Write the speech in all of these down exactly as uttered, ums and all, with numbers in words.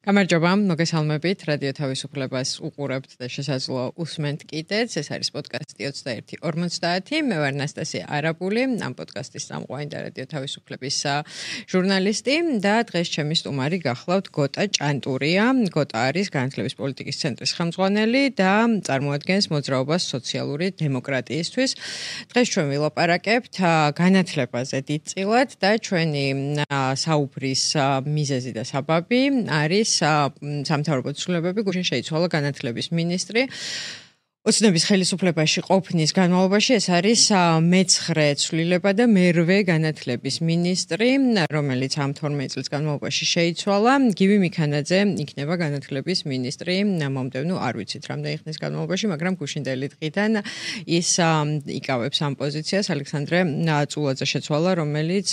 გამარჯობა, მოგესალმებით, რადიო თავისუფლებას უყურებთ და შესაძლოა უსმენთ კიდეც. ეს არის პოდკასტი ოცდაერთი ორმოცდაათი. მე ვარ ნასტასია არაბული, ამ პოდკასტის წამყვანი და რადიო თავისუფლების ჟურნალისტი და დღეს ჩემი სტუმარი გახლავთ გოტა ჭანტურია. გოტა არის განათლების პოლიტიკის ცენტრის ხელმძღვანელი და წარმოადგენს მოძრაობას სოციალური დემოკრატიისთვის. დღეს ჩვენ ვილაპარაკებთ განათლებაზე დიდწილად და ჩვენი საუბრის მიზეზი და საბაბი არის სამთავრობო ცვლილებები, გუშინ შეიცვალა განათლების მინისტრი. ოცნების ხელისუფლებაში ყოფნის განმავლობაში ეს არის მეცხრე ცვლილება და მერვე განათლების მინისტრი, რომელიც ამ თორმეტ წლის განმავლობაში შეიცვალა. გივი მიქანაძე იქნება განათლების მინისტრი მომდევნო არ ვიცით რამდენი ხნის განმავლობაში, მაგრამ გუშინდელი დღიდან ის იკავებს ამ პოზიციას. ალექსანდრე წულაძე შეცვალა, რომელიც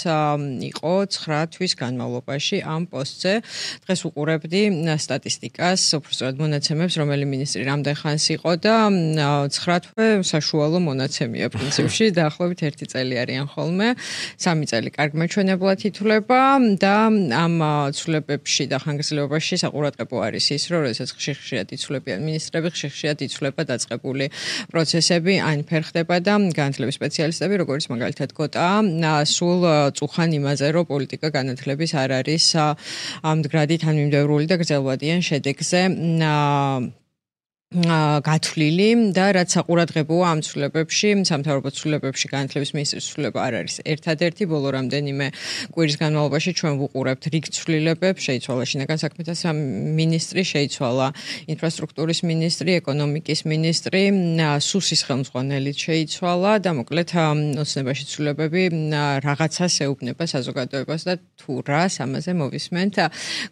იყო ცხრა თვის განმავლობაში ამ პოსტზე. დღეს უყურებდი სტატისტიკას, უბრალოდ მონაცემებს, რომელი მინისტრი რამდენ ხანს იყო და ცხრა თვე საშუალო მონაცემია პრინციპში, დაახლოებით ერთი წელი არიან ხოლმე. სამი წელი კარგ მეჩვენებლად ითვლება და ამ ცვლილებებში და ხანგრძლივობაში საყურადღებო არის ის, რომ როდესაც ხშირ-ხშირად იცვლებიან მინისტრები, ხშირ-ხშირად იცვლება დაწყებული პროცესები, ან ფერხდება და განათლების სპეციალისტები, როგორც მაგალითად გოტა, სულ წუხან იმაზე, რომ პოლიტიკა განათლების არ არის მდგრადი თანმიმდევრული და გრძელვადიან შედეგზე გათვლილი და რაც საყურადღებოა ამ ცვლილებებში, სამთავრობო ცვლილებებში განათლების მინისტრის ცვლილება არ არის ერთადერთი. ბოლო რამდენიმე კვირის განმავლობაში ჩვენ ვუყურებთ რიგ ცვლილებებს, შეიცვალა შინაგან საქმეთა მინისტრი, შეიცვალა ინფრასტრუქტურის მინისტრი, ეკონომიკის მინისტრი, სუსის ხელმძღვანელიც შეიცვალა და მოკლედ ოცნებაში ცვლილებები რაღაცას ეუბნება საზოგადოებას და თუ რას ამაზე მოვისმენთ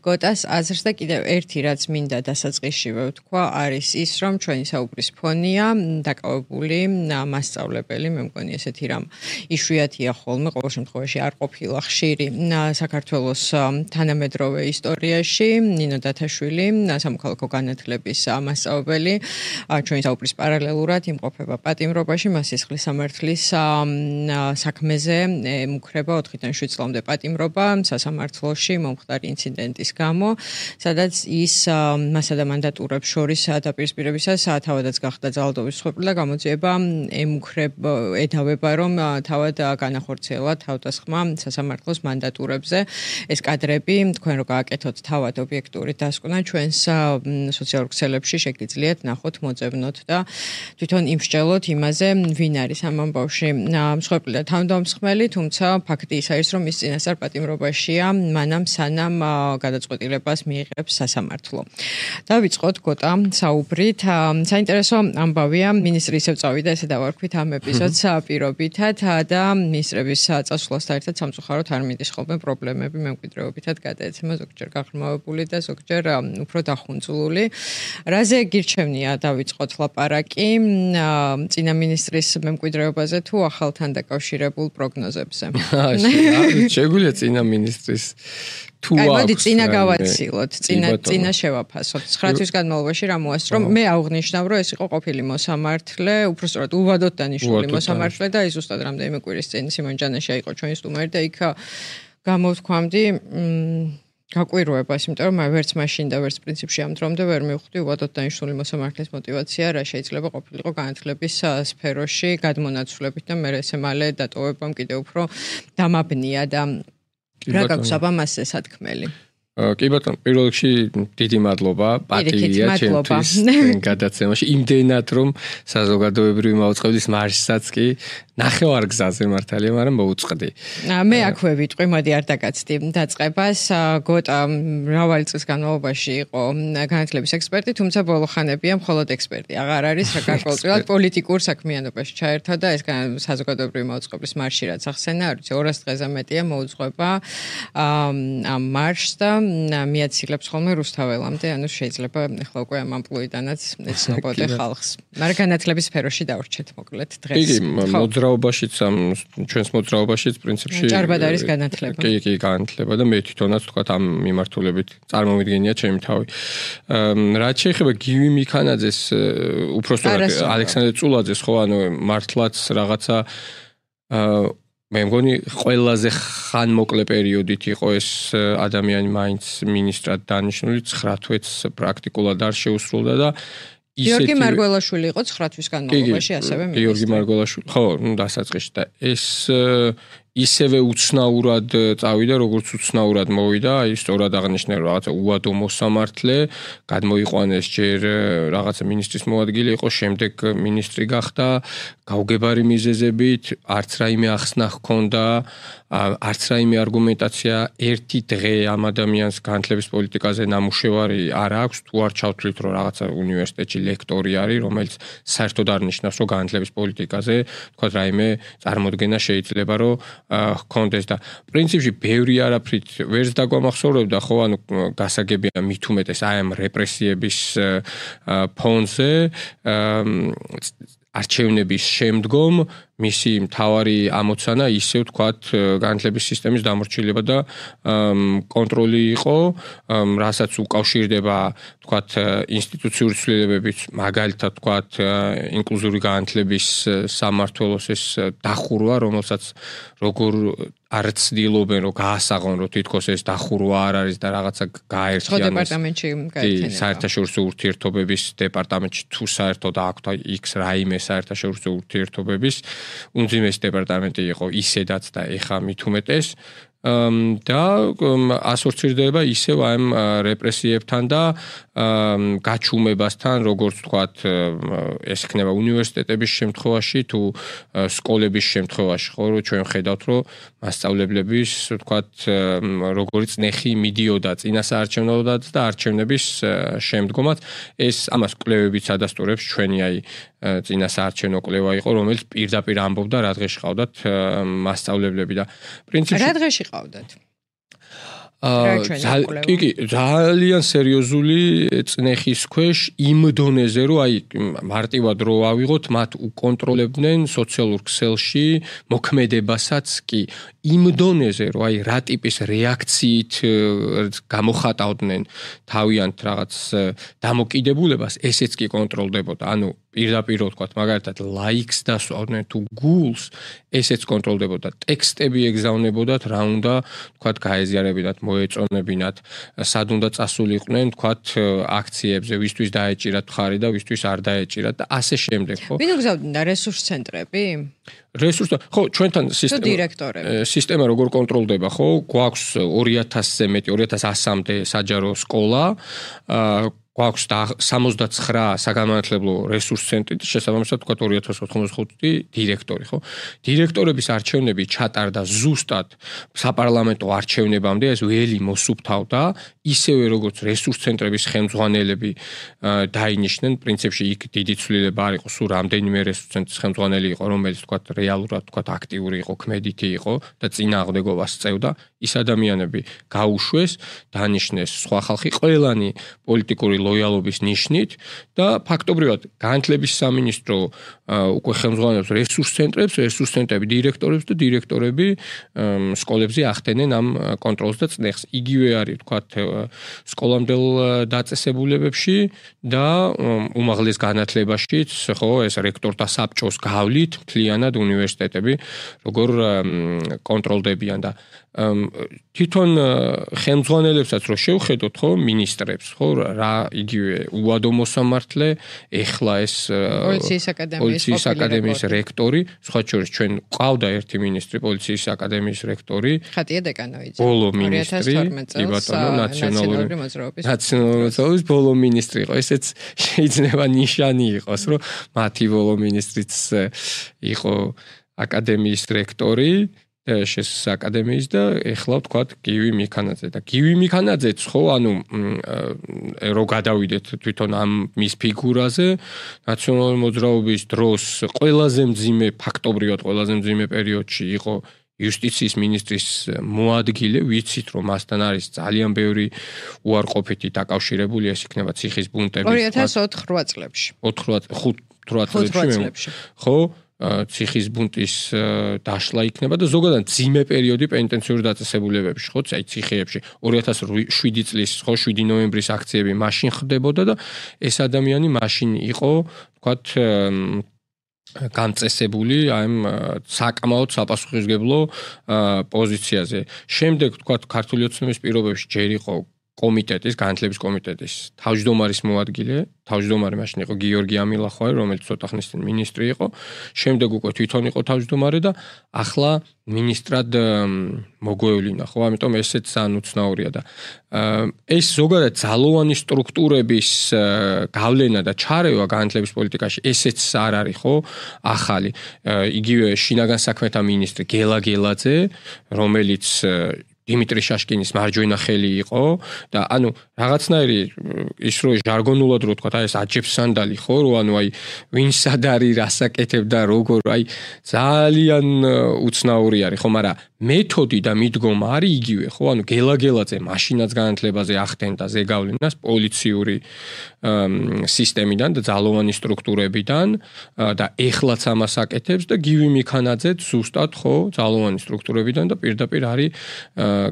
გოტას აზრს და კიდევ ერთი რაც მინდა დასაწყისშივე ვთქვა არის ის, რომ ჩვენი საუბრის ფონია დაკავებული მასწავლებელი, მე მგონი ესეთი რამ იშვიათია ხოლმე, ყოველ შემთხვევაში არ ყოფილა ხშირი საქართველოს თანამედროვე ისტორიაში. ნინო დათაშვილი, სამოქალაქო განათლების მასწავლებელი, ჩვენი საუბრის პარალელურად იმყოფება პატიმრობაში, მას სისხლის სამართლის საქმეზე ემუქრება ოთხიდან შვიდ წლამდე პატიმრობა სასამართლოში მომხდარი ინციდენტის გამო, სადაც ის მასა და მანდატურებს შორის დაპირისპირებისას თავადაც გახდა ძალადობის მსხვერპლი და გამოძიება ემუქრება ედავება, რომ თავად განახორციელა თავდასხმა სასამართლოს მანდატურებზე. ეს კადრები თქვენ რო გააკეთოთ თავად ობიექტური დასკვნა ჩვენს სოციალურ ქსელებში შეგიძლიათ ნახოთ, მოძებნოთ და თვითონ იმსჯელოთ იმაზე, ვინ არის ამ ამბავში მსხვერპლი და თავდამსხმელი, თუმცა ფაქტი ის არის, რომ ის წინასწარ პატიმრობაშია, მანამ სანამ გადაწყვეტილებას მიიღებს სასამართლო. დავიწყოთ გოტა საუბრით. საინტერესო ამბავია, მინისტრი ისევ წავიდა, ესე დავარქვით ამ ეპიზოდს პირობითად და მინისტრების წასვლასთან ერთად სამწუხაროდ არ მიდის ხოლმე პრობლემები მემკვიდრეობითად გადაეცემა, ზოგჯერ გაღრმავებული და ზოგჯერ უფრო დახუნწლული. რაზე გირჩევნია დავიწყოთ ლაპარაკი წინა მინისტრის მემკვიდრეობაზე თუ ახალთან დაკავშირებულ პროგნოზებზე? შეგვიძლია წინა მინისტრის თუ აქვს. მოდი წინა გავაცილოთ, წინა წინა შევაფასოთ. ცხრა თვის განმავლობაში რა მოასწრო? მე აღვნიშნავ, რომ ეს იყო ყოფილი მოსამართლე, უბრალოდ უბადოდ დანიშნული მოსამართლე და ის ზუსტად რამდენიმე კვირის წინ სიმონ ჯანაშია იყო ჩვენი სტუმარი და იქ გამოვთქვამდი გაკვირვებას, იმიტომ რომ ვერც მაშინ და ვერც პრინციპში ამ დრომდე ვერ მივხვდი უბადოდ დანიშნული მოსამართლის მოტივაცია, რა შეიძლება ყოფილიყო განათლების სფეროში გადმონაცვლებით და მე ესე მალე დატოვებამ კიდევ უფრო დამაბნია და რა გაქვს აბამასზე სათქმელი? კი ბატონო, პირველ რიგში დიდი მადლობა, პატივია ჩემთვის გადაცემაში. იმდენად რომ საზოგადოებრივი მაუწყებლის მარშსაც კი ნახევარ გზაზე მართალია, მაგრამ მოუწყდი. მე აქვე ვიტყვი, მოდი არ დაგაცდი დაწყებას. გოტა მრავალი წლის განმავლობაში იყო განათლების ექსპერტი, თუმცა ბოლო ხანებია მხოლოდ ექსპერტი. აღარ არის რა გარკვეულწილად პოლიტიკურ საქმიანობაში ჩაერთვა და ეს საზოგადოებრივი მაუწყებლის მარში რაც ახსენა, არ ვიცი, ორას დღეზე მეტია მოუძღვება ამ მარშს და მიაცილებს ხოლმე რუსთაველამდე, ანუ შეიძლება ახლა უკვე ამ ამპლუიდანაც ეცნობოდე ხალხს. მაგრამ განათლების სფეროში დავრჩეთ მოკლედ დღეს. კი, მოძრაობაშიც ამ ჩვენს მოძრაობაშიც პრინციპში ჭარბად არის განათლება. კი, კი, განათლება და მე თვითონაც თქვა ამ მიმართულებით წარმომიდგენია ჩემი თავი. რაც შეეხება გივი მიქანაძეს, უბრალოდ ალექსანდრე წულაძეს, ხო, ანუ მართლაც რაღაცა მე მგონი ყველაზე ხანმოკლე პერიოდით იყო ეს ადამიანი მაინც მინისტრად დანიშნული, ცხრა თვეც პრაქტიკულად არ შეუსრულდა და გიორგი მარგველაშვილი იყო ცხრა თვის განმავლობაში ასევე მინისტრი. გიორგი მარგველაშვილი, ხო, ნუ დასაწყისში და ეს ისევე უცნაურად წავიდა, როგორც უცნაურად მოვიდა, აი სწორად აღნიშნე რომ რაღაცა უადო მოსამართლე, გადმოიყვანეს ჯერ რაღაცა მინისტრის მოადგილე იყო, შემდეგ მინისტრი გახდა, გაუგებარი მიზეზებით, არც რაიმე ახსნა ჰქონდა, არც რაიმე არგუმენტაცია ერთი დღე ამ ადამიანს განათლების პოლიტიკაზე ნამუშევარი არ აქვს, თუ არ ჩავთვლით რომ რაღაცა უნივერსიტეტში ლექტორი არის, რომელიც საერთოდ არ ნიშნავს რომ განათლების პოლიტიკაზე, თქვა რაიმე წარმოდგენა შეიძლება რომ ჰქონდეს და პრინციპში ბევრი არაფრით ვერც დაგვამახსოვრებდა ხო ანუ გასაგებია მით უმეტეს აი ამ რეპრესიების ფონზე არჩევნების შემდგომ მისი მთავარი ამოცანა ისევ თქვათ განათლების სისტემის დამორჩილება და კონტროლი იყო, რასაც უკავშირდება თქვათ ინსტიტუციური ცვლილებებით, მაგალითად თქვათ ინკლუზიური განათლების სამმართველოს ეს დახურვა, რომელსაც როგორ არ ცდილობენ რომ გაასაღონ რომ თითქოს ეს დახურვა არ არის და რაღაცა გააერთიანოს დეპარტამენტში გაერთიანება. საერთაშორისო ურთიერთობების დეპარტამენტში თუ საერთოდ აქვთ X რაიმე საერთაშორისო ურთიერთობების უმძიმესი დეპარტამენტი იყო ისედაც და ეხა მით უმეტეს და ასოცირდება ისევ ამ რეპრესიებთან და გაჩუმებასთან, როგორც თქვათ, ეს იქნება უნივერსიტეტების შემთხვევაში თუ სკოლების შემთხვევაში, ხო, რომ ჩვენ ხედავთ, რომ მასწავლებლების, თქვათ, როგორი წნეხი მიდიოდა წინასაარჩევნოდაც და არჩევნების შემდგომაც, ეს ამას კვლევებიც ადასტურებს ჩვენი აი წინასაარჩევნო კვლევა იყო, რომელიც პირდაპირ ამბობდა რა დღეში ყავდათ მასწავლებლები და პრინციპში რა დღეში ყავდათ? კი კი ძალიან სერიოზული წნეხის ქვეშ იმ დონეზე რომ აი მარტივად რო ავიღოთ მათ უკონტროლებდნენ სოციალურ ქსელში მოქმედებასაც კი იმ დონეზე რომ აი რა ტიპის რეაქციით გამოხატავდნენ თავიანთ რაღაც დამოკიდებულებას ესეც კი კონტროლდებოდა ანუ პირდაპირ ვთქვათ მაგალითად ლაიქს დასვავდნენ თუ გულს ესეც კონტროლდებოდა ტექსტები ეგზავნებოდათ რა უნდა ვთქვათ გაეზიარებინათ მოეწონებინათ სად უნდა წასულიყვნენ ვთქვათ აქციებზე ვისთვის დაეჭირათ მხარი და ვისთვის არ დაეჭირათ და ასე შემდეგ ხო ვინ უგზავნიდა რესურს ცენტრები რესურს ხო ჩვენთან სისტემა სისტემა როგორ კონტროლდება ხო გვაქვს ორი ათასზე მეტი ორი ათას ასამდე საჯარო სკოლა გვაქვს სამოცდაცხრა საგანმანათლებლო რესურს ცენტრი და შესაბამისად თქვა ორი ათას ოთხმოცდახუთი დირექტორი ხო დირექტორების არჩევნები ჩატარდა ზუსტად საპარლამენტო არჩევნებამდე ეს ველი მოსუფთავდა ისევე როგორც რესურს ცენტრების ხელმძღვანელები დაინიშნენ პრინციპში იქ დიდი ცვლილება არ იყო სულ რამდენიმე რესურს ცენტრის ხელმძღვანელი იყო რომელიც თქვა რეალურად თქვა აქტიური იყო ქმედითი იყო და წინააღმდეგობას წევდა ის ადამიანები გაუშვეს დანიშნეს სხვა ხალხი ყველანი პოლიტიკური ლოიალობის ნიშნით და ფაქტობრივად განათლების სამინისტრო უკვე ხელმძღვანელობს რესურს ცენტრებს, რესურს ცენტრები დირექტორებს და დირექტორები სკოლებზე ახდენენ ამ კონტროლს და წნეხს. იგივე არის თქვათ სკოლამდელ დაწესებულებებში და უმაღლეს განათლებაშიც, ხო, ეს რექტორთა საბჭოს გავლით მთლიანად უნივერსიტეტები როგორ კონტროლდებიან და თვითონ ხელმძღვანელებსაც რო შევხედოთ ხო მინისტრებს ხო რა იგივე უადო მოსამართლე ეხლა ეს პოლიციის აკადემიის პოლიციის აკადემიის რექტორი სხვა შორის ჩვენ ყავდა ერთი მინისტრი პოლიციის აკადემიის რექტორი ხატია დეკანოიძე ბოლო მინისტრი კი ბატონო ნაციონალური მოძრაობის ნაციონალური მოძრაობის ბოლო მინისტრი იყო ესეც შეიძლება ნიშანი იყოს რომ მათი ბოლო მინისტრიც იყო აკადემიის რექტორი შეს აკადემიის და ეხლა ვთქვათ გივი მიქანაძე და გივი მიქანაძეც ხო ანუ რო გადავიდეთ თვითონ ამ მის ფიგურაზე ნაციონალური მოძრაობის დროს ყველაზე მძიმე ფაქტობრივად ყველაზე მძიმე პერიოდში იყო იუსტიციის მინისტრის მოადგილე ვიცით რომ მასთან არის ძალიან ბევრი უარყოფითი დაკავშირებული ეს იქნება ციხის ბუნტები ორი ათას ოთხ-რვა წლებში ოთხ-რვა წლებში ხო ციხის ბუნტის დაშლა იქნება და ზოგადად ძიმე პერიოდი პენიტენციური დაწესებულებებში, ხო, აი ციხეებში ორი ათას შვიდი წლის, ხო, შვიდი ნოემბრის აქციები მაშინ ხდებოდა და ეს ადამიანი მაშინ იყო, ვთქვათ, განწესებული აი ამ საკმაოდ საპასუხისმგებლო პოზიციაზე. შემდეგ თქვა ქართული ოცნების პირობებში ჯერ იყო კომიტეტის, განათლების კომიტეტის თავმჯდომარის მოადგილე, თავმჯდომარე მაშინ იყო გიორგი ამილახვარი, რომელიც ცოტა ხნის წინ მინისტრი იყო. შემდეგ უკვე თვითონ იყო თავმჯდომარე და ახლა მინისტრად მოგვევლინა, ხო? ამიტომ ესეც ძალიან უცნაურია და ეს ზოგადად ძალოვანი სტრუქტურების გავლენა და ჩარევა განათლების პოლიტიკაში ესეც არ არის, ხო? ახალი. იგივე შინაგან საქმეთა მინისტრი გელა გელაძე, რომელიც დიმიტრი შაშკინის მარჯვენა ხელი იყო და ანუ რაღაცნაირი ის რო ჟარგონულად რო თქვა აი ეს აჯებსანდალი ხო რო ანუ აი ვინ სად არის რასაკეთებდა როგორ აი ძალიან უცნაური არის ხო მაგრამ მეთოდი და მიდგომა არის იგივე ხო ანუ გელაგელაძე მაშინაც განათლებაზე ახდენდა ზეგავლენას პოლიციური სისტემიდან და ძალოვანი სტრუქტურებიდან და ეხლაც ამას აკეთებს და გივი მიქანაძეც ზუსტად ხო ძალოვანი სტრუქტურებიდან და პირდაპირ არის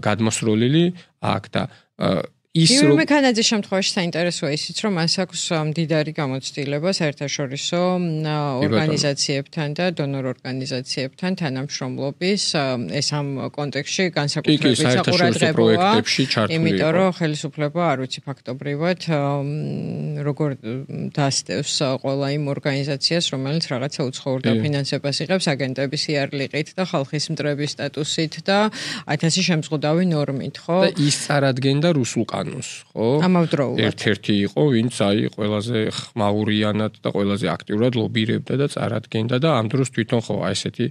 გადმოსროლილი აქ და ის რომ მექანიზმის შემთხვევაში საინტერესოა ისიც რომ მას აქვს მდიდარი გამოცდილება საერთაშორისო ორგანიზაციებთან და დონორ ორგანიზაციებთან თანამშრომლობის ეს ამ კონტექსტში განსაკუთრებით საყურადღებოა იმიტომ რომ ხელისუფლება არ ვიცი ფაქტობრივად როგორ დასდევს ყველა იმ ორგანიზაციას რომელიც რაღაცა უცხოურ დაფინანსებას იღებს აგენტების იარლიყით და ხალხის მტრების სტატუსით და ათასი შემზღუდავი ნორმით ხო და ის წარადგენდა რუსულ ხო? ამავდროულად. ერთ-ერთი იყო, ვინც აი ყველაზე ხმაურიანად და ყველაზე აქტიურად ლობირებდა და წარადგენდა და ამ დროს თვითონ ხო აი ესეთი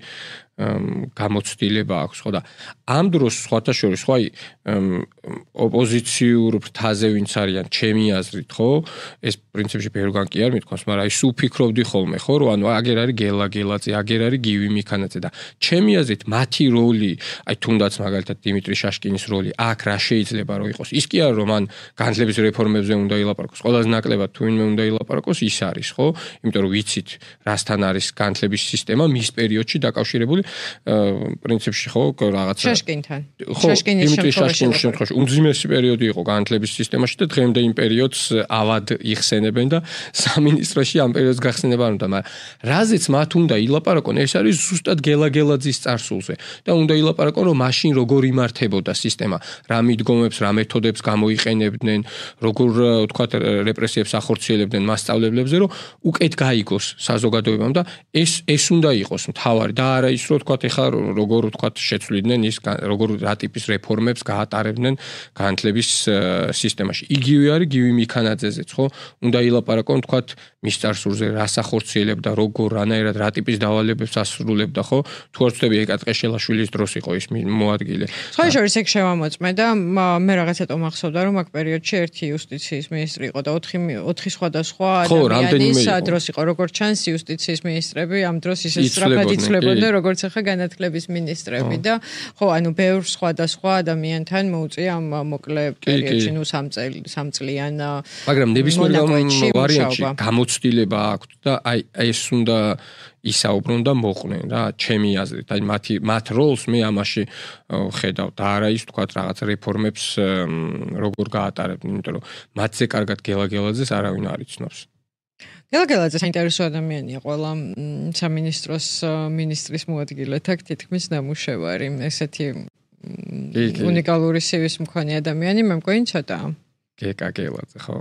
გამოცდილება აქვს, ხო და ამ დროს სხვათა შორის ხო აი ოპოზიციურ ფრთაზე ვინც არიან ჩემი აზრით, ხო? ეს პრინციპში ბევრგან კი არ მithქვას, მაგრამ აი სულ ფიქრობდი ხოლმე, ხო, რომ ანუ აგერ არის გელა გელაძე, აგერ არის გივი მიქანაძე და ჩემი აზრით მათი როლი, აი თუნდაც მაგალითად დიმიტრი შაშკინის როლი აქ რა შეიძლება რომ იყოს. ის კი არა რომ ან განათლების რეფორმებზე უნდა ილაპარაკოს, ყველაზე ნაკლებად თუ ვინმე უნდა ილაპარაკოს, ის არის, ხო? იმიტომ რომ ვიცით, რასთან არის განათლების სისტემა მის პერიოდში დაკავშირებული პრინციპში ხო რაღაცა შაშკინთან. შაშკინის შემთხვევაში უმძიმესი პერიოდი იყო განათლების სისტემაში და დღემდე იმ პერიოდს ავად იხსენებენ და სამინისტროში ამ პერიოდს გახსენება არ უნდა, მაგრამ რაზეც მათ უნდა ილაპარაკონ, ეს არის ზუსტად გელაგელაძის წარსულზე და უნდა ილაპარაკონ რომ მაშინ როგორ იმართებოდა სისტემა, რა მიდგომებს, რა მეთოდებს გამოიყენებდნენ, როგორ ვთქვათ რეპრესიებს ახორციელებდნენ მასწავლებლებზე, რომ უკეთ გაიგოს საზოგადოებამ და ეს ეს უნდა იყოს მთავარი და არა ის რომ ვთქვათ ეხლა როგორ ვთქვათ შეცვლიდნენ ის როგორ რა ტიპის რეფორმებს გაატარებდნენ განათლების სისტემაში. იგივე არის გივი მიქანაძეზეც, ხო? უნდა ილაპარაკონ ვთქვათ მის წარსულზე, რას ახორციელებდა, როგორ, რანაირად, რა ტიპის დავალებებს ასრულებდა, ხო? თუ არ ვწდები ეკატყეშელაშვილის დროს იყო ის მოადგილე. სხვა შორის ეგ შევამოწმე და მე რაღაცა მახსოვდა რომ აქ პერიოდში ერთი იუსტიციის მინისტრი იყო და ოთხი ოთხი სხვადასხვა ადამიანის დროს იყო, როგორც ჩანს იუსტიციის მინისტრები ამ დროს ისე სწრაფად იცვლებოდნენ, როგორც ახლა განათლების მინისტრები და ხო, ანუ ბევრ სხვადასხვა ადამიანთან მოუწია ამ მოკლე პერიოდში, ნუ სამ წლიან მაგრამ ნებისმიერ ვარიანტში გამოცდილება აქვს და აი ეს უნდა ისაუბრონ და მოყვნენ რა, ჩემი აზრით. აი მათი მათ როლს მე ამაში ხედავ და არა ის თქვათ რაღაც რეფორმებს როგორ გაატარებდნენ, იმიტომ რომ მათზე კარგად გელაგელაძეს არავინ არ იცნობს. გელაგელაძე საინტერესო ადამიანია ყველა სამინისტროს მინისტრის მოადგილედ აქ თითქმის ნამუშევარი. ესეთი უნიკალური სივის მქონე ადამიანი მე მგონი ცოტაა. გეკაგელაძე ხო?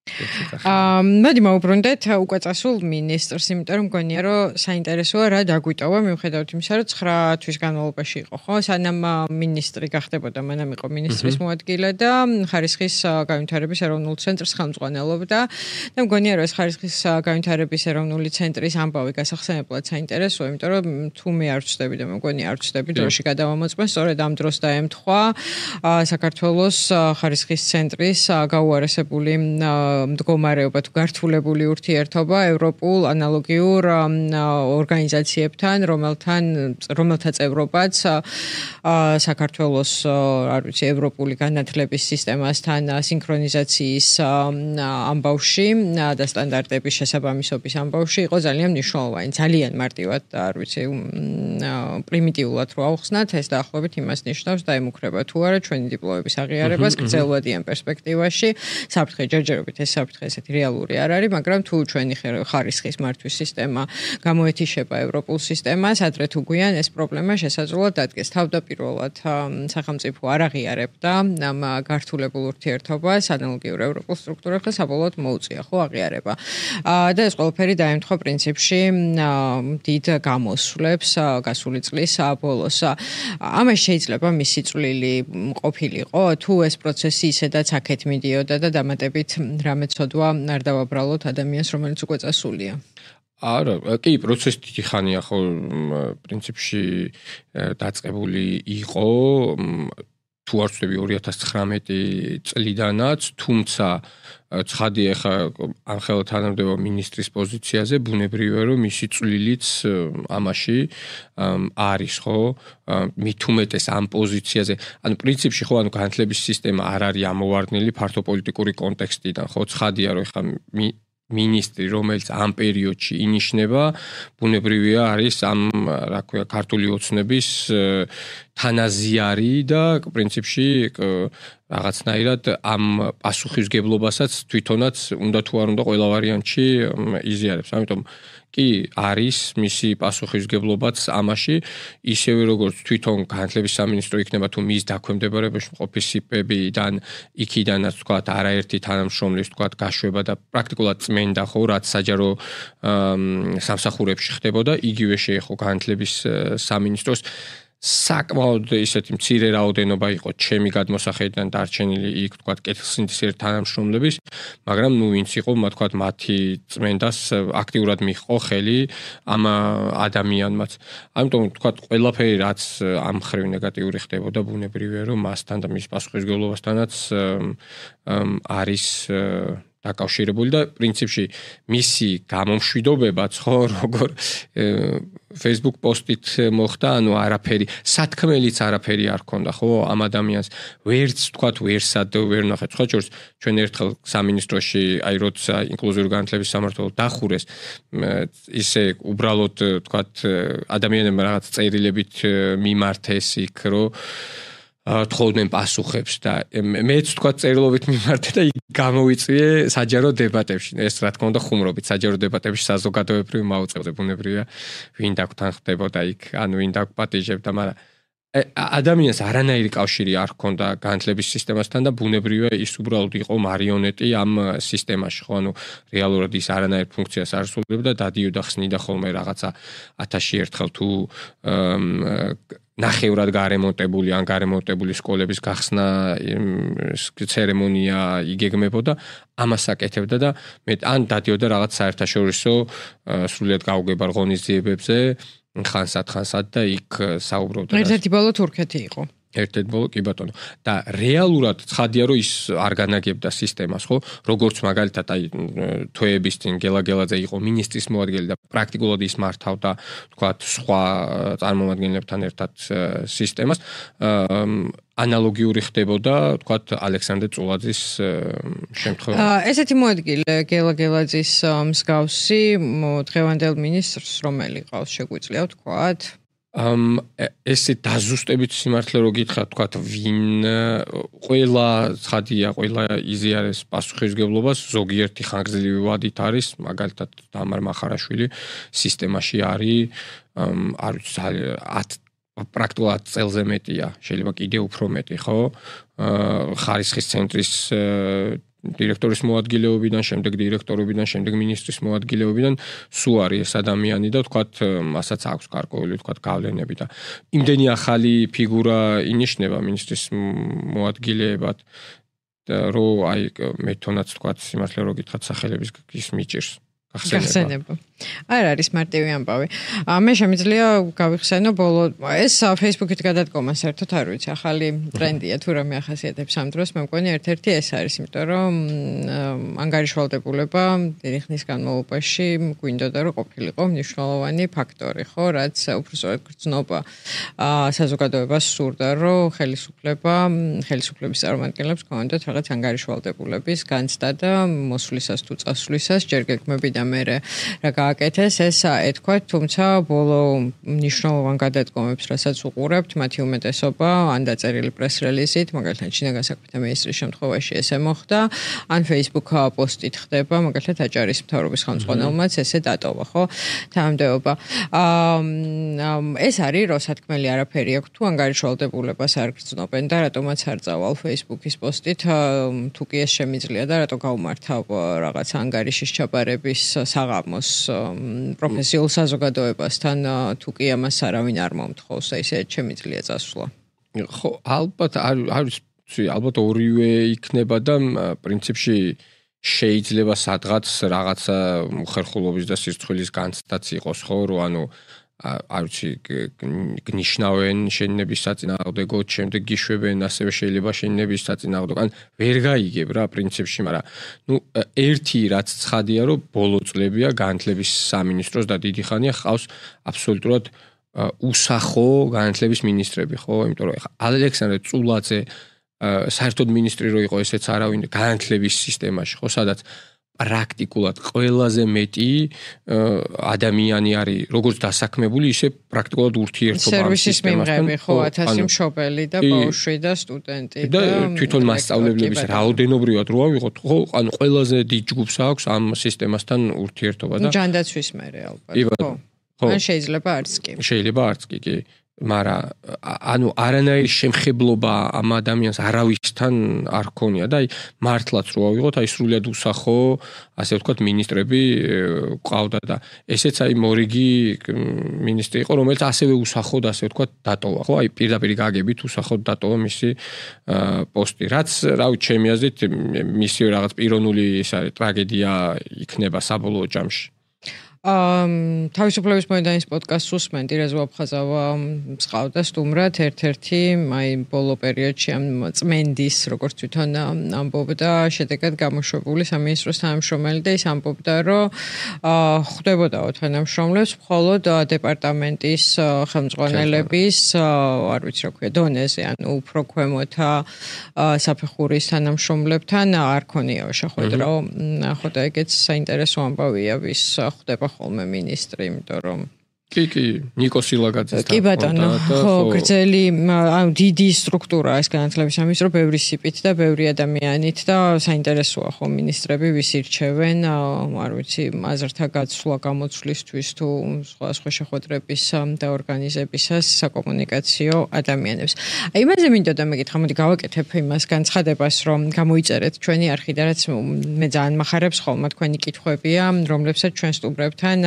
აა მოდი მოვუბრუნდეთ უკვე წასულ მინისტრს, იმიტომ რომ მგონია რომ საინტერესოა რა დაგვიტოვა მიუხედავად იმისა, რომ ცხრა თვის განმავლობაში იყო, ხო? სანამ მინისტრი გახდებოდა, მანამ იყო მინისტრის მოადგილე და ხარისხის განვითარების ეროვნულ ცენტრს ხელმძღვანელობდა და მგონია რომ ეს ხარისხის განვითარების ეროვნული ცენტრის ამბავი გასახსენებლად საინტერესოა, იმიტომ რომ თუ მე არ ვწდები და მგონია არ ვწდები დროში გადავამოწმე, სწორედ ამ დროს დაემთხვა საქართველოს ხარისხის ცენტრის გაუარესებული მდგომარეობა თუ გართულებული ურთიერთობა ევროპულ ანალოგიურ ორგანიზაციებთან, რომელთან რომელთა წევრობაც საქართველოს არ ვიცი ევროპული განათლების სისტემასთან სინქრონიზაციის ამბავში და სტანდარტების შესაბამისობის ამბავში იყო ძალიან მნიშვნელოვანი, ძალიან მარტივად არ ვიცი პრიმიტიულად რო ავხსნათ, ეს დაახლოებით იმას ნიშნავს და ემუქრება თუ არა ჩვენი დიპლომების აღიარებას გრძელვადიან პერსპექტივაში, საფრთხე ჯერჯერობით ეს საფრთხე ესეთი რეალური არ არის, მაგრამ თუ ჩვენი ხარისხის მართვის სისტემა გამოეთიშება ევროპულ სისტემას, ადრე თუ გვიან ეს პრობლემა შესაძლოა დადგეს. თავდაპირველად სახელმწიფო არ აღიარებდა ამ გართულებულ ურთიერთობას ანალოგიურ ევროპულ სტრუქტურებს და საბოლოოდ მოუწია ხო აღიარება. და ეს ყველაფერი დაემთხვა პრინციპში დიდ გამოსვლებს გასული წლის ბოლოს. ამას შეიძლება მისი წვლილი ყოფილიყო, თუ ეს პროცესი ისედაც აქეთ მიდიოდა და დამატებით რამე ცოდვა არ დავაბრალოთ ადამიანს, რომელიც უკვე წასულია. არა, კი, პროცესი დიდი ხანია ხო პრინციპში დაწყებული იყო, თუ არ ვცდები ორი ათას ცხრამეტი წლიდანაც, თუმცა ცხადია ხა ამხელა თანამდებობა მინისტრის პოზიციაზე, ბუნებრივია რომ მისი წვლილიც ამაში არის ხო, მით უმეტეს ამ პოზიციაზე. ანუ პრინციპში ხო, ანუ განათლების სისტემა არ არის ამოვარდნილი ფართო პოლიტიკური კონტექსტიდან, ხო, ცხადია რომ ხა მინისტრი, რომელიც ამ პერიოდში ინიშნება, ბუნებრივია არის ამ, რა ქვია, ქართული ოცნების თანაზიარი და პრინციპში რაღაცნაირად ამ პასუხისგებლობასაც თვითონაც უნდა თუ არ უნდა ყველა ვარიანტში იზიარებს. ამიტომ კი არის მისი პასუხისგებლობაც ამაში, ისევე როგორც თვითონ განათლების სამინისტრო იქნება თუ მის დაქვემდებარებაში მყოფი სიპებიდან, იქიდანაც თქვა არაერთი თანამშრომლის თქვა გაშვება და პრაქტიკულად წმენდა ხო, რაც საჯარო სამსახურებში ხდებოდა, იგივე შეეხო განათლების სამინისტროს. საკმაოდ ისეთი მცირე რაოდენობა იყო ჩემი გადმოსახედიდან დარჩენილი იქ თქვა კეთილსინდისიერ თანამშრომლების, მაგრამ ნუ ვინც იყო, თქვა მათი წმენდას აქტიურად მიჰყო ხელი ამ ადამიანმაც. ამიტომ თქვა ყველაფერი რაც ამ ხრივ ნეგატიური ხდებოდა, ბუნებრივია რომ მასთან და მის პასუხისგებლობასთანაც არის დაკავშირებული და პრინციპში მისი გამომშვიდობებაც ხო როგორ Facebook პოსტით მოხდა, ანუ არაფერი, სათქმელიც არაფერი არ ქონდა, ხო, ამ ადამიანს ვერც თქვათ ვერსად ვერ ნახეთ. სხვა შორის ჩვენ ერთხელ სამინისტროში, აი როცა ინკლუზიური განათლების სამმართველო დახურეს, ისე უბრალოდ თქვათ ადამიანებმა რაღაც წერილებით მიმართეს იქ, რომ თხოვდნენ პასუხებს და მეც თქვა წერილობით მიმართე და გამოვიწვიე საჯარო დებატებში. ეს რა თქმა უნდა ხუმრობით საჯარო დებატებში საზოგადოებრივ მაუწყებდა, ბუნებრივია ვინ დაგთანხმდებოდა იქ, ანუ ვინ დაგპატიჟებდა, მაგრამ ადამიანს არანაირი კავშირი არ ჰქონდა განათლების სისტემასთან და ბუნებრივია ის უბრალოდ იყო მარიონეტი ამ სისტემაში, ხო, ანუ რეალურად ის არანაირ ფუნქციას არ ასრულებდა, დადიოდა ხსნიდა ხოლმე რაღაცა ათასში ერთხელ თუ ნახევრად გარემონტებული ან გარემონტებული სკოლების გახსნა ცერემონია იგეგმებოდა, ამას აკეთებდა და მე ან დადიოდა რაღაც საერთაშორისო სრულიად გაუგებარ ღონისძიებებზე, ხანსად ხანსად და იქ საუბრობდა. ერთ-ერთი ბოლო თურქეთი იყო. ერთ-ერთი ბოლო კი ბატონო. და რეალურად ცხადია რომ ის არ განაგებდა სისტემას, ხო? როგორც მაგალითად აი თვეების წინ გელაგელაძე იყო მინისტრის მოადგილე და პრაქტიკულად ის მართავდა, თქვათ, სხვა წარმომადგენლებთან ერთად სისტემას. ანალოგიური ხდებოდა, თქვათ, ალექსანდრე წულაძის შემთხვევაში. ესეთი მოადგილე გელაგელაძის მსგავსი დღევანდელ მინისტრს რომელი ყავს შეგვიძლია ვთქვათ? ამ ესე დაზუსტებით სიმართლე რო გითხრათ, თქვათ, ვინ ყველა ცხადია, ყველა იზიარეს პასუხისგებლობას, ზოგიერთი ხანგრძლივი ვადით არის, მაგალითად დამარ მახარაშვილი სისტემაში არის, არ ვიცი, პრაქტიკულად წელზე მეტია, შეიძლება კიდე უფრო მეტი, ხო? ხარისხის ცენტრის დირექტორის მოადგილეობიდან, შემდეგ დირექტორობიდან, შემდეგ მინისტრის მოადგილეობიდან სულ არის ეს ადამიანი და თქვათ, მასაც აქვს გარკვეული თქვათ გავლენები და იმდენი ახალი ფიგურა ინიშნება მინისტრის მოადგილეებად, რომ აი მე თონაც თქვათ სიმართლე რო გითხრათ სახელების ის მიჭირს. გახსენება. არ არის მარტივი ამბავი. მე შემიძლია გავიხსენო ბოლო ეს Facebook-ით გადადგომა საერთოდ არ ვიცი, ახალი ტრენდია თუ რამე ახასიათებს ამ დროს, მე მგონი ერთ-ერთი ეს არის, იმიტომ რომ ანგარიშვალდებულება დიდი ხნის განმავლობაში გვინდოდა რომ ყოფილიყო მნიშვნელოვანი ფაქტორი, ხო, რაც უბრალოდ გრძნობა საზოგადოებას სურდა, რომ ხელისუფლება, ხელისუფლების წარმომადგენლებს ქონდათ რაღაც ანგარიშვალდებულების განცდა და მოსვლისას თუ წასვლისას ჯერ გეგმები და მე რა გააკეთეს, ეს ეთქვათ, თუმცა ბოლო მნიშვნელოვან გადადგომებს, რასაც უყურებთ, მათი უმეტესობა ან დაწერილი პრეს-რელიზით, მაგალითად, შინაგან საქმეთა მინისტრის შემთხვევაში ესე მოხდა, ან Facebook პოსტით ხდება, მაგალითად, აჭარის მთავრობის ხელმძღვანელმაც ესე დატოვა, ხო? თანამდებობა. ეს არის როსათქმელი არაფერი აქვს, თუ ანგარიშვალდებულებას არ გრძნობენ და რატომაც არ წავალ Facebook-ის პოსტით, თუ კი ეს შემიძლია და რატო გაუმართავ რაღაც ანგარიშის ჩაბარების საღამოს პროფესიულ საზოგადოებასთან, თუ კი ამას არავინ არ მომთხოვს, ისე შემიძლია წასვლა. ხო, ალბათ არის, ალბათ ორივე იქნება და პრინციპში შეიძლება სადღაც რაღაცა უხერხულობის და სირცხვილის განცდაც იყოს, ხო, რომ ანუ არ ვიცი, გნიშნავენ შეინების საწინააღმდეგოდ, შემდეგ გიშვებენ, ასევე შეიძლება შეინების საწინააღმდეგოდ. ან ვერ გაიგებ რა პრინციპში, მაგრამ ნუ ერთი რაც ცხადია, რომ ბოლო წლებია განათლების სამინისტროს და დიდი ხანია ხავს აბსოლუტურად უსახო განათლების მინისტრები, ხო? იმიტომ რომ ეხლა ალექსანდრე წულაძე საერთოდ მინისტრი რო იყო, ესეც არავინ განათლების სისტემაში, ხო, სადაც პრაქტიკულად ყველაზე მეტი ადამიანი არის, როგორც დასაქმებული, ისე პრაქტიკულად ურთიერთობა ამ სისტემასთან. სერვისის მიმღები, ხო, ათასი მშობელი და ბავშვი და სტუდენტი და თვითონ მასწავლებლების რაოდენობრივად რო ავიღოთ, ხო, ანუ ყველაზე დიდ ჯგუფს აქვს ამ სისტემასთან ურთიერთობა და ჯანდაცვის მერე ალბათ, ხო. ან შეიძლება არც კი. შეიძლება არც კი, კი. მაგრამ ანუ არანაირი შემხებლობა ამ ადამიანს არავისთან არ ქონია და აი მართლაც რო ავიღოთ, აი სრულიად უსახო, ასე ვთქვათ, მინისტრები ყავდა და ესეც აი მორიგი მინისტრი იყო, რომელიც ასევე უსახოდ, ასე ვთქვათ, დატოვა, ხო? აი პირდაპირ გაგებით უსახოდ დატოვა მისი პოსტი. რაც, რავი, ჩემი აზრით, მისი რაღაც პიროვნული ეს არის ტრაგედია იქნება საბოლოო ჯამში. ამ თავისუფლების მოედანის პოდკასტს უსმენდი, რეზვა აფხაზავა მსყავდა სტუმრად, ერთ-ერთი აი ბოლო პერიოდში ამ წმენდის, როგორც თვითონ ამბობდა, შედეგად გამოშვებული სამინისტროს თანამშრომელი და ის ამბობდა, რომ ხვდებოდაო თანამშრომლებს მხოლოდ დეპარტამენტის ხელმძღვანელების, არ ვიცი რა ქვია, დონეზე, ანუ უფრო ქვემოთა საფეხურის თანამშრომლებთან არ ქონიაო შეხვედრა, ხო და ეგეც საინტერესო ამბავია, ვის ხვდება ხოლმე მინისტრი, იმიტომ რომ კი, კი, ნიკო სილაგაძეს კი ბატონო, ხო, გრძელი, ანუ დიდი სტრუქტურაა ეს განათლების სამინისტრო, ბევრი სიპით და ბევრი ადამიანით და საინტერესოა ხო მინისტრები ვის ირჩევენ, არ ვიცი, აზრთა გაცვლა გამოცვლისთვის თუ სხვა სხვა შეხვედრების და ორგანიზებისას საკომუნიკაციო ადამიანებს. აი იმაზე მინდოდა მეკითხა, მოდი გავაკეთებ იმას განცხადებას, რომ გამოიწერეთ ჩვენი არხი და რაც მე ძალიან მახარებს ხოლმე თქვენი კითხვებია, რომლებსაც ჩვენ სტუმრებთან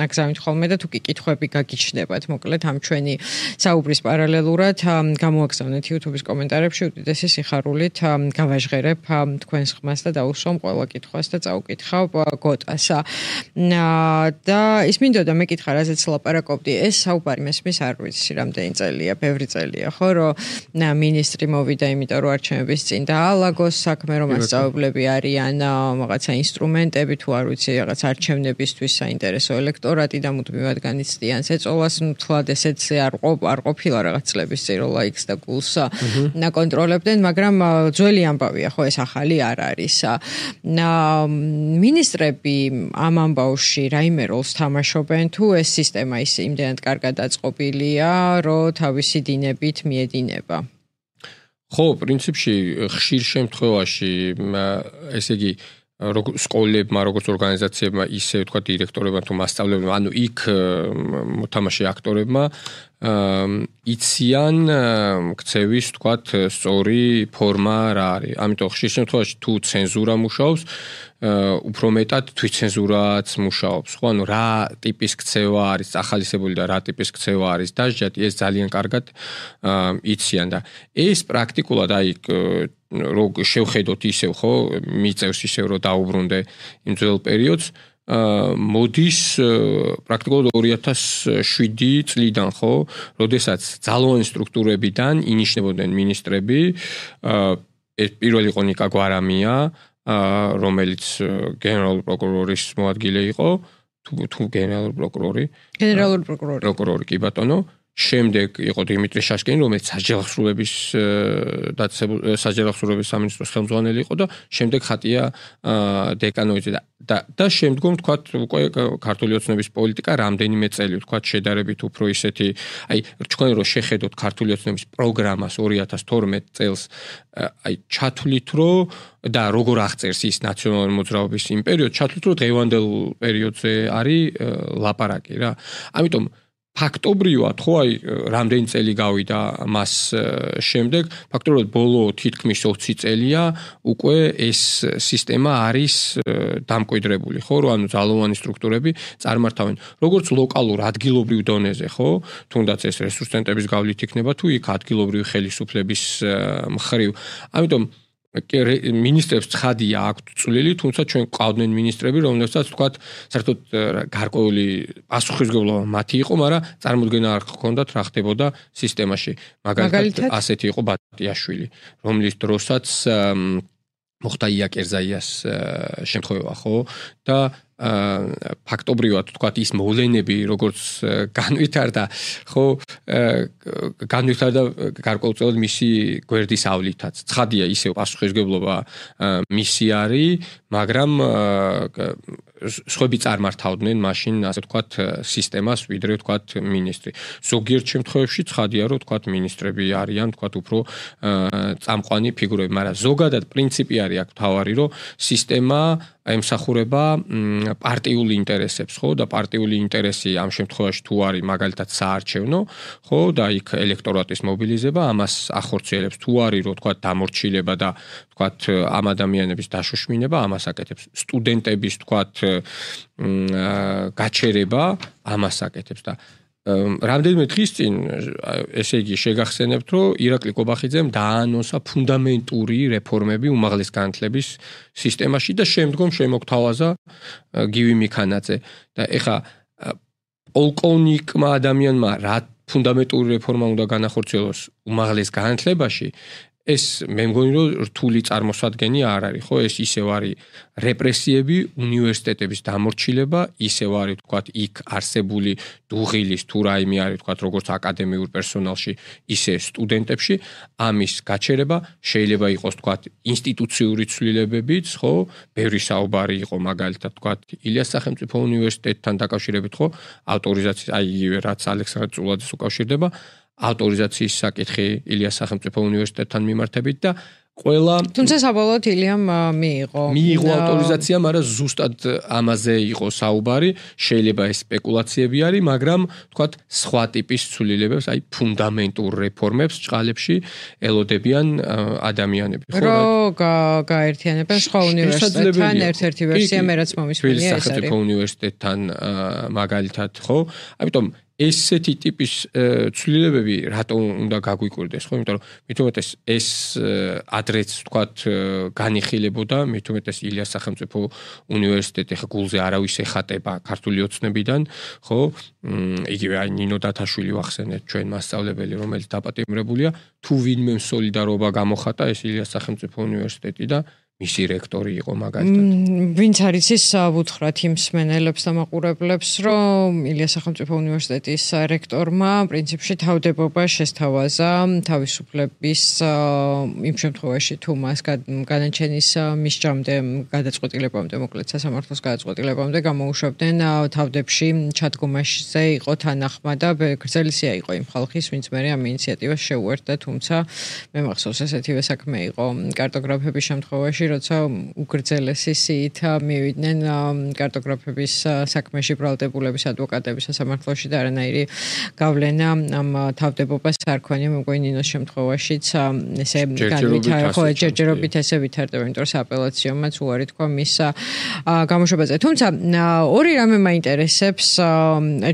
აგზავნით ხოლმე და თუ კი კითხვები გაგიჩნდებათ, მოკლედ ამ ჩვენი საუბრის პარალელურად გამოაგზავნეთ YouTube-ის კომენტარებში უდიდესი სიხარულით გავაჟღერებ თქვენს ხმას და დაუსვამ ყველა კითხვას და წაუკითხავ გოტასა. და ის მინდოდა მეკითხა, რაზეც ლაპარაკობდი, ეს საუბარი მესმის არ ვიცი რამდენი წელია, ბევრი წელია, ხო, რომ მინისტრი მოვიდა, იმიტომ რომ არჩევნების წინ დაალაგოს საქმე, რომ მასწავლებლები არიან რაღაცა ინსტრუმენტები, თუ არ ვიცი, რაღაც არჩევნებისთვის საინტერესო ელექტორატი და მუდმივად განიცდიან ეწოლას მთლად ესეც არ არ ყოფილა რაღაც წლების წინ რომ ლაიქს და გულს ნაკონტროლებდნენ, მაგრამ ძველი ამბავია, ხო, ეს ახალი არ არის. მინისტრები ამ ამბავში რაიმე როლს თამაშობენ, თუ ეს სისტემა ის იმდენად კარგად დაწყობილია, რომ თავისი დინებით მიედინება? ხო, პრინციპში ხშირ შემთხვევაში, ესე იგი სკოლებმა, როგორც ორგანიზაციებმა, ისე ვთქვათ, დირექტორებმა თუ მასწავლებლებმა, ანუ იქ მოთამაშე აქტორებმა იციან ქცევის, ვთქვათ, სწორი ფორმა რა არის. ამიტომ ხშირ შემთხვევაში თუ ცენზურა მუშაობს, უფრო მეტად თვითცენზურაც მუშაობს. ხო, ანუ რა ტიპის ქცევა არის ახალისებული და რა ტიპის ქცევა არის დასჯადი, ეს ძალიან კარგად იციან და ეს პრაქტიკულად აი რო შევხედოთ ისევ, ხო, მიწევს ისევ რომ დაუბრუნდე იმ ძველ პერიოდს, მოდის პრაქტიკულად ორი ათას შვიდი წლიდან, ხო, როდესაც ძალოვანი სტრუქტურებიდან ინიშნებოდნენ მინისტრები, ეს პირველი იყო ნიკა გვარამია, რომელიც გენერალური პროკურორის მოადგილე იყო, თუ თუ გენერალური პროკურორი. გენერალური პროკურორი. პროკურორი, კი ბატონო. შემდეგ იყო დიმიტრი შაშკინი, რომელიც საჯელახსრულების დაწესებული საჯელახსრულების სამინისტროს ხელმძღვანელი იყო და შემდეგ ხატია დეკანოიძე და და შემდგომ თქვათ უკვე ქართული ოცნების პოლიტიკა რამდენიმე წელი თქვათ შედარებით უფრო ისეთი აი თქვენ რო შეხედოთ ქართული ოცნების პროგრამას ორი ათას თორმეტ წელს აი ჩათვლით რომ და როგორ აღწერს ის ნაციონალური მოძრაობის იმ პერიოდს ჩათვლით რომ დღევანდელ პერიოდზე არის ლაპარაკი რა ამიტომ ფაქტობრივად ხო აი რამდენი წელი გავიდა მას შემდეგ ფაქტობრივად ბოლო თითქმის ოცი წელია უკვე ეს სისტემა არის დამკვიდრებული ხო რომ ანუ ძალოვანი სტრუქტურები წარმართავენ როგორც ლოკალურ ადგილობრივ დონეზე ხო თუნდაც ეს რესურს ცენტრების გავლით იქნება თუ იქ ადგილობრივი ხელისუფლების მხრივ ამიტომ მინისტრებს ცხადია აქვთ წვლილი, თუმცა ჩვენ ყავდნენ მინისტრები, რომლებსაც თქვათ, საერთოდ გარკვეული პასუხისმგებლობა მათი იყო, მაგრამ წარმოდგენა არ ჰქონდათ რა ხდებოდა სისტემაში. მაგალითად, ასეთი იყო ბატიაშვილი, რომლის დროსაც მოხდა იაკერზაიას შემთხვევა, ხო? და ფაქტობრივად თქვათ ის მოვლენები როგორც განვითარდა ხო განვითარდა გარკვეულწილად მისი გვერდის ავლითაც ცხადია ისევ პასუხისმგებლობა მისი არის მაგრამ სხვები წარმართავდნენ მაშინ ასე ვთქვათ სისტემას ვიდრე ვთქვათ მინისტრი ზოგიერთ შემთხვევებში ცხადია რომ ვთქვათ მინისტრები არიან ვთქვათ უფრო წამყვანი ფიგურები მაგრამ ზოგადად პრინციპი არის აქ თავარი რომ სისტემა ემსახურება პარტიული ინტერესებს ხო და პარტიული ინტერესი ამ შემთხვევაში თუ არის მაგალითად საარჩევნო ხო და იქ ელექტორატის მობილიზება ამას ახორციელებს თუ არის რომ ვთქვათ დამორჩილება და ვთქვათ ამ ადამიანების დაშოშმინება ამას აკეთებს სტუდენტების ვთქვათ გაჩერება ამას აკეთებს და რამდენიმე დღის წინ ესე იგი შეგახსენებთ რომ ირაკლი კობახიძემ დაანონსა ფუნდამენტური რეფორმები უმაღლეს განათლების სისტემაში და შემდგომ შემოგთავაზა გივი მიქანაძე და ეხა პოლკოვნიკმა ადამიანმა რა ფუნდამენტური რეფორმა უნდა განახორციელოს უმაღლეს განათლებაში ეს მე მგონი რომ რთული წარმოსადგენი არ არის ხო ეს ისევ არის რეპრესიები უნივერსიტეტების დამორჩილება ისევ არის თქვათ იქ არსებული დუღილის თუ რაიმე არის თქვათ როგორც აკადემიურ პერსონალში ისე სტუდენტებში ამის გაჩერება შეიძლება იყოს თქვათ ინსტიტუციური ცვლილებებიც ხო ბევრი საუბარი იყო მაგალითად თქვათ ილიას სახელმწიფო უნივერსიტეტთან დაკავშირებით ხო ავტორიზაციის აი რაც ალექსანდრე წულაძეს უკავშირდება ავტორიზაციის საკითხი ილიას სახელმწიფო უნივერსიტეტთან მიმართებით და ყველა თუმცა საბოლოოდ ილიამ მიიღო მიიღო ავტორიზაცია, მაგრამ ზუსტად ამაზე იყო საუბარი, შეიძლება ეს სპეკულაციები არის, მაგრამ თქვათ სხვა ტიპის ცვლილებებს, აი ფუნდამენტურ რეფორმებს ჭყალებში ელოდებიან ადამიანები, ხო? რომ გაერთიანებენ სხვა უნივერსიტეტთან ერთ-ერთი ვერსია მე რაც მომისმენია ეს არის. სახელმწიფო უნივერსიტეტთან მაგალითად, ხო? ამიტომ ესეთი ტიპის ცვლილებები რატომ უნდა გაგვიკვირდეს, ხო? იმიტომ რომ მით უმეტეს ეს ადრეც ვთქვათ განიხილებოდა, მით უმეტეს ილიას სახელმწიფო უნივერსიტეტი ხა გულზე არავის ეხატება ქართული ოცნებიდან, ხო? იგივე აი ნინო დათაშვილი ვახსენეთ ჩვენ მასწავლებელი, რომელიც დაპატიმრებულია, თუ ვინმე სოლიდარობა გამოხატა ეს ილიას სახელმწიფო უნივერსიტეტი და მისი რექტორი იყო მაგალითად. ვინც არის ის უთხრათ იმ მსმენელებს და მაყურებლებს, რომ ილიას სახელმწიფო უნივერსიტეტის რექტორმა პრინციპში თავდებობა შესთავაზა თავისუფლების იმ შემთხვევაში თუ მას განაჩენის მისჯამდე გადაწყვეტილებამდე, მოკლედ სასამართლოს გადაწყვეტილებამდე გამოუშვებდნენ თავდებში ჩადგომაშზე იყო თანახმა და გრძელისია იყო იმ ხალხის, ვინც მე ამ ინიციატივას შეუერთდა, თუმცა მე მახსოვს ესეთივე საქმე იყო კარტოგრაფების შემთხვევაში როცა უგრძელესი სიით მივიდნენ კარტოგრაფების საქმეში ბრალდებულების ადვოკატების სასამართლოში და არანაირი გავლენა ამ თავდებობას არ ქონია მეგონი ნინოს შემთხვევაშიც ესე განვითარდა ხო ჯერჯერობით ესე ვითარდება იმიტომ რომ სააპელაციომაც უარი თქვა მის გამოშვებაზე თუმცა ორი რამე მაინტერესებს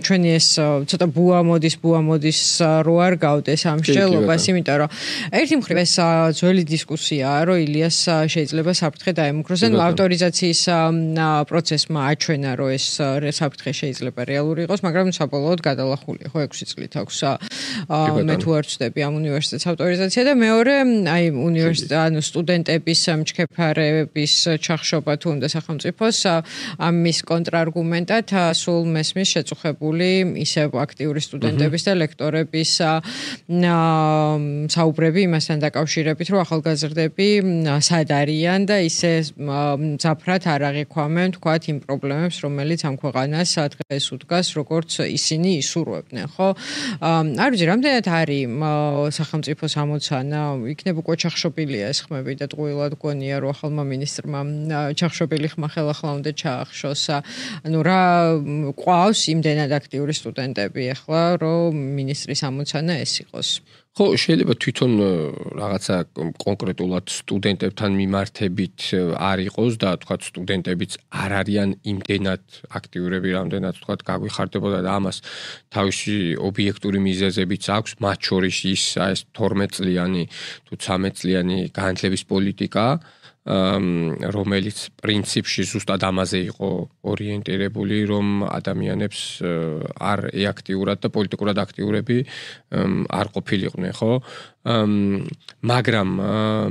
ჩვენი ეს ცოტა ბუა მოდის ბუა მოდის რო არ გავდეს ამ შეელობას იმიტომ რომ ერთი მხრივ ეს ძველი დისკუსიაა რომ ილიას შეიძლება შეიძლება საფრთხე დაემუქროს. ანუ ავტორიზაციის პროცესმა აჩვენა, რომ ეს საფრთხე შეიძლება რეალური იყოს, მაგრამ საბოლოოდ გადალახულია, ხო, ექვსი წლით აქვს. მე თუ არ ვწდები ამ უნივერსიტეტის ავტორიზაცია და მეორე, აი უნივერსიტეტ ანუ სტუდენტების მჩქეფარების ჩახშობა თუ უნდა სახელმწიფოს ამის კონტრარგუმენტად სულ მესმის შეწუხებული ისევ აქტიური სტუდენტების და ლექტორების საუბრები იმასთან დაკავშირებით, რომ ახალგაზრდები სად არიან და ისე მძაფრად არ აღიქვამენ, თქვათ, იმ პრობლემებს, რომელიც ამ ქვეყანას დღეს უდგას, როგორც ისინი ისურვებდნენ, ხო? არ ვიცი, რამდენად არის სახელმწიფოს ამოცანა, იქნებ უკვე ჩახშობილია ეს ხმები და ტყუილად გონია, რომ ახალმა მინისტრმა ჩახშობილი ხმა ხელახლა უნდა ჩაახშოს. ანუ რა ყავს იმდენად აქტიური სტუდენტები ახლა, რომ მინისტრის ამოცანა ეს იყოს. ხო, შეიძლება თვითონ რაღაცა კონკრეტულად სტუდენტებთან მიმართებით არ იყოს და თქვა სტუდენტებიც არ არიან იმდენად აქტიურები, რამდენად თქვა გაგვიხარდებოდა და ამას თავისი ობიექტური მიზეზებიც აქვს, მათ შორის ის ეს თორმეტ წლიანი თუ ცხრამეტ წლიანი განათლების პოლიტიკა, რომელიც პრინციპში ზუსტად ამაზე იყო ორიენტირებული, რომ ადამიანებს არ ეაქტიურად და პოლიტიკურად აქტიურები არ ყოფილიყვნენ, ხო? მაგრამ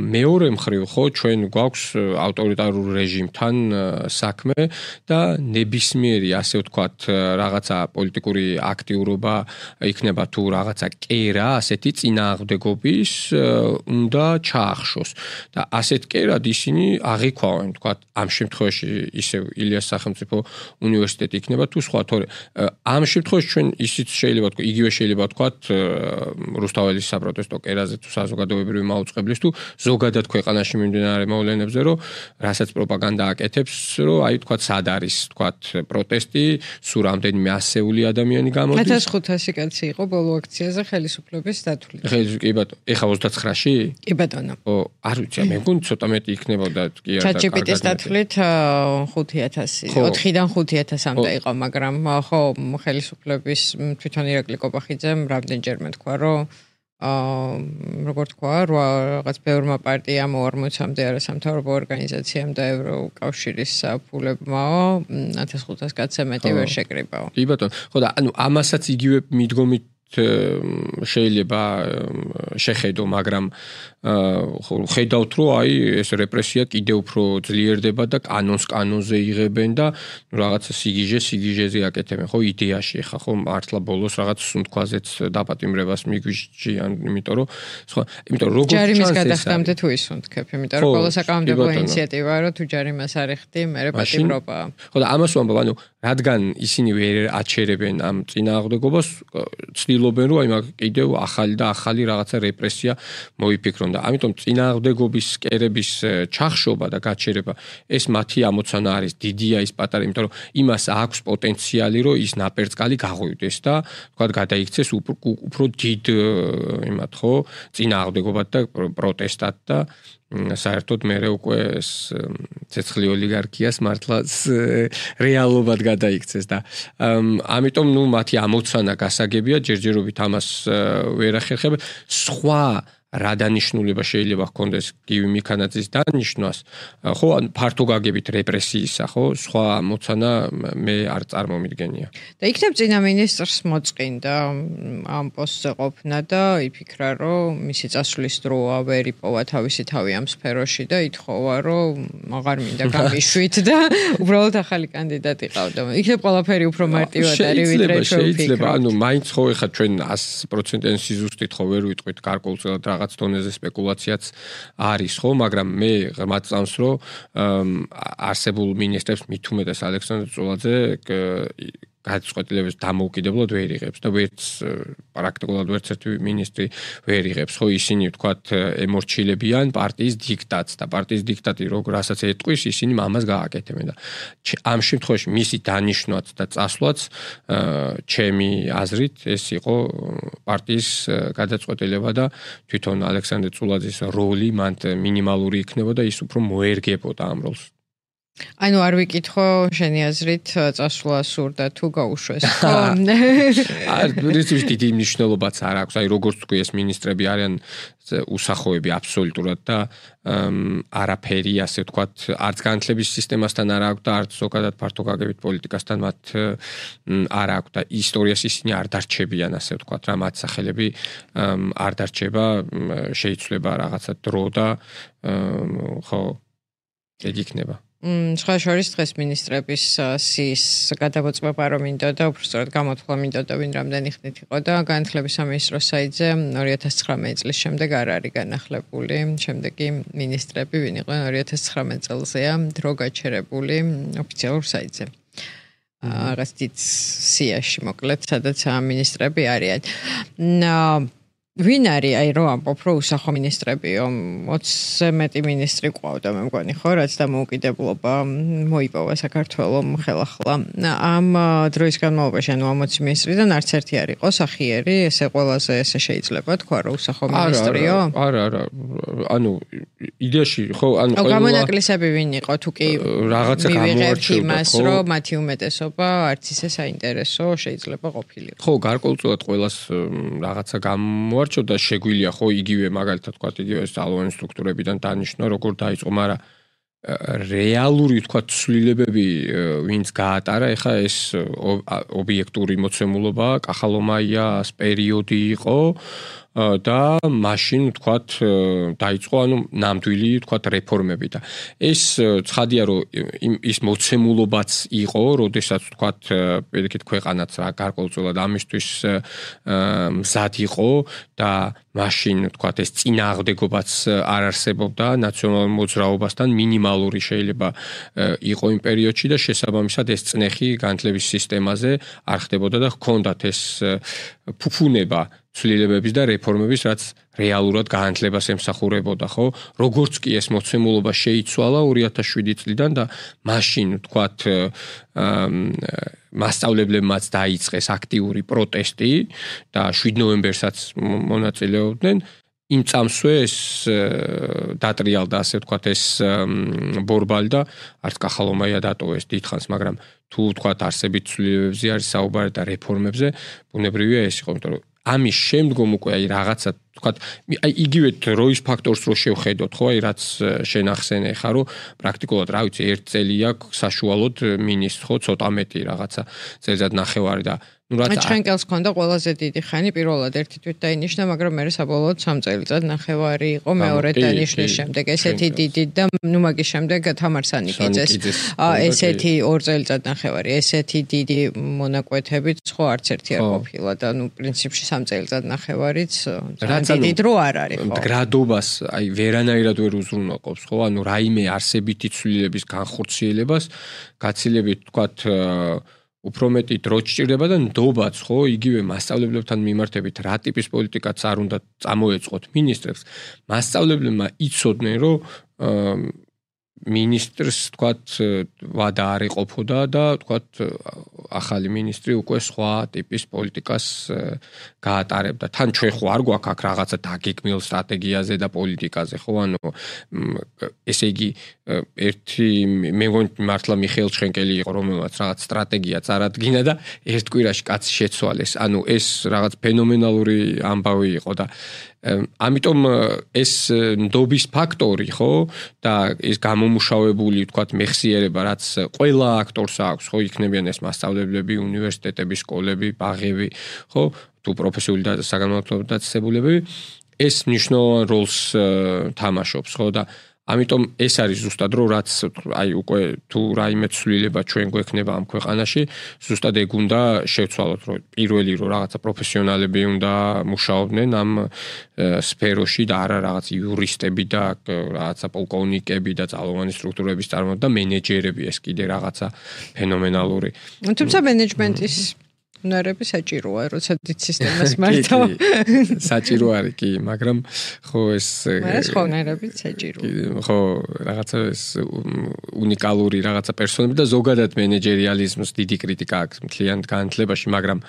მეორე მხრივ, ხო, ჩვენ გვაქვს ავტორიტარულ რეჟიმთან საქმე და ნებისმიერი, ასე ვთქვათ, რაღაცა პოლიტიკური აქტიურობა იქნება თუ რაღაცა კერა, ასეთი წინააღმდეგობის უნდა ჩაახშოს. და ასეთ კერად ისინი აღიქვავენ, თქვათ, ამ შემთხვევაში ისევ ილიას სახელმწიფო უნივერსიტეტი იქნება თუ სხვა, თორე ამ შემთხვევაში ჩვენ ისიც შეიძლება თქვა, იგივე შეიძლება თქვათ რუსთაველის საპროტესტო კერაზე თუ საზოგადოებრივი მაუწყებლის თუ ზოგადად ქვეყანაში მიმდინარე მოვლენებზე, რომ რასაც პროპაგანდა აკეთებს, რომ აი თქვათ სად არის, თქვათ პროტესტი, სულ რამდენიმე ასეული ადამიანი გამოდის. ათას ხუთასი კაცი იყო ბოლო აქციაზე ხელისუფლების დათვლით. კი ბატონო, ეხა ოცდაცხრაში? კი ბატონო. ო, არ ვიცი, მე მგონი ცოტა მეტი იქნებოდა კი არა. ჩატჯიპიტის დათვლით ხუთი ათასი, ოთხიდან ხუთი ათასამდე იყო, მაგრამ ხო, ხელისუფლების თვითონ ირაკლი კობახიძემ რამდენჯერმე თქვა, რომ აა როგორ თქვა, რაღაც ბევრმა პარტიამ ორმოცამდე არასამთავრობო ორგანიზაციამ და ევროკავშირის ფულებმაო ათას ხუთას კაცზე მეტი ვერ შეკრიბაო. კი ბატონო, ხო და ანუ ამასაც იგივე მიდგომით შეიძლება შეხედო, მაგრამ ხედავთ, რომ აი ეს რეპრესია კიდევ უფრო ძლიერდება და კანონს კანონზე იღებენ და რაღაცა სიგიჟე სიგიჟეზე აკეთებენ, ხო, იდეაში ხა ხო მართლა ბოლოს რაღაც სუნთქვაზეც დაპატიმრებას მიგვიჭიან, იმიტომ რომ სხვა, იმიტომ რომ როგორც ჯარიმის გადახდამდე თუ ისუნთქებ, იმიტომ რომ ბოლოს აკამდებო ინიციატივა, რომ თუ ჯარიმას არ ეხდი, მერე პატიმრობაა. ხო და ამას ვამბობ, ანუ რადგან ისინი ვერ აჩერებენ ამ წინააღმდეგობას, ცდილობენ რომ აი მაგ კიდევ ახალი და ახალი რაღაცა რეპრესია მოიფიქრონ და ამიტომ წინააღმდეგობის კერების ჩახშობა და გაჩერება ეს მათი ამოცანა არის, დიდია ის პატარა, იმიტომ რომ იმას აქვს პოტენციალი, რომ ის ნაპერწკალი გაღვივდეს და თქვა გადაიქცეს უფრო დიდ იმათ ხო წინააღმდეგობად და პროტესტად და საერთოდ მე უკვე ცეცხლი ოლიგარქიას მართლა რეალობად გადაიქცეს და ამიტომ ნუ მათი ამოცანა გასაგებია, ჯერჯერობით ამას ვერ ახერხებენ. სხვა რა დანიშნულება შეიძლება ჰქონდეს გივი მიქანაძის დანიშნვას, ხო, ფართო გაგებით რეპრესიისა, ხო, სხვა მოცანა მე არ წარმომიდგენია. და იქნებ წინა მინისტრს მოწყინდა ამ პოსტზე ყოფნა და იფიქრა, რომ მისი წასვლის დროა ვერ იპოვა თავისი თავი ამ სფეროში და ითხოვა, რომ აღარ მინდა გამიშვით და უბრალოდ ახალი კანდიდატი ყავდა. იქნებ ყველაფერი უფრო მარტივად არის, ვიდრე ჩვენ ვფიქრობთ. შეიძლება, ანუ მაინც ხო ეხა ჩვენ ას პროცენტიან სიზუსტით ხო ვერ ვიტყვით გარკვეულწილად რაღაც დონეზე სპეკულაციაც არის, ხო, მაგრამ მე ღრმად წამს, რომ არსებულ მინისტრებს მით უმეტეს ალექსანდრე წულაძე გადაწყვეტილებას დამოუკიდებლად ვერ იღებს და ვერც პრაქტიკულად ვერც ერთი მინისტრი ვერ იღებს, ხო, ისინი ვთქვათ ემორჩილებიან პარტიის დიქტატს და პარტიის დიქტატი რასაც ეტყვის, ისინი ამას გააკეთებენ და ამ შემთხვევაში მისი დანიშნვაც და წასვლაც ჩემი აზრით ეს იყო პარტიის გადაწყვეტილება და თვითონ ალექსანდრე წულაძის როლი მან მინიმალური იქნებოდა, ის უფრო მოერგებოდა ამ როლს. ანუ არ ვიკითხო შენი აზრით წასვლა სურდა თუ გაუშვეს ხო? არ ვიცი დიდი მნიშვნელობაც არ აქვს. აი როგორც თქვი ეს მინისტრები არიან უსახოები აბსოლუტურად და არაფერი ასე ვთქვათ არც განათლების სისტემასთან არ აქვს და არც ზოგადად ფართო გაგებით პოლიტიკასთან მათ არ აქვს და ისტორიას ისინი არ დარჩებიან ასე ვთქვათ რა მათ სახელები არ დარჩება შეიცვლება რაღაცა დრო და ხო ეგ იქნება. სხვა შორის დღეს მინისტრების სის გადამოწმება რომ მინდოდა უბრალოდ გამოთქვა მინდოდა ვინ რამდენი ხნით იყო და განათლების სამინისტროს საიტზე ორი ათას ცხრამეტი წლის შემდეგ არ არის განახლებული შემდეგი მინისტრები ვინ იყვნენ ორი ათას ცხრამეტი წელზეა დრო გაჩერებული ოფიციალურ საიტზე რაღაც დიდ სიაში მოკლედ სადაც მინისტრები არიან ვინ არის აი რო ამბობ რო უსახო მინისტრებიო ოცზე მეტი მინისტრი ყავდა მე მგონი ხო რაც დამოუკიდებლობა მოიპოვა საქართველოს ხელახლა ამ დროის განმავლობაში ანუ ამ ოცი მინისტრიდან არც ერთი არ იყო სახიერი ესე ყველაზე ესე შეიძლება თქვა რომ უსახო მინისტრიო არა არა ანუ იდეაში ხო ანუ ყველა გამონაკლისები ვინ იყო თუ კი რაღაცა გამოარჩევდა ხო რომ მათი უმეტესობა არც ისე საინტერესო შეიძლება ყოფილიყო ხო გარკვეულწილად ყველას რაღაცა გამო არჩევდა შეგვიძლია ხო იგივე მაგალითად თქვა იგივე ძალოვანი სტრუქტურებიდან დანიშნვა როგორ დაიწყო მაგრამ რეალური თქვა ცვლილებები ვინც გაატარა ეხა ეს ობიექტური მოცემულობა კახალომაიას პერიოდი იყო და მაშინ თქვათ დაიწყო ანუ ნამდვილი თქვათ რეფორმები და ეს ცხადია რომ ის მოცემულობაც იყო, როდესაც თქვათ პირიქით ქვეყანაც რა გარკვეულწილად ამისთვის მზად იყო და მაშინ თქვათ ეს წინააღმდეგობაც არ არსებობდა ნაციონალურ მოძრაობასთან მინიმალური შეიძლება იყო იმ პერიოდში და შესაბამისად ეს წნეხი განათლების სისტემაზე არ ხდებოდა და ჰქონდათ ეს ფუფუნება ცვლილებების და რეფორმების, რაც რეალურად განათლებას ემსახურებოდა, ხო? როგორც კი ეს მოცემულობა შეიცვალა ორი ათას შვიდი წლიდან და მაშინ თქვათ მასწავლებლებმაც დაიწყეს აქტიური პროტესტი და შვიდ ნოემბერსაც მონაწილეობდნენ. იმ წამსვე ეს დატრიალდა ასე ვთქვათ ეს ბორბალი და არც კახალომაია დატოვეს დიდხანს, მაგრამ თუ ვთქვათ არსებით ცვლილებებზე არის საუბარი და რეფორმებზე, ბუნებრივია ეს იყო, იმიტომ რომ ამის შემდგომ უკვე აი რაღაცა ვთქვათ აი იგივე დროის ფაქტორს რო შევხედოთ, ხო, აი რაც შენ ახსენე ხა, რომ პრაქტიკულად რა ვიცი, ერთ წელი აქვს საშუალოდ მინისტრ, ხო, ცოტა მეტი რაღაცა წელიწად ნახევარი და ну რაც ჩხენკელს ქონდა ყველაზე დიდი ხანი პირველად ერთი თვით დაინიშნა, მაგრამ მე საბოლოოდ სამ წელიწად ნახევარი იყო მეორე დანიშნვის შემდეგ ესეთი დიდი და ну მაგის შემდეგ თამარ სანიკიძეს ესეთი ორ წელიწად ნახევარი ესეთი დიდი მონაკვეთებით ხო არც ერთი არ ყოფილა და ну პრინციპში სამ წელიწად ნახევარიც დიდი დრო არ არის ხო მდგრადობას აი ვერანაირად ვერ უზრუნველყოფს ხო ანუ რაიმე არსებითი ცვლილების განხორციელებას გაცილებით თქვათ უფრო მეტი დრო სჭირდება და ნდობაც ხო იგივე მასწავლებლებთან მიმართებით რა ტიპის პოლიტიკაც არ უნდა წამოეწყოთ მინისტრებს მასწავლებლებმა იცოდნენ რომ მინისტრს თქვათ ვადა არ ეყოფოდა და თქვათ ახალი მინისტრი უკვე სხვა ტიპის პოლიტიკას გაატარებდა. თან ჩვენ ხო არ გვაქვს აქ რაღაცა დაგეგმილ სტრატეგიაზე და პოლიტიკაზე, ხო? ანუ ესე იგი ერთი მე მგონი მართლა მიხეილ ჩხენკელი იყო, რომელმაც რაღაც სტრატეგია წარადგინა და ერთ კვირაში კაცი შეცვალეს. ანუ ეს რაღაც ფენომენალური ამბავი იყო და ამიტომ ეს ნდობის ფაქტორი, ხო? და ეს გამომუშავებული, ვთქვათ, მეხსიერება, რაც ყველა აქტორს აქვს, ხო, იქნებიან ეს მასწავლებლები, უნივერსიტეტები, სკოლები, ბაღები, ხო? თუ პროფესიული და საგანმანათლებლო დაწესებულებები, ეს მნიშვნელოვან როლს თამაშობს, ხო? და ამიტომ ეს არის ზუსტად რომ რაც აი უკვე თუ რაიმე ცვლილება ჩვენ გვექნება ამ ქვეყანაში, ზუსტად ეგ უნდა შევცვალოთ, რომ პირველი რომ რაღაცა პროფესიონალები უნდა მუშაობდნენ ამ სფეროში და არა რაღაც იურისტები და რაღაცა პოლკოვნიკები და ძალოვანი სტრუქტურების წარმოება და მენეჯერები ეს კიდე რაღაცა ფენომენალური. თუმცა მენეჯმენტის უნარები საჭიროა, როცა დიდ სისტემას მართავ. საჭირო არის კი, მაგრამ ხო ეს მას ხო უნარები საჭიროა. ხო, რაღაცა ეს უნიკალური რაღაცა პერსონები და ზოგადად მენეჯერიალიზმს დიდი კრიტიკა აქვს მთლიან განათლებაში, მაგრამ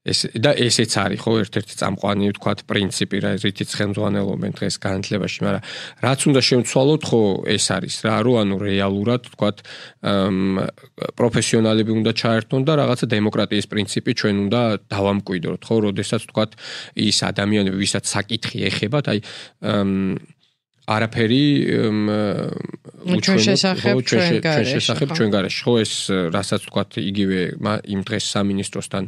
ეს და ესეც არის ხო ერთ-ერთი წამყვანი ვთქვათ პრინციპი რა რითიც ხელმძღვანელობენ დღეს განათლებაში, მაგრამ რაც უნდა შევცვალოთ ხო ეს არის რა, რომ ანუ რეალურად ვთქვათ პროფესიონალები უნდა ჩაერთონ და რაღაცა დემოკრატიის პრინციპი ჩვენ უნდა დავამკვიდროთ, ხო, როდესაც ვთქვათ ის ადამიანები, ვისაც საკითხი ეხებათ, აი არაფერი ჩვენ შესახებ ჩვენ შესახებ ჩვენ გარეშე ხო ეს რასაც ვთქვათ იგივე იმ დღეს სამინისტროსთან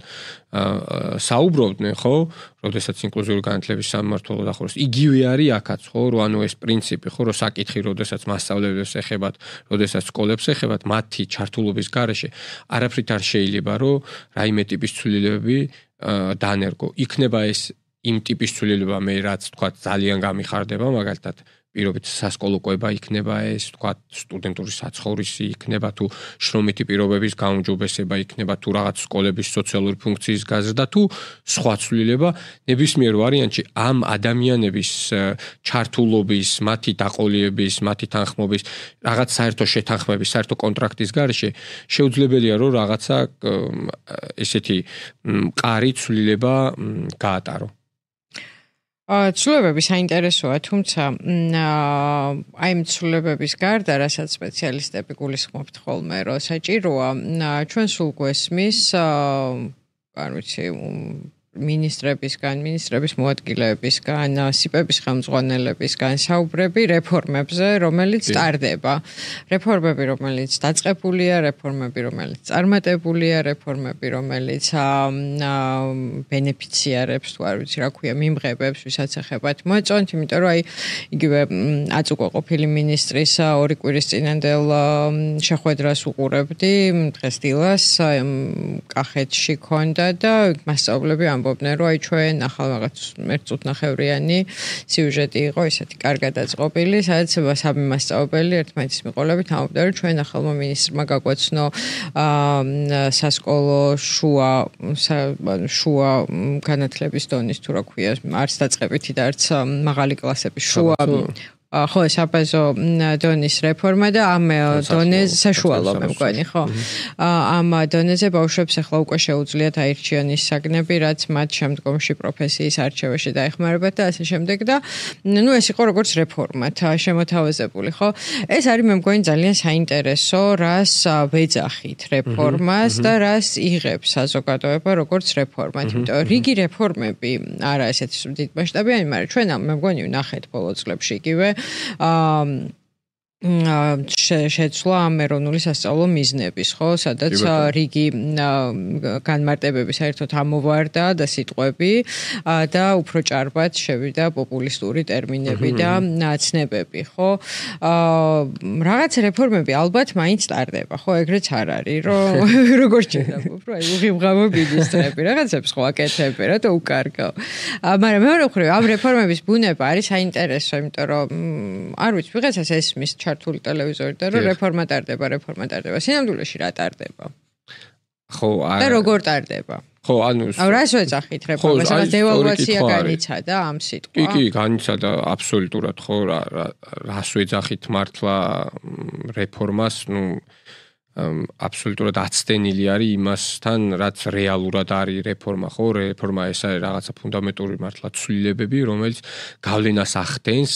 საუბრობდნენ ხო როდესაც ინკლუზიური განათლების სამმართველო დახურეს იგივე არის აქაც ხო რომ ანუ ეს პრინციპი ხო რომ საკითხი როდესაც მასწავლებლებს ეხებათ როდესაც სკოლებს ეხებათ მათი ჩართულობის გარეშე არაფრით არ შეიძლება რომ რაიმე ტიპის ცვლილებები დაანერგო იქნება ეს იმ ტიპის ცვლილება მე რაც ვთქვათ ძალიან გამიხარდება მაგალითად პირობით სასკოლო კვება იქნება ეს ვთქვათ სტუდენტური საცხოვრისი იქნება თუ შრომითი პირობების გაუმჯობესება იქნება თუ რაღაც სკოლების სოციალური ფუნქციის გაზრდა თუ სხვა ცვლილება ნებისმიერ ვარიანტში ამ ადამიანების ჩართულობის მათი დაყოლიების მათი თანხმობის რაღაც საერთო შეთანხმების საერთო კონტრაქტის გარეშე შეუძლებელია რომ რაღაცა ესეთი მყარი ცვლილება გაატარო ცვლილებები საინტერესოა, თუმცა აი ამ ცვლილებების გარდა, რასაც სპეციალისტები გულისხმობთ ხოლმე, რომ საჭიროა ჩვენ სულ გვესმის, არ ვიცი, მინისტრებისგან, მინისტრების მოადგილეებისგან, სიპების ხელმძღვანელებისგან საუბრები რეფორმებზე, რომელიც ტარდება. რეფორმები, რომელიც დაწყებულია, რეფორმები, რომელიც წარმატებულია, რეფორმები, რომელიც ბენეფიციარებს, თუ არ ვიცი რა ქვია, მიმღებებს, ვისაც ეხებათ მოეწონთ, იმიტომ რომ აი იგივე აწუყო ყოფილი მინისტრის ორი კვირის წინანდელ შეხვედრას უყურებდი, დღეს დილას კახეთში ქონდა და მასწავლებლები ამბობდნენ, რომ აი ჩვენ ახალ რაღაც ერთ წუთნახევრიანი სიუჟეტი იყო, ისეთი კარგად დაწყობილი, სადაც სამი მასწავლებელი ერთმანეთის მიყოლებით ამბობდნენ, რომ ჩვენ ახალმა მინისტრმა გაგვაცნო სასკოლო შუა შუა განათლების დონის თუ რა ქვია, არც დაწყებითი და არც მაღალი კლასების შუა ხო, საბაზო დონის რეფორმა და ამ დონეზე საშუალო მე მგონი, ხო? ამ დონეზე ბავშვებს ახლა უკვე შეუძლიათ აირჩიონ ის საგნები, რაც მათ შემდგომში პროფესიის არჩევაში დაეხმარებათ და ასე შემდეგ და ნუ ეს იყო როგორც რეფორმა, შემოთავაზებული, ხო? ეს არის მე მგონი ძალიან საინტერესო, რას ვეძახით რეფორმას და რას იღებს საზოგადოება როგორც რეფორმად, იმიტომ რომ რიგი რეფორმები არა ესეთი დიდ მასშტაბიანი, მაგრამ ჩვენ მე მგონი ვნახეთ ბოლო წლებში იგივე შეცვლა ამ ეროვნული სასწავლო მიზნების, ხო, სადაც რიგი განმარტებები საერთოდ ამოვარდა და სიტყვები და უფრო ჭარბად შევიდა პოპულისტური ტერმინები და ცნებები, ხო? რაღაც რეფორმები ალბათ მაინც ტარდება, ხო, ეგრეც არ არის, რომ როგორც შეიძლება, რომ აი უღიმღამო მინისტრები, რაღაცებს ხო აკეთებ, რა და უკარგავ. მაგრამ მეორე მხრივ ამ რეფორმების ბუნება არის საინტერესო, იმიტომ რომ არ ვიცი, ვიღაცას ესმის ჩართული ტელევიზორი და რომ რეფორმა ტარდება, რეფორმა ტარდება. სინამდვილეში რა ტარდება? ხო, არა. და როგორ ტარდება? ხო, ანუ აუ რას ვეძახით რეფორმას? რა დევალვაცია განიცადა ამ სიტყვა? კი, კი, განიცადა აბსოლუტურად, ხო, რა რას ვეძახით მართლა რეფორმას, ნუ აბსოლუტურად აცდენილი არის იმასთან, რაც რეალურად არის რეფორმა, ხო? რეფორმა ეს არის რაღაცა ფუნდამენტური მართლა ცვლილებები, რომელიც გავლენას ახდენს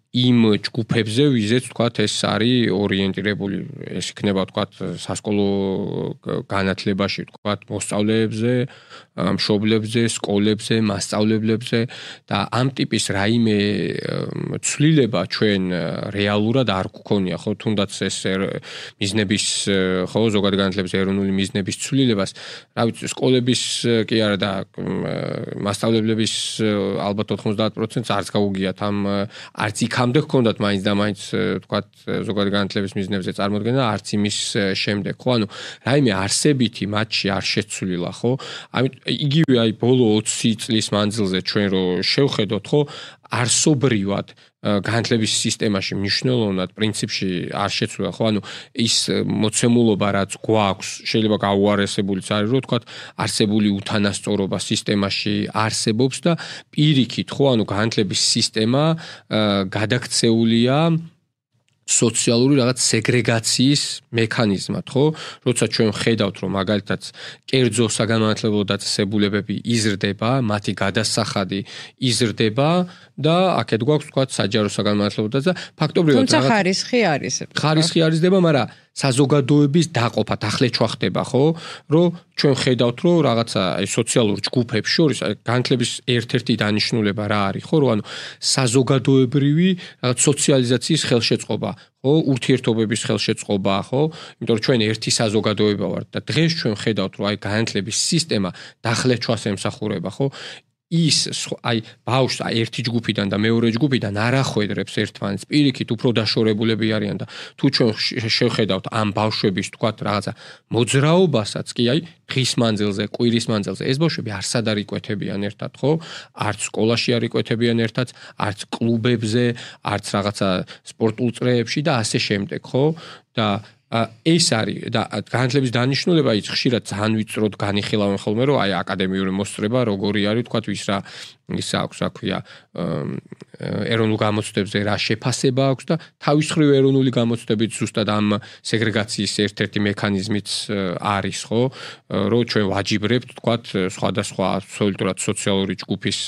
იმ ჯგუფებზე, ვიზეც ვთქვათ, ეს არის ორიენტირებული, ეს იქნება ვთქვათ, სასკოლო განათლებაში, ვთქვათ, მოსწავლეებზე, მშობლებზე, სკოლებზე, მასწავლებლებზე და ამ ტიპის რაიმე ცვლილება ჩვენ რეალურად არ გვქონია, ხო, თუნდაც ეს მიზნების, ხო, ზოგადად განათლების ეროვნული მიზნების ცვლილებას, რა ვიცი, სკოლების კი არა და მასწავლებლების ალბათ ოთხმოცდაათ პროცენტს არც გაუგიათ ამ არც იქამდე გქონდათ მაინც და მაინც ვთქვათ ზოგადად განათლების მიზნებზე წარმოდგენა არც იმის შემდეგ ხო ანუ რაიმე არსებითი მათში არ შეცვლილა ხო ამით იგივე აი ბოლო ოცი წლის მანძილზე ჩვენ რო შევხედოთ ხო არსობრივად განათლების სისტემაში მნიშვნელოვნად პრინციპში არ შეცვლილა ხო ანუ ის მოცემულობა რაც გვაქვს შეიძლება გაუარესებულიც არის რომ ვთქვათ არსებული უთანასწორობა სისტემაში არსებობს და პირიქით ხო ანუ განათლების სისტემა გადაქცეულია სოციალური რაღაც სეგრეგაციის მექანიზმად, ხო? როცა ჩვენ ხედავთ, რომ მაგალითად კერძო საგანმანათლებლო დაწესებულებები იზრდება, მათი გადასახადი იზრდება და აქეთ გვაქვს თქვა საჯარო საგანმანათლებლო და ფაქტობრივად თუმცა ხარისხი არის. ხარისხი არისდება, მაგრამ საზოგადოების დაყოფა დახლეჩვა ხდება, ხო? რომ ჩვენ ხედავთ, რომ რაღაცა აი სოციალურ ჯგუფებს შორის განათლების ერთ-ერთი დანიშნულება რა არის, ხო? რომ ანუ საზოგადოებრივი რაღაც სოციალიზაციის ხელშეწყობა, ხო? ურთიერთობების ხელშეწყობა, ხო? იმიტომ რომ ჩვენ ერთი საზოგადოება ვართ და დღეს ჩვენ ხედავთ, რომ აი განათლების სისტემა დახლეჩვას ემსახურება, ხო? ის აი ბავშვს აი ერთი ჯგუფიდან და მეორე ჯგუფიდან არ ახვედრებს ერთმანეთს, პირიქით უფრო დაშორებულები არიან და თუ ჩვენ შევხედავთ ამ ბავშვების თქვათ რაღაცა მოძრაობასაც კი აი დღის მანძილზე, კვირის მანძილზე ეს ბავშვები არსად არ იკვეთებიან ერთად, ხო? არც სკოლაში არ იკვეთებიან ერთად, არც კლუბებზე, არც რაღაცა სპორტულ წრეებში და ასე შემდეგ, ხო? და ეს არის და განათლების დანიშნულება ის ხშირად ძალიან ვიწროდ განიხილავენ ხოლმე რომ აი აკადემიური მოსწრება როგორი არის თქვა ვის რა ის აქვს რა ქვია ეროვნულ გამოცდებზე რა შეფასება აქვს და თავის მხრივ ეროვნული გამოცდებით ზუსტად ამ სეგრეგაციის ერთ-ერთი მექანიზმიც არის ხო რომ ჩვენ ვაჯიბრებთ თქვა სხვადასხვა აბსოლუტურად სოციალური ჯგუფის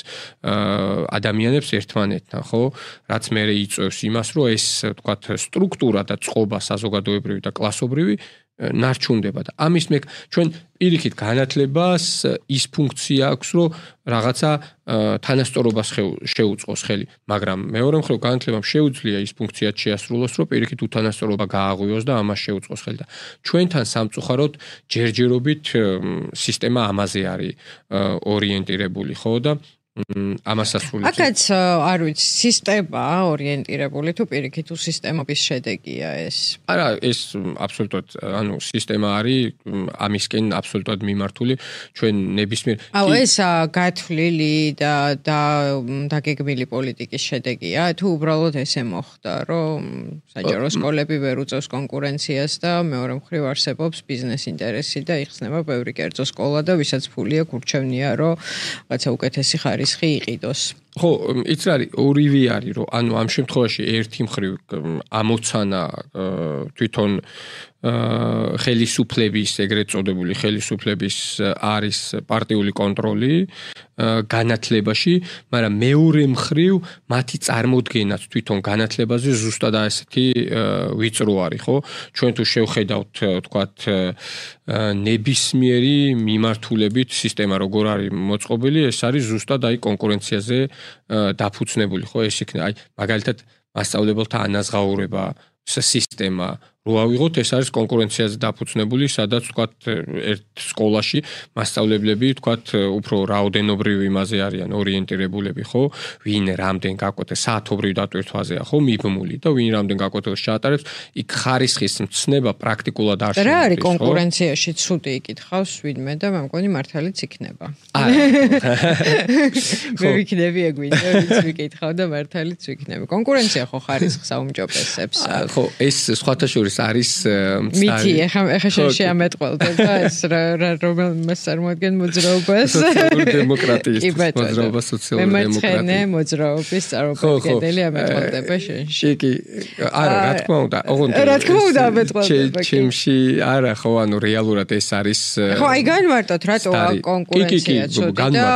ადამიანებს ერთმანეთთან ხო რაც მე იწევს იმას რომ ეს თქვა სტრუქტურა და წყობა საზოგადოებრივი და კლასობრივი ნარჩუნდება და ამის მე ჩვენ პირიქით განათლებას ის ფუნქცია აქვს რომ რაღაცა თანასწორობას შეუწყოს ხელი მაგრამ მეორე მხრივ განათლებამ შეუძლია ის ფუნქციაც შეასრულოს რომ პირიქით უთანასწორობა გააღვიოს და ამას შეუწყოს ხელი და ჩვენთან სამწუხაროდ ჯერჯერობით სისტემა ამაზე არის ორიენტირებული ხო და ამას ასრულებს. აქაც არ ვიცი, სისტემა ორიენტირებული თუ პირიქით თუ სისტემების შედეგია ეს. არა, ეს აბსოლუტურად, ანუ სისტემა არის ამისკენ აბსოლუტურად მიმართული ჩვენ ნებისმიერ. აუ ეს გათვლილი და და დაგეგმილი პოლიტიკის შედეგია, თუ უბრალოდ ესე მოხდა, რომ საჯარო სკოლები ვერ უწევს კონკურენციას და მეორე მხრივ არსებობს ბიზნეს ინტერესი და იხსნება ბევრი კერძო სკოლა და ვისაც ფული აქვს ურჩევნია, რომ რაღაცა უკეთესი ხარ რისხი იყიდოს. ხო, იც არის ორივე არის, რომ ანუ ამ შემთხვევაში ერთი მხრივ ამოცანა თვითონ ხელისუფლების, ეგრეთ წოდებული ხელისუფლების არის პარტიული კონტროლი განათლებაში, მაგრამ მეორე მხრივ მათი წარმოდგენაც თვითონ განათლებაზე ზუსტად ასეთი ვიწრო არის, ხო? ჩვენ თუ შევხედავთ, თქვათ, ნებისმიერი მიმართულებით სისტემა როგორ არის მოწყობილი, ეს არის ზუსტად აი კონკურენციაზე დაფუძნებული, ხო? ეს იქნება აი მაგალითად მასწავლებელთა ანაზღაურება სისტემა რო ავიღოთ ეს არის კონკურენციაზე დაფუძნებული, სადაც თქვათ ერთ სკოლაში მასწავლებლები თქვათ უფრო რაოდენობრივ იმაზე არიან ორიენტირებულები, ხო? ვინ რამდენ გაკვეთეს საათობრივ დატვირთვაზეა, ხო, მიბმული და ვინ რამდენ გაკვეთილს ჩაატარებს, იქ ხარისხის მცნება პრაქტიკულად არ შეგვიძლია. რა არის კონკურენციაში ცუდი იკითხავს ვინმე და მე მგონი მართალიც იქნება. მე ვიქნები ეგვინე, ვინც ვიკითხავ და მართალიც ვიქნები. კონკურენცია ხო ხარისხს აუმჯობესებს. ხო, ეს სხვათა შორის არის მითი ეხა ეხა შეამეტყველდა და ეს რა რომელმე წარმოადგენ მოძრაობას სოციალური დემოკრატიის მოძრაობა სოციალური დემოკრატია მე მოძრაობის წარმომადგენელი ამეტყველდება შენში კი არა რა თქმა უნდა ოღონდ რა თქმა უნდა ამეტყველდება ჩემში არა ხო ანუ რეალურად ეს არის ხო აი განმარტოთ რატო კონკურენცია ცოტა და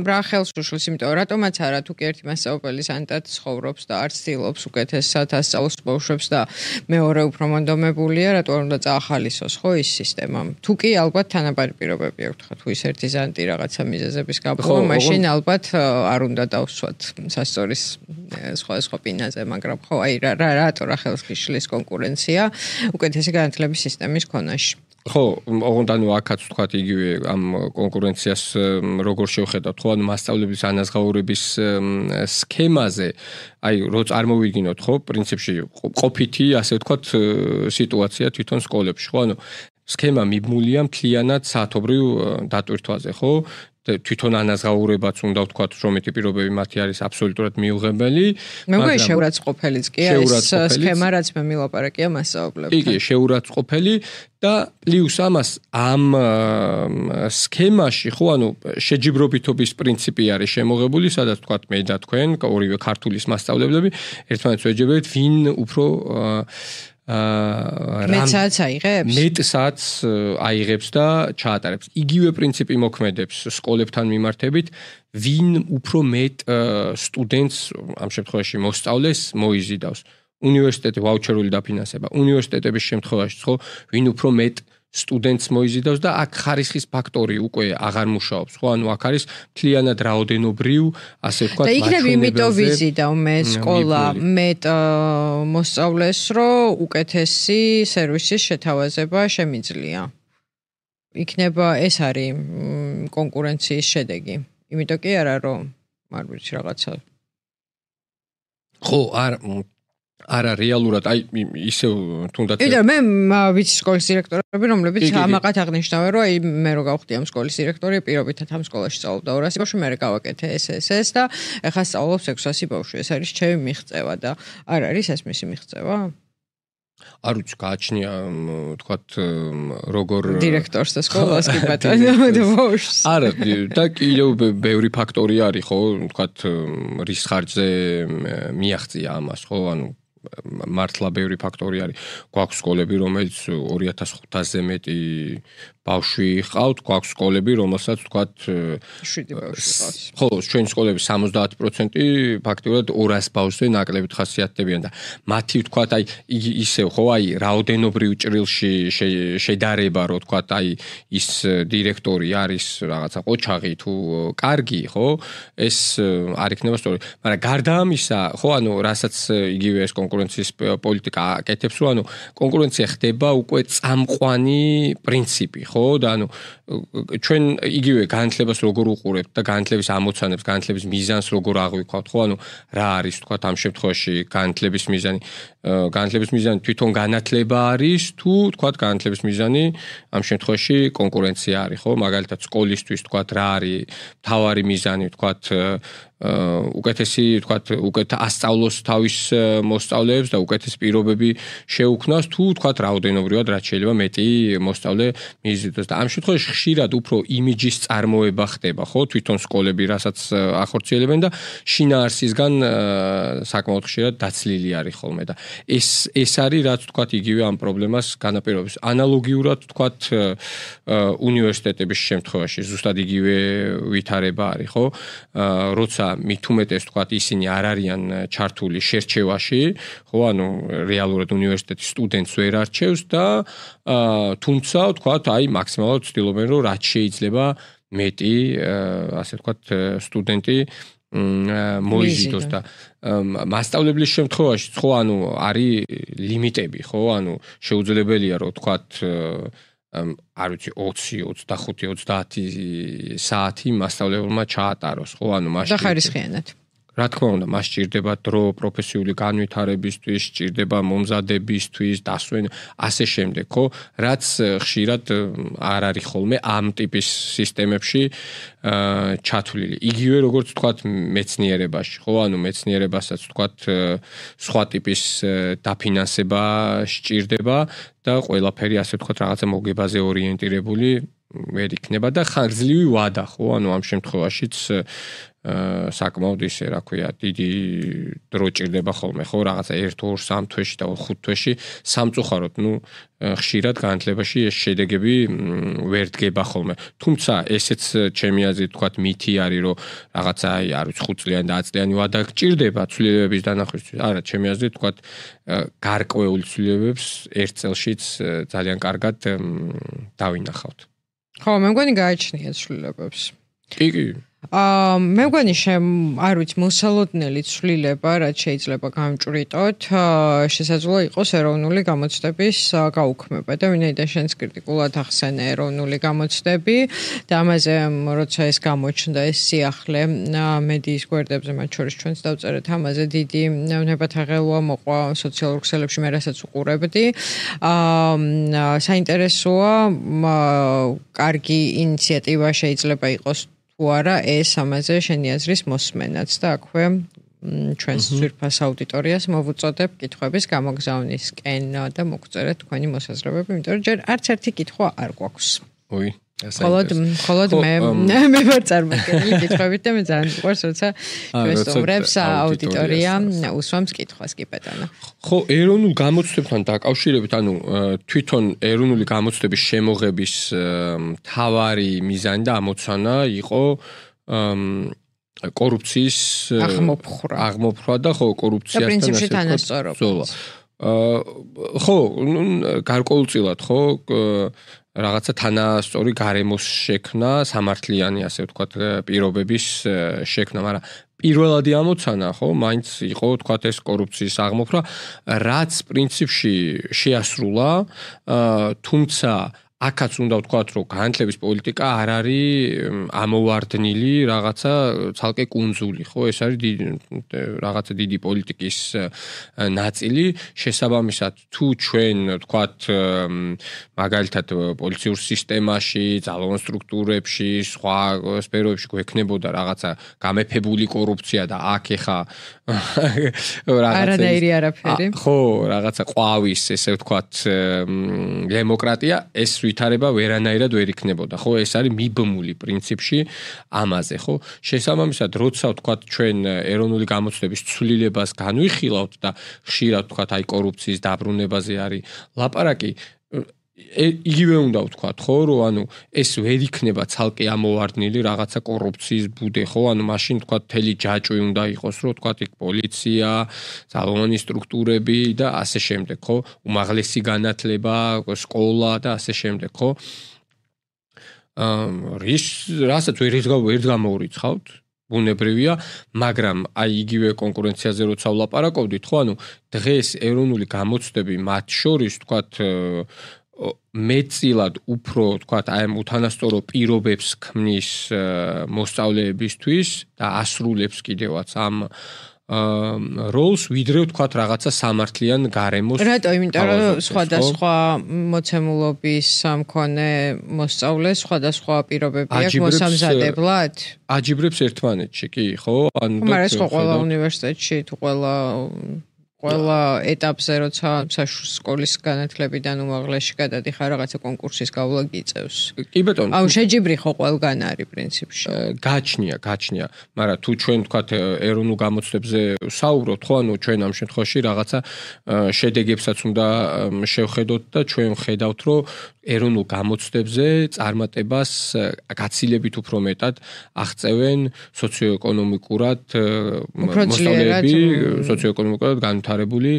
რა ხელს უშლის იმიტომ რატომაც არა თუ კი ერთი მასწავლებელი სანტად ცხოვრობს და არც ცდილობს უკეთესად ასწავლოს ბავშვებს და მეორე უფრო მონდომებულია, რატო არ უნდა წაახალისოს ხო ის სისტემა. თუ კი ალბათ თანაბარი პირობები აქვს, ხა თუ ის ერთი ზანტი რაღაცა მიზეზების გაბრძვა, მაშინ ალბათ არ უნდა დავსვათ სასწორის სხვა სხვა პინაზე, მაგრამ ხო აი რა რატო რა ხელს გიშლის კონკურენცია უკეთესი განათლების სისტემის ქონაში. ხო, ოღონდ ანუ აქაც თქვათ იგივე ამ კონკურენციას როგორ შევხედავთ, ხო, ანუ მასწავლებლების ანაზღაურების სქემაზე, აი, რო წარმოვიდგინოთ, ხო, პრინციპში ყოფითი, ასე ვთქვათ, სიტუაცია თვითონ სკოლებში, ხო, ანუ სქემა მიბმულია მთლიანად საათობრივ დატვირთვაზე, ხო? თვითონ ანაზღაურებაც უნდა ვთქვათ, რომ მეტი პირობები მათი არის აბსოლუტურად მიუღებელი. მე მგონი შეურაცხყოფელიც კი ეს სქემა, რაც მე მილაპარაკია მასწავლებლებთან. კი, შეურაცხყოფელი და პლუს ამას ამ სქემაში ხო ანუ შეჯიბრობითობის პრინციპი არის შემოღებული, სადაც ვთქვათ მე და თქვენ, ორივე ქართულის მასწავლებლები ერთმანეთს ვეჯებებთ, ვინ უფრო აა მეტსაც აიღებს? მეტსაც აიღებს და ჩაატარებს. იგივე პრინციპი მოქმედებს სკოლებთან მიმართებით, ვინ უფრო მეტ სტუდენტს ამ შემთხვევაში მოსწავლეს მოიზიდავს. უნივერსიტეტი ვაუჩერული დაფინანსება. უნივერსიტეტების შემთხვევაში ხო, ვინ უფრო მეტ სტუდენტს მოიზიდავს და აქ ხარისხის ფაქტორი უკვე აღარ მუშაობს. ხო, ანუ აქ არის მთლიანად რაოდენობრივ, ასე ვთქვათ, მაჩვენებელზე. და იქნებ იმიტომ ვიზიდავ მე სკოლა მეტ მოსწავლეს, რომ უკეთესი სერვისის შეთავაზება შემიძლია. იქნება ეს არის კონკურენციის შედეგი. იმიტომ კი არა, რომ არ ვიცი რაღაცა. ხო, არ არა რეალურად აი ისე თუნდაც იდე მე ვიცი სკოლის დირექტორები რომლებიც ამაყად აღნიშნავენ რომ აი მე რო გავხდი ამ სკოლის დირექტორი პირობითად ამ სკოლაში სწავლობდა ორასი ბავშვი მე გავაკეთე ეს ეს ეს და ეხლა სწავლობს ექვსასი ბავშვი ეს არის ჩემი მიღწევა და არ არის ეს მისი მიღწევა არ ვიცი გააჩნია თქვათ როგორ დირექტორს და სკოლას კი ბატონო და ბავშვს არა და კიდევ ბევრი ფაქტორი არის ხო თქვათ რის ხარჯზე მიაღწია ამას ხო ანუ მართლა ბევრი ფაქტორი არის. გვაქვს სკოლები, რომელიც ორი ათას ხუთასზე მეტი ბავშვი ჰყავთ, გვაქვს სკოლები, რომელსაც ვთქვათ შვიდი ბავშვი ჰყავს. ხო, ჩვენი სკოლების სამოცდაათი პროცენტი ფაქტიურად ორას ბავშვზე ნაკლებით ხასიათდებიან და მათი ვთქვათ აი ისევ ხო აი რაოდენობრივ ჭრილში შედარება რო ვთქვათ აი ის დირექტორი არის რაღაცა ყოჩაღი თუ კარგი ხო ეს არ იქნება სწორი. მაგრამ გარდა ამისა ხო ანუ რასაც იგივე ეს კონკურენციის პოლიტიკა აკეთებს რომ ანუ კონკურენცია ხდება უკვე წამყვანი პრინციპი ხო და ანუ ჩვენ იგივე განათლებას როგორ უყურებთ და განათლების ამოცანებს, განათლების მიზანს როგორ აღვიქვათ ხო ანუ რა არის თქვა ამ შემთხვევაში განათლების მიზანი განათლების მიზანი თვითონ განათლება არის თუ თქვა განათლების მიზანი ამ შემთხვევაში კონკურენცია არის ხო მაგალითად სკოლისთვის თქვა რა არის მთავარი მიზანი თქვა უკეთესი თქვათ უკეთ ასწავლოს თავის მოსწავლეებს და უკეთეს პირობები შეუქმნას თუ თქვათ რაოდენობრივად რაც შეიძლება მეტი მოსწავლე მიიზიდოს და ამ შემთხვევაში ხშირად უფრო იმიჯის წარმოება ხდება ხო თვითონ სკოლები რასაც ახორციელებენ და შინაარსისგან საკმაოდ ხშირად დაცლილი არის ხოლმე და ეს ეს არის რაც თქვათ იგივე ამ პრობლემას განაპირობებს ანალოგიურად თქვათ უნივერსიტეტების შემთხვევაში ზუსტად იგივე ვითარება არის ხო როცა მით უმეტეს თქვათ ისინი არ არიან ჩართული შერჩევაში, ხო, ანუ რეალურად უნივერსიტეტის სტუდენტს ვერ არჩევს და თუმცა თქვათ აი მაქსიმალურად ცდილობენ რომ რაც შეიძლება მეტი ასე თქვათ სტუდენტი მოიზიდოს და მასწავლებლის შემთხვევაში ხო ანუ არის ლიმიტები, ხო, ანუ შეუძლებელია რომ თქვათ არ ვიცი ოცი, ოცდახუთი, ოცდაათი საათი მასწავლებელმა ჩაატაროს, ხო, ანუ მაშინ და ხარისხიანად. რა თქმა უნდა, მას სჭირდება დრო პროფესიული განვითარებისთვის, სჭირდება მომზადებისთვის, დასვენ, ასე შემდეგ, ხო? რაც ხშირად არ არის ხოლმე ამ ტიპის სისტემებში ჩათვლილი. იგივე როგორც ვთქვათ მეცნიერებაში, ხო? ანუ მეცნიერებასაც ვთქვათ სხვა ტიპის დაფინანსება სჭირდება და ყველაფერი ასე ვთქვათ რაღაცა მოგებაზე ორიენტირებული ვერ იქნება და ხანგრძლივი ვადა, ხო? ანუ ამ შემთხვევაშიც საკმაოდ ისე, რა ქვია, დიდი დრო ჭირდება ხოლმე, ხო, რაღაცა ერთ, ორ, სამ თვეში და ხუთ თვეში სამწუხაროდ, ну, ხშირად განათლებაში ეს შედეგები ვერ დგება ხოლმე. თუმცა, ესეც ჩემი აზრით, თქვათ, მითი არის, რომ რაღაცა, აი, არ ვიცი, ხუთ წლიანი და ათი წლიანი ვადა გჭირდება ცვლილებების დანახვისათვის. არა, ჩემი აზრით, თქვათ, გარკვეულ ცვლილებებს ერთ წელშიც ძალიან კარგად დავინახავთ. ხო, მე მგონი გააჩნია ცვლილებებს. კი, კი. აა მე მგონი შემ არ ვიცი მოსალოდნელი ცვლილება რაც შეიძლება გამჭვრიტოთ შესაძლოა იყოს ეროვნული გამოცდების გაუქმება და ვინაიდან შენს კრიტიკულად ახსენე ეროვნული გამოცდები და ამაზე როცა ეს გამოჩნდა ეს სიახლე მედიის გვერდებზე მათ შორის ჩვენც დავწერეთ ამაზე დიდი ნებათაღელვა მოყვა სოციალურ ქსელებში მე რასაც უყურებდი აა საინტერესოა კარგი ინიციატივა შეიძლება იყოს თუ არა ეს ამაზე შენი აზრის მოსმენაც და აქვე ჩვენს ძვირფას აუდიტორიას მოვუწოდებ კითხვების გამოგზავნისკენ და მოგწერეთ თქვენი მოსაზრებები, იმიტომ რომ ჯერ არც ერთი კითხვა არ გვაქვს. ой, холод, холод მე მე ვარ წარმოგიდგენილი კითხვებით და მე ძალიან მიყვარს, როცა ჩვენ სტუმრებს აუდიტორია უსვამს კითხვას, კი ბატონო. ხო, ეროვნულ გამოცდებთან დაკავშირებით, ანუ თვითონ ეროვნული გამოცდების შემოღების მთავარი მიზანი და ამოცანა იყო კორუფციის აღმოფხვრა. აღმოფხვრა და ხო, კორუფციასთან და პრინციპში თანასწორობა. ხო, გარკვეულწილად ხო რაღაცა თანასწორი გარემოს შექმნა, სამართლიანი ასე ვთქვათ, პირობების შექმნა, მაგრამ პირველადი ამოცანა ხო, მაინც იყო ვთქვათ ეს კორუფციის აღმოფხვრა, რაც პრინციპში შეასრულა, თუმცა აქაც უნდა ვთქვათ, რომ განათლების პოლიტიკა არ არის ამოვარდნილი რაღაცა ცალკე კუნძული, ხო? ეს არის რაღაცა დიდი პოლიტიკის ნაწილი. შესაბამისად, თუ ჩვენ ვთქვათ, მაგალითად პოლიციურ სისტემაში, ძალოვან სტრუქტურებში, სხვა სფეროებში გვექნებოდა რაღაცა გამეფებული კორუფცია და აქ ეხა რაღაცა არანაირი არაფერი. ხო, რაღაცა ყვავის, ესე ვთქვათ, დემოკრატია, ეს ვითარება ვერანაირად ვერ იქნებოდა, ხო? ეს არის მიბმული პრინციპში ამაზე, ხო? შესაბამისად, როცა ვთქვათ, ჩვენ ეროვნული გამოცდების ცვლილებას განვიხილავთ და ხშირად ვთქვათ, აი კორუფციის დაბრუნებაზე არის ლაპარაკი, იგივე უნდა ვთქვათ, ხო, რომ ანუ ეს ვერ იქნება ცალკე ამოვარდნილი რაღაცა კორუფციის ბუდე, ხო? ანუ მაშინ ვთქვათ, თელი ჯაჭვი უნდა იყოს, რომ ვთქვათ, იქ პოლიცია, ძალოვანი სტრუქტურები და ასე შემდეგ, ხო? უმაღლესი განათლება, სკოლა და ასე შემდეგ, ხო? აა რის რასაც ვერ ვერ გამოურიცხავთ, ბუნებრივია, მაგრამ აი იგივე კონკურენციაზე როცა ვლაპარაკობდით, ხო, ანუ დღეს ეროვნული გამოცდები მათ შორის, ვთქვათ, მეტწილად უფრო ვთქვათ აი ამ უთანასწორო პირობებს ქმნის მოსწავლეებისთვის და ასრულებს კიდევაც ამ როლს ვიდრე ვთქვათ რაღაცა სამართლიან გარემოს. რატო? იმიტომ რომ სხვადასხვა მოცემულობის მქონე მოსწავლეს სხვადასხვა პირობები აქვს მოსამზადებლად? აჯიბრებს ერთმანეთში, კი, ხო? ანუ მაგრამ ეს ყველა უნივერსიტეტში თუ ყველა ყველა ეტაპზე როცა სკოლის განათლებიდან უმაღლესში გადადიხარ რაღაცა კონკურსის გავლა გიწევს. კი ბატონო. აუ შეჯიბრი ხო ყველგან არის პრინციპში. გაჩნია, გაჩნია, მაგრამ თუ ჩვენ ვთქვათ ეროვნულ გამოცდებზე საუბრობთ, ხო, ანუ ჩვენ ამ შემთხვევაში რაღაცა შედეგებსაც უნდა შევხედოთ და ჩვენ ვხედავთ, რომ ეროვნულ გამოცდებზე წარმატებას გაცილებით უფრო მეტად აღწევენ სოციოეკონომიკურად მოსწავლეები, სოციოეკონომიკურად განვითარებული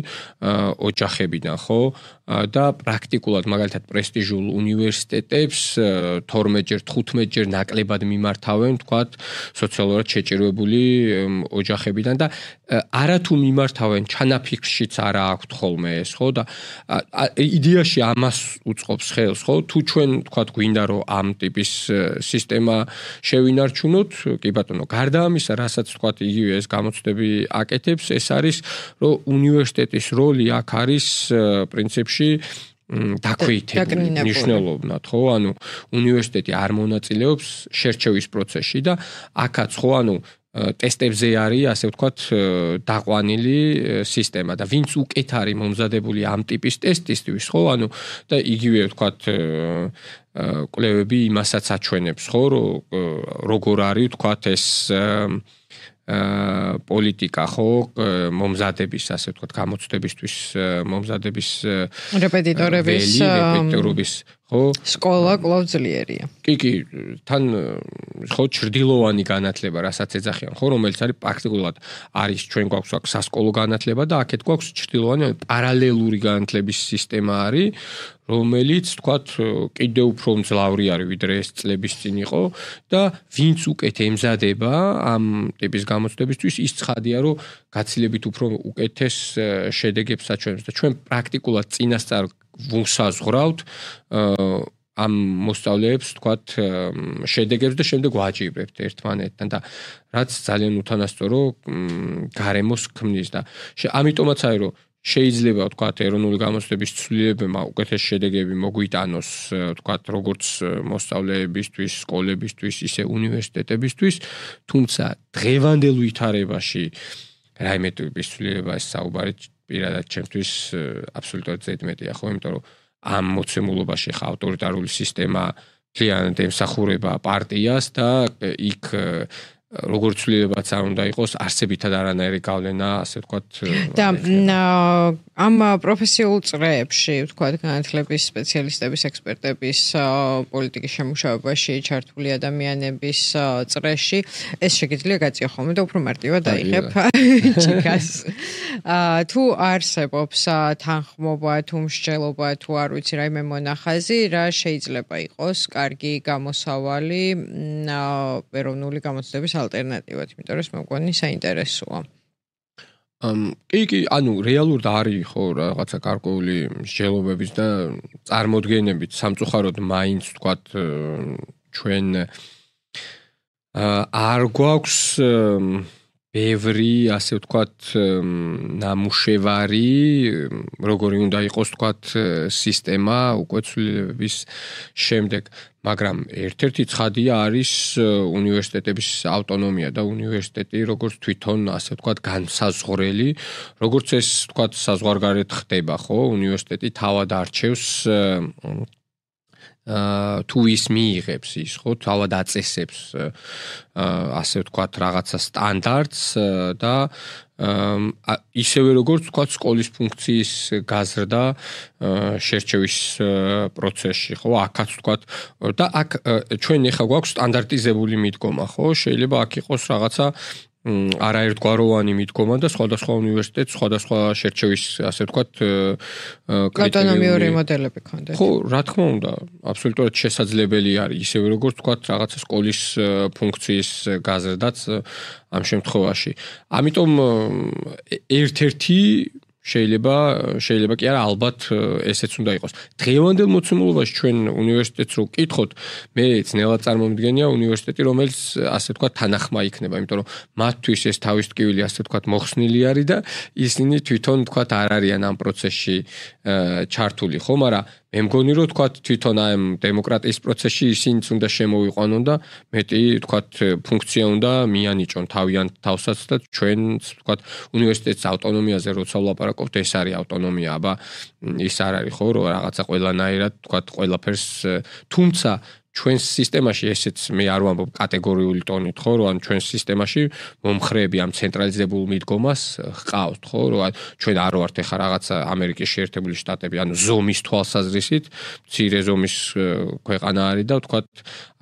ოჯახებიდან, ხო? და პრაქტიკულად მაგალითად პრესტიჟულ უნივერსიტეტებს თორმეტჯერ, თხუთმეტჯერ ნაკლებად მიმართავენ, თქვათ, სოციალურად შეჭირვებული ოჯახებიდან და არათუ მიმართავენ, ჩანაფიქრშიც არა აქვთ ხოლმე ეს, ხო? და იდეაში ამას უწყობს ხელს, ხო? თუ ჩვენ, თქვათ, გვინდა რომ ამ ტიპის სისტემა შევინარჩუნოთ, კი ბატონო, გარდა ამისა, რასაც თქვათ, იგივე ეს გამოცდები აკეთებს, ეს არის, რომ უნივერსიტეტის როლი აქ არის პრინციპში დაქვეითებული მნიშვნელოვნად, ხო? ანუ უნივერსიტეტი არ მონაწილეობს შერჩევის პროცესში და აქაც ხო, ანუ ტესტებზე არის, ასე ვთქვათ, დაყვანილი სისტემა და ვინც უკეთ არის მომზადებული ამ ტიპის ტესტისთვის, ხო? ანუ და იგივე ვთქვათ, კვლევები იმასაც აჩვენებს, ხო, რომ როგორ არის, ვთქვათ, ეს პოლიტიკა, ხო, მომზადების, ასე ვთქვათ, გამოცდებისთვის მომზადების რეპეტიტორების რეპეტიტორების, ხო? სკოლა კვლავ ძლიერია. კი, კი, თან ხო ჩრდილოვანი განათლება, რასაც ეძახიან, ხო, რომელიც არის პრაქტიკულად არის ჩვენ გვაქვს აქ სასკოლო განათლება და აქეთ გვაქვს ჩრდილოვანი პარალელური განათლების სისტემა არის, რომელიც, თქვათ, კიდევ უფრო მძლავრი არის, ვიდრე ეს წლების წინ იყო და ვინც უკეთ ემზადება ამ ტიპის გამოცდებისთვის, ის ცხადია, რომ გაცილებით უფრო უკეთეს შედეგებს აჩვენებს და ჩვენ პრაქტიკულად წინასწარ ვუსაზღვრავთ ამ მოსწავლეებს, თქვათ, შედეგებს და შემდეგ ვაჯიბრებთ ერთმანეთთან და რაც ძალიან უთანასწორო გარემოს ქმნის და ამიტომაც არის, რომ შეიძლება ვთქვათ ეროვნული გამოცდების ცვლილებებმა უკეთეს შედეგები მოგვიტანოს ვთქვათ როგორც მოსწავლეებისთვის, სკოლებისთვის, ისე უნივერსიტეტებისთვის, თუმცა დღევანდელ ვითარებაში რაიმე ტიპის ცვლილებაა საუბარი პირადად ჩემთვის აბსოლუტურად ზედმეტია, ხო, იმიტომ რომ ამ მოცემულობაში ხა ავტორიტარული სისტემა მთლიანად ემსახურება პარტიას და იქ როგორც ცვლილებაც არ უნდა იყოს, არსებითად არანაირი გავლენა, ასე ვთქვათ. და ამ პროფესიულ წრეებში, ვთქვათ, განათლების სპეციალისტების, ექსპერტების, პოლიტიკის შემუშავებაში ჩართული ადამიანების წრეში, ეს შეგიძლია გაწიო ხოლმე და უფრო მარტივად დაიღებ ჭიქას. თუ არსებობს თანხმობა, თუ მსჯელობა, თუ არ ვიცი რაიმე მონახაზი, რა შეიძლება იყოს კარგი გამოსავალი ეროვნული გამოცდების ალტერნატივად, იმიტომ რომ ეს მოგონი საინტერესოა. ამ კი კი, ანუ რეალურად არის ხო რაღაცა გარკვეული მსჯელობების და წარმოდგენებით სამწუხაროდ მაინც ვთქვათ ჩვენ არ გვაქვს ბევრი, ასე ვთქვათ, ნამუშევარი, როგორი უნდა იყოს ვთქვათ სისტემა უკვე ცვლილებების შემდეგ. მაგრამ ერთ-ერთი ცხადია არის უნივერსიტეტების ავტონომია და უნივერსიტეტი როგორც თვითონ ასე ვთქვათ განსაზღვრელი, როგორც ეს ვთქვათ საზღვარგარეთ ხდება, ხო? უნივერსიტეტი თავად არჩევს თუ ის მიიღებს ის, ხო, თავად აწესებს ასე ვთქვათ რაღაცა სტანდარტს და ისევე როგორც ვთქვათ სკოლის ფუნქციის გაზრდა შერჩევის პროცესში, ხო, აქაც ვთქვათ და აქ ჩვენ ახლა გვაქვს სტანდარტიზებული მიდგომა, ხო, შეიძლება აქ იყოს რაღაცა არაერთგვაროვანი მიდგომა და სხვადასხვა უნივერსიტეტს სხვადასხვა შერჩევის, ასე ვთქვათ, ავტონომიური მოდელები ქონდეთ. ხო, რა თქმა უნდა, აბსოლუტურად შესაძლებელი არის, ისევე როგორც ვთქვათ, რაღაცა სკოლის ფუნქციის გაზრდაც ამ შემთხვევაში. ამიტომ ერთ-ერთი შეიძლება შეიძლება კი არა ალბათ ესეც უნდა იყოს. დღევანდელ მოცემულობაში ჩვენ უნივერსიტეტს რო ვკითხოთ, მე ძნელად წარმომიდგენია უნივერსიტეტი, რომელიც ასე ვთქვათ თანახმა იქნება, იმიტომ რომ მათთვის ეს თავის ტკივილი ასე ვთქვათ მოხსნილი არის და ისინი თვითონ ვთქვათ არ არიან ამ პროცესში ჩართული, ხო, მაგრამ მე მგონი რომ ვთქვათ თვითონ ამ დემოკრატიის პროცესში ისინიც უნდა შემოვიყვანონ და მეტი ვთქვათ ფუნქცია უნდა მიანიჭონ თავიანთ თავსაც და ჩვენც ვთქვათ უნივერსიტეტის ავტონომიაზე როცა ვლაპარაკობთ, ეს არის ავტონომია, აბა ის არ არის ხო, რომ რაღაცა ყველანაირად ვთქვათ ყველაფერს, თუმცა ჩვენს სისტემაში ესეც მე არ ვამბობ კატეგორიული ტონით, ხო, რომ ჩვენს სისტემაში მომხრეები ამ ცენტრალიზებულ მიდგომას ჰყავთ, ხო, რომ ჩვენ არ ვართ ეხა რაღაცა ამერიკის შეერთებული შტატები, ანუ ზომის თვალსაზრისით, მცირე ზომის ქვეყანა არის და ვთქვათ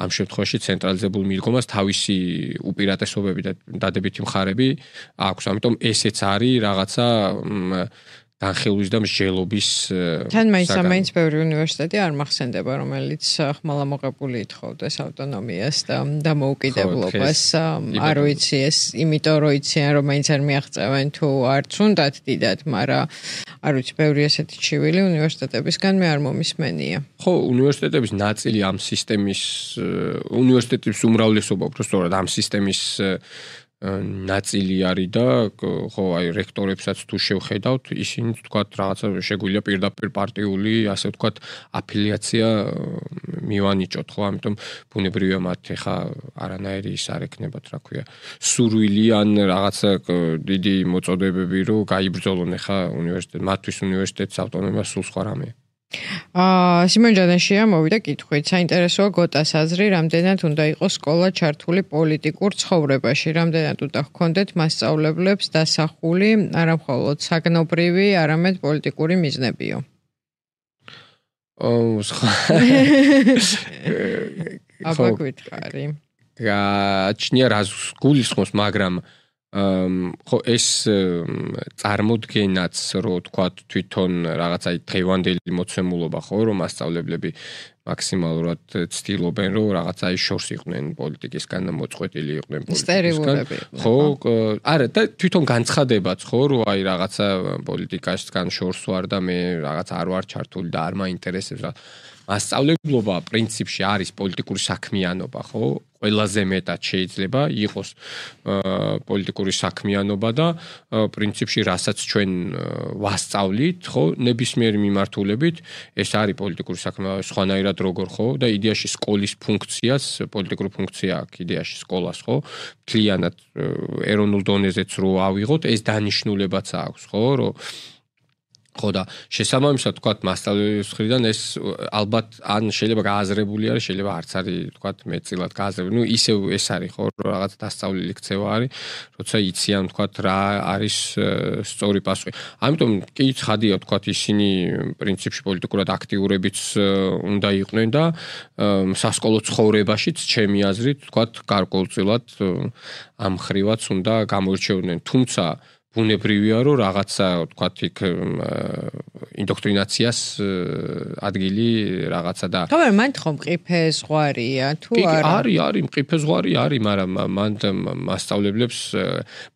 ამ შემთხვევაში ცენტრალიზებულ მიდგომას თავისი უპირატესობები და დადებითი მხარები აქვს. ამიტომ ესეც არის რაღაცა განხილვის და მსჯელობის თან მაინც მაინც ბევრი უნივერსიტეტი არ მახსენდება, რომელიც ხმალა მოყებული ითხოვდეს ავტონომიას და დამოუკიდებლობას. არ ვიცი ეს, იმიტომ რომ იციან რომ მაინც არ მიაღწევენ თუ არც უნდათ დიდად, მაგრამ არ ვიცი, ბევრი ესეთი ჩივილი უნივერსიტეტებისგან მე არ მომისმენია. ხო, უნივერსიტეტების ნაწილი ამ სისტემის უნივერსიტეტების უმრავლესობა უბრალოდ ამ სისტემის ნაწილი არის და ხო აი რექტორებსაც თუ შევხედავთ, ისინი თქვათ რაღაცა შეგვიძლია პირდაპირ პარტიული, ასე ვთქვათ, აფილიაცია მივანიჭოთ, ხო, ამიტომ ბუნებრივია მათ ეხა არანაირი ის არ ექნებათ, რა ქვია, სურვილი ან რაღაცა დიდი მოწოდებები, რომ გაიბრძოლონ ეხა უნივერსიტეტ, მათთვის უნივერსიტეტის ავტონომია სულ სხვა რამეა. აა სიმონ ჯანაშია მოვიდა კითხვით. საინტერესოა გოტას აზრი, რამდენად უნდა იყოს სკოლა ჩართული პოლიტიკურ ცხოვრებაში, რამდენად უნდა ჰქონდეთ მასწავლებლებს დასახული არა მხოლოდ საგნობრივი, არამედ პოლიტიკური მიზნებიო. ო, სხვა. აბა გითხარი. გაჩნია რას გულისხმობს, მაგრამ ხო ეს წარმოდგენაც რო თქვა თვითონ რაღაცა დღევანდელი მოცემულობა ხო რომ მასწავლებლები მაქსიმალურად ცდილობენ რომ რაღაცა ის შორს იყვნენ პოლიტიკისგან და მოწყვეტილი იყვნენ პოლიტიკისგან. ხო, არა და თვითონ განცხადებაც ხო რომ აი რაღაცა პოლიტიკასგან შორს ვარ და მე რაღაც არ ვარ ჩართული და არ მაინტერესებს რა. მასწავლებლობა პრინციპში არის პოლიტიკური საქმიანობა, ხო? ყველაზე მეტად შეიძლება იყოს პოლიტიკური საქმიანობა და პრინციპში რასაც ჩვენ ვასწავლით, ხო, ნებისმიერი მიმართულებით, ეს არის პოლიტიკური საქმიანობა, სხვანაირად როგორ, ხო? და იდეაში სკოლის ფუნქციას, პოლიტიკური ფუნქცია აქვს იდეაში სკოლას, ხო? მთლიანად ეროვნულ დონეზეც რო ავიღოთ, ეს დანიშნულებაც აქვს, ხო, რომ ხო და შესაბამისად თქვათ მასწავლებლის მხრიდან ეს ალბათ ან შეიძლება გააზრებული არის, შეიძლება არც არის თქვათ მეტწილად გააზრებული. ნუ ისევ ეს არის ხო რაღაც დასწავლილი ქცევა არის, როცა იციან თქვათ რა არის სწორი პასუხი. ამიტომ კი ცხადია თქვათ ისინი პრინციპში პოლიტიკურად აქტიურებიც უნდა იყვნენ და სასკოლო ცხოვრებაშიც ჩემი აზრით თქვათ გარკვეულწილად ამ ხრივაც უნდა გამოირჩეოდნენ. თუმცა ბუნებრივია რომ რაღაცა თქვათ იქ ინდოქტრინაციას ადგილი რაღაცა და ხომ არ მან თქო მყიფე ზღვარია თუ არა არის არის მყიფე ზღვარი არის მაგრამ მან მასწავლებლებს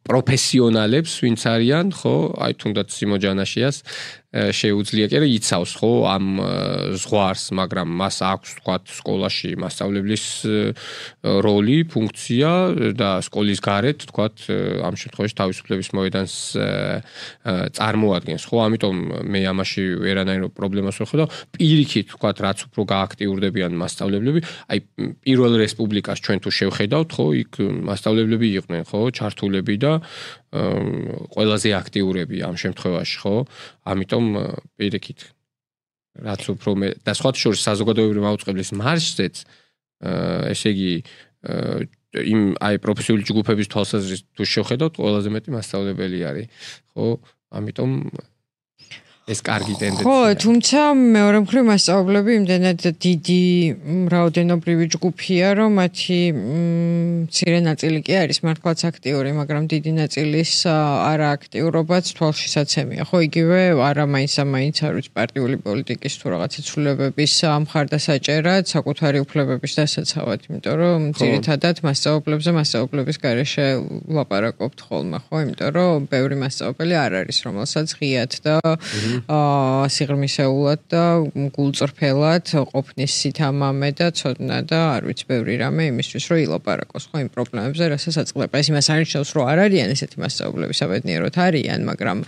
პროფესიონალებს ვინც არიან ხო აი თუნდაც სიმოჯანაშიას შეუძლია კი რა იცავს ხო ამ ზღვარს მაგრამ მას აქვს თქვათ სკოლაში მასწავლებლის როლი ფუნქცია და სკოლის გარეთ თქვათ ამ შემთხვევაში თავისუფლების მოედანს წარმოადგენს ხო ამიტომ მე ამაში ვერანაირო პრობლემას ვერ ხედავ პირიქით თქვათ რაც უფრო გააქტიურდებიან მასწავლებლები აი პირველ რესპუბლიკას ჩვენ თუ შევხედავთ ხო იქ მასწავლებლები იყვნენ ხო ჩართულები და ყველაზე აქტიურები ამ შემთხვევაში ხო ამიტომ პირიქით რაც უფრო მე და სხვა შორის საზოგადოებრივი მაუწყებლის მარშზეც ესე იგი იმ აი პროფესიული ჯგუფების თვალსაზრისით თუ შევხედავთ ყველაზე მეტი მასწავლებელი არის ხო ამიტომ ეს კარგი ტენდენცია. ხო, თუმცა მეორე მხრივ მასწავლებლები იმდენად დიდი რაოდენობრივი ჯგუფია, რომ მათი მცირე ნაწილი კი არის მართლაც აქტიური, მაგრამ დიდი ნაწილის არააქტიურობაც თვალშისაცემია. ხო, იგივე არა მაინც ამაინც არ ვიცი პარტიული პოლიტიკის თუ რაღაცა ცვლილებების მხარდასაჭერად, საკუთარი უფლებების დასაცავად, იმიტომ რომ ძირითადად მასწავლებლებზე მასწავლებლების გარეშე ვლაპარაკობთ ხოლმე, ხო, იმიტომ რომ ბევრი მასწავლებელი არ არის, რომელსაც ღიად და აა სიღრმისეულად და გულწრფელად ყოფნის სითამამე და ცოდნა და არ ვიცი ბევრი რამე იმისთვის რომ ილაპარაკოს ხო იმ პრობლემებზე რასაც აწყდება. ეს იმას არ ნიშნავს რომ არ არიან ესეთი მასწავლებლები საბედნიეროდ არიან, მაგრამ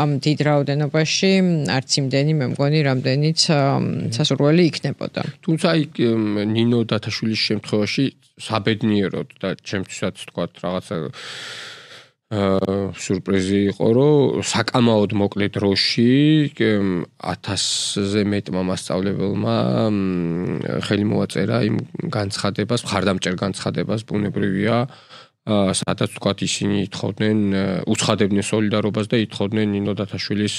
ამ დიდ რაოდენობაში არც იმდენი მე მგონი რამდენიც სასურველი იქნებოდა. თუმცა აი ნინო დათაშვილის შემთხვევაში საბედნიეროდ და ჩემთვისაც თქვათ რაღაცა სურპრიზი იყო, რომ საკამაოდ მოკლე დროში ათასზე მეტმა მასწავლებელმა ხელი მოაწერა იმ განცხადებას, მხარდამჭერ განცხადებას, ბუნებრივია, სადაც თქვათ ისინი ითხოვდნენ, უცხადებდნენ სოლიდარობას და ითხოვდნენ ნინო დათაშვილის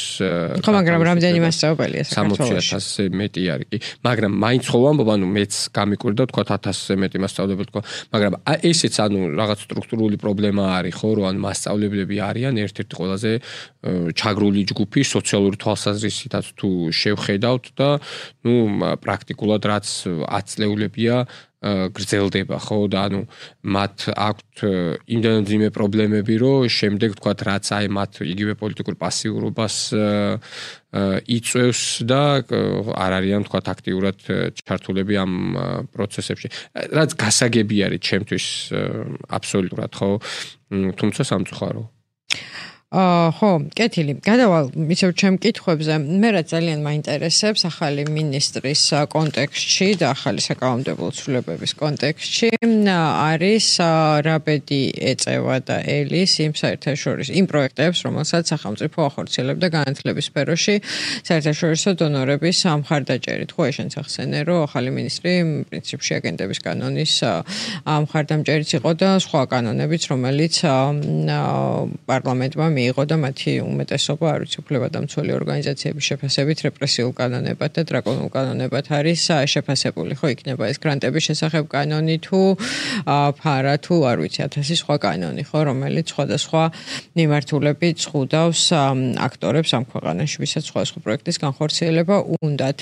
ხო, მაგრამ რამდენი მასწავლებელია საქართველოში? სამოცი ათასზე მეტი არის კი. მაგრამ მაინც ხო ვამბობ, ანუ მეც გამიკვირდა თქვათ ათასზე მეტი მასწავლებელი თქვა, მაგრამ ესეც ანუ რაღაც სტრუქტურული პრობლემა არის ხო, რომ ანუ მასწავლებლები არიან ერთ-ერთი ყველაზე ჩაგრული ჯგუფი სოციალური თვალსაზრისითაც თუ შევხედავთ და ნუ პრაქტიკულად რაც აწლეულებია გრძელდება ხო და ანუ მათ აქვთ იმდენად ძიმე პრობლემები რომ შემდეგ თქვათ რაც აი მათ იგივე პოლიტიკურ პასიურობას იწევს და არ არიან თქვათ აქტიურად ჩართულები ამ პროცესებში რაც გასაგები არის ჩემთვის აბსოლუტურად ხო თუმცა სამწუხარო აა ხო, კეთილი. გადავალ ისევ ჩემ კითხვებზე. მე რა ძალიან მაინტერესებს ახალი მინისტრის კონტექსტში და ახალი საკანონმდებლო ცვლილებების კონტექსტში არის რა ბედი ეწევა და ელის იმ საერთაშორისო იმ პროექტებს, რომელსაც სახელმწიფო ახორციელებდა განათლების სფეროში საერთაშორისო დონორების მხარდაჭერით. ხო, შენც ახსენე, რომ ახალი მინისტრი პრინციპში აგენტების კანონის მხარდამჭერიც იყო და სხვა კანონებიც, რომელიც პარლამენტმა მიიღო და მათი უმეტესობა არ ვიცი უფლებადამცველი ორგანიზაციების შეფასებით რეპრესიულ კანონებად და დრაკონულ კანონებად არის შეფასებული. ხო იქნება ეს გრანტების შესახებ კანონი თუ ფარა თუ არ ვიცი ათასი სხვა კანონი, ხო, რომელიც სხვადასხვა მიმართულებით ზღუდავს აქტორებს ამ ქვეყანაში, ვისაც სხვადასხვა პროექტის განხორციელება უნდათ.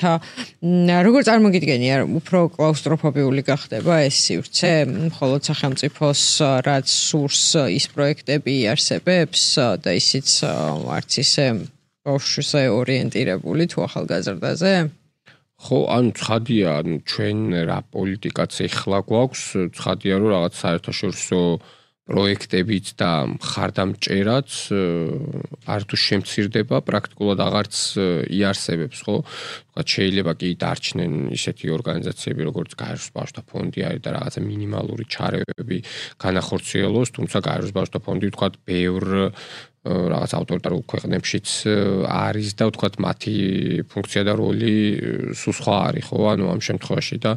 როგორ წარმოგიდგენია, უფრო კლაუსტროფობიული გახდება ეს სივრცე, მხოლოდ სახელმწიფოს რაც სურს ის პროექტები იარსებებს და ისიც არც ისე ბავშვზე ორიენტირებული თუ ახალგაზრდაზე? ხო, ანუ ცხადია, ანუ ჩვენ რა პოლიტიკაც ეხლა გვაქვს, ცხადია რომ რაღაც საერთაშორისო პროექტებიც და მხარდამჭერაც არ თუ შემცირდება, პრაქტიკულად აღარც იარსებებს, ხო? თქვა შეიძლება კი დარჩნენ ისეთი ორგანიზაციები, როგორც გაეროს ბავშვთა ფონდი არის და რაღაცა მინიმალური ჩარევები განახორციელოს, თუმცა გაეროს ბავშვთა ფონდი თქვა ბევრ რაღაც ავტორიტარულ ქვეყნებშიც არის და თქვა მათი ფუნქცია და როლი სულ სხვა არის, ხო? ანუ ამ შემთხვევაში და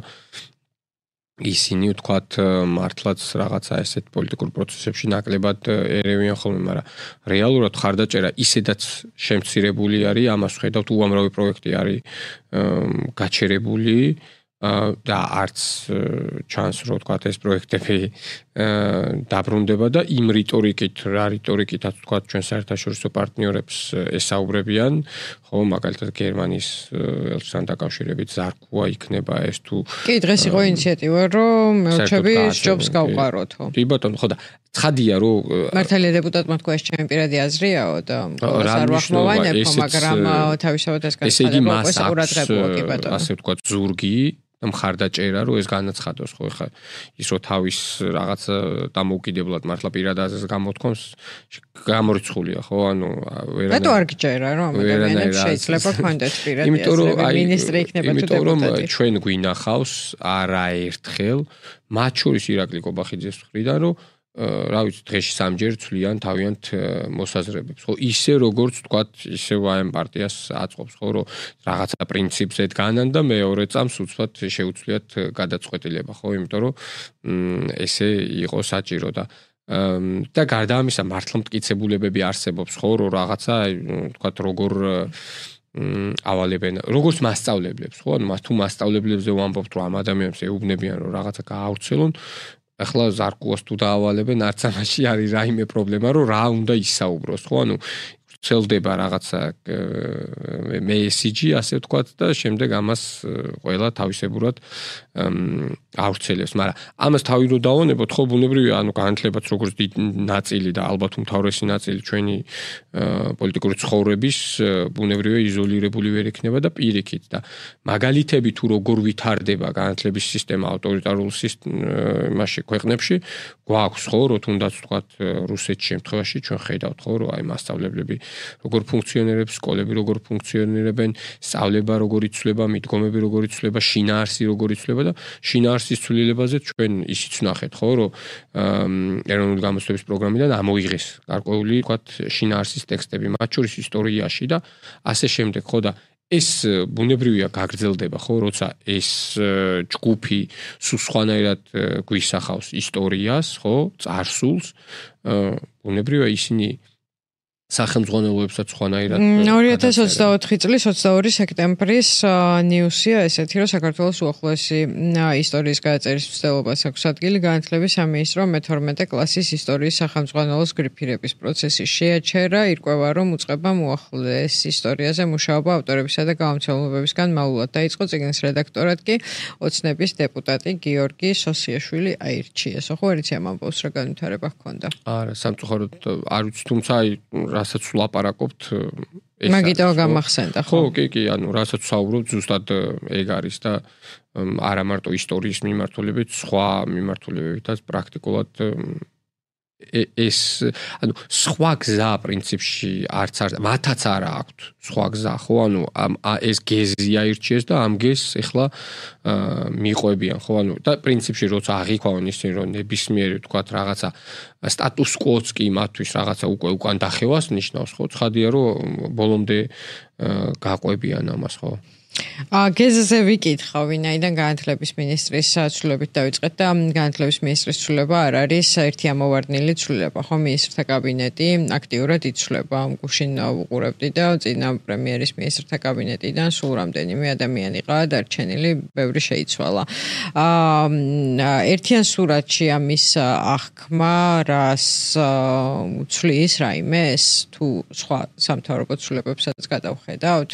ისინი ვთქვათ მართლაც რაღაცა ესეთ პოლიტიკურ პროცესებში ნაკლებად ერევიან ხოლმე, მაგრამ რეალურად ხარდაჭერა ისედაც შემცირებული არის, ამას ხედავთ უამრავი პროექტი არის გაჩერებული და არც ჩანს რომ ვთქვათ ეს პროექტები დაბრუნდება და იმ რიტორიკით, რა რიტორიკითაც ვთქვათ ჩვენ საერთაშორისო პარტნიორებს ესაუბრებიან, ხო, მაგალითად გერმანიის ელჩთან დაკავშირებით ზარქუა იქნება ეს თუ კი დღეს იყო ინიციატივა რომ ელჩები ჯობს გავყაროთო. კი ბატონო, ხო და ცხადია რომ მართალია დეპუტატმა თქვა ეს ჩემი პირადი აზრიაო და არ ვახმოვანებო, მაგრამ თავისთავად ეს განცხადება უკვე საყურადღებოა კი ბატონო. ასე ვთქვათ ზურგი მხარდაჭერა რომ ეს განაცხადოს, ხო, ხა ის რომ თავის რაღაც დამოუკიდებლად მართლა პირად აზრს გამოთქვამს გამორიცხულია, ხო, ანუ ვერანაირად რატო არ გიჭერა რომ ამ ადამიანებს შეიძლება ქონდეთ პირადი აზრები, მინისტრი იქნება თუ დეპუტატი? იმიტომ რომ ჩვენ გვინახავს არაერთხელ, მათ შორის ირაკლი კობახიძის მხრიდან რომ რა ვიცი დღეში სამჯერ ცვლიან თავიანთ მოსაზრებებს, ხო, ისე როგორც ვთქვათ, ისე ვაემ პარტიას აწყობს, ხო, რომ რაღაცა პრინციპზე დგანან და მეორე წამს უცბად შეუცვლიათ გადაწყვეტილება, ხო, იმიტომ რომ ესე იყო საჭირო და და გარდა ამისა მართლა მტკიცებულებები არსებობს, ხო, რომ რაღაცა ვთქვათ როგორ ავალებენ, როგორც მასწავლებლებს, ხო, ანუ თუ მასწავლებლებზე ვამბობთ, რომ ამ ადამიანებს ეუბნებიან, რომ რაღაცა გაავრცელონ, ახლა ზარკუას თუ დაავალებენ, არც ამაში არის რაიმე პრობლემა, რომ რა უნდა ისაუბროს, ხო? ანუ ცელდება რაღაცა მესიჯი, ასე ვთქვათ და შემდეგ ამას ყველა თავისებურად ავრცელებს, მაგრამ ამას თავი რო დავანებოთ, ხო, ბუნებრივია, ანუ განათლებაც როგორც დიდი ნაწილი და ალბათ უმთავრესი ნაწილი ჩვენი პოლიტიკური ცხოვრების ბუნებრივია იზოლირებული ვერ იქნება და პირიქით და მაგალითები თუ როგორ ვითარდება განათლების სისტემა ავტორიტარულ სისტემაში ქვეყნებში გვაქვს, ხო, რო თუნდაც ვთქვათ რუსეთის შემთხვევაში ჩვენ ხედავთ, ხო, რომ აი მასწავლებლები როგორ ფუნქციონირებს, სკოლები როგორ ფუნქციონირებენ, სწავლება როგორ იცვლება, მიდგომები როგორ იცვლება, შინაარსი როგორ იცვლება და შინაარსის ცვლილებაზე ჩვენ ისიც ვნახეთ, ხო, რომ ეროვნული გამოცდების პროგრამიდან ამოიღეს გარკვეული, ვთქვათ, შინაარსის ტექსტები, მათ შორის ისტორიაში და ასე შემდეგ, ხო და ეს ბუნებრივია გაგრძელდება, ხო, როცა ეს ჯგუფი სულ სხვანაირად გვისახავს ისტორიას, ხო, წარსულს, ბუნებრივია ისინი სახელმძღვანელოებსაც ხვანაირად ორი ათას ოცდაოთხი წლის ოცდაორი სექტემბრის ნიუსია ესეთი, რომ საქართველოს უახლოესი ისტორიის გადაწერის მცდელობას აქვს ადგილი განათლების სამინისტრო მეთორმეტე კლასის ისტორიის სახელმძღვანელოს გრიფირების პროცესი შეაჩერა, ირკვევა, რომ უწყებამ უახლოეს ისტორიაზე მუშაობა ავტორებისა და გამომცემლებებისგან მალულად დაიწყო, წიგნის რედაქტორად კი ოცნების დეპუტატი გიორგი სოსიაშვილი აირჩიეს. ხო, არიცი ამ ამბავს რა განვითარება ჰქონდა? არა, სამწუხაროდ არ ვიცი, თუმცა აი რასაც ვლაპარაკობთ ეს მაგიტო გამახსენდა, ხო? ხო, კი, კი, ანუ რასაც ვსაუბრობთ, ზუსტად ეგ არის და არა მარტო ისტორიის მიმართულებით, სხვა მიმართულებებითაც პრაქტიკულად ეს ანუ სხვა გზა პრინციპში არც არ მათაც არა აქვთ სხვა გზა, ხო, ანუ ეს გეზი აირჩიეს და ამ გეზს ეხლა მიყვებიან, ხო, ანუ და პრინციპში როცა აღიქვამენ ისინი, რომ ნებისმიერი ვთქვათ რაღაცა სტატუს კვოც კი მათთვის რაღაცა უკვე უკან დახევას ნიშნავს, ხო, ცხადია, რომ ბოლომდე გაყვებიან ამას, ხო. გეზზე ვიკითხავ, ვინაიდან განათლების მინისტრის ცვლილებით დავიწყეთ და განათლების მინისტრის ცვლილება არ არის ერთი ამოვარდნილი ცვლილება, ხო, მინისტრთა კაბინეტი აქტიურად იცვლება. გუშინ ვუყურებდი და წინა პრემიერის მინისტრთა კაბინეტიდან სულ რამდენიმე ადამიანი ყავდა დარჩენილი, ბევრი შეიცვალა. აა ერთიან სურათში ამის აღქმა რას უცვლის რაიმეს თუ სხვა სამთავრობო ცვლილებებსაც გადავხედავთ?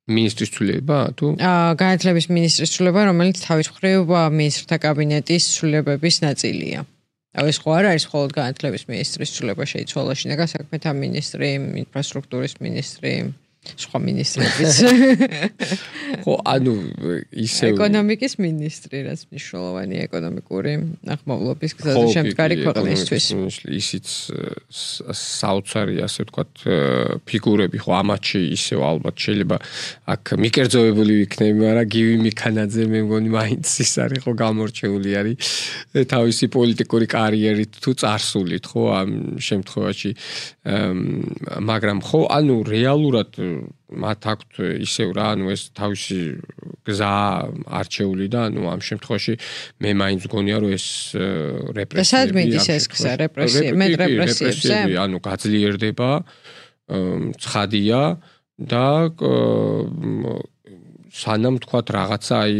მინისტრის ცვლილება თუ აა განათლების მინისტრის ცვლილება, რომელიც თავის მხრივ მინისტრთა კაბინეტის ცვლილებების ნაწილია. აი ეს ხო არ არის მხოლოდ განათლების მინისტრის ცვლილება შეიცვალა, შინაგან საქმეთა მინისტრი, ინფრასტრუქტურის მინისტრი, სხვა მინისტრებიც. ხო, ანუ ისე ეკონომიკის მინისტრი, რაც მნიშვნელოვანია ეკონომიკური აღმავლობის გზაზე შემდგარი ქვეყნისთვის. ისიც საოცარი, ასე ვთქვათ, ფიგურები, ხო, ამათში ისევ ალბათ შეიძლება აქ მიკერძოებული ვიქნები, მაგრამ გივი მიქანაძე მე მგონი მაინც ის არის, ხო, გამორჩეული არის თავისი პოლიტიკური კარიერით თუ წარსულით, ხო, ამ შემთხვევაში. მაგრამ ხო, ანუ რეალურად მათ აქვთ ისევ რა, ანუ ეს თავისი გზა არჩეული და ანუ ამ შემთხვევაში მე მაინც გონია რომ ეს რეპრესიები სად მიდის ეს გზა რეპრესიები მე რეპრესიებზე ანუ გაძლიერდება ცხადია და სანამ თქვათ რაღაცა აი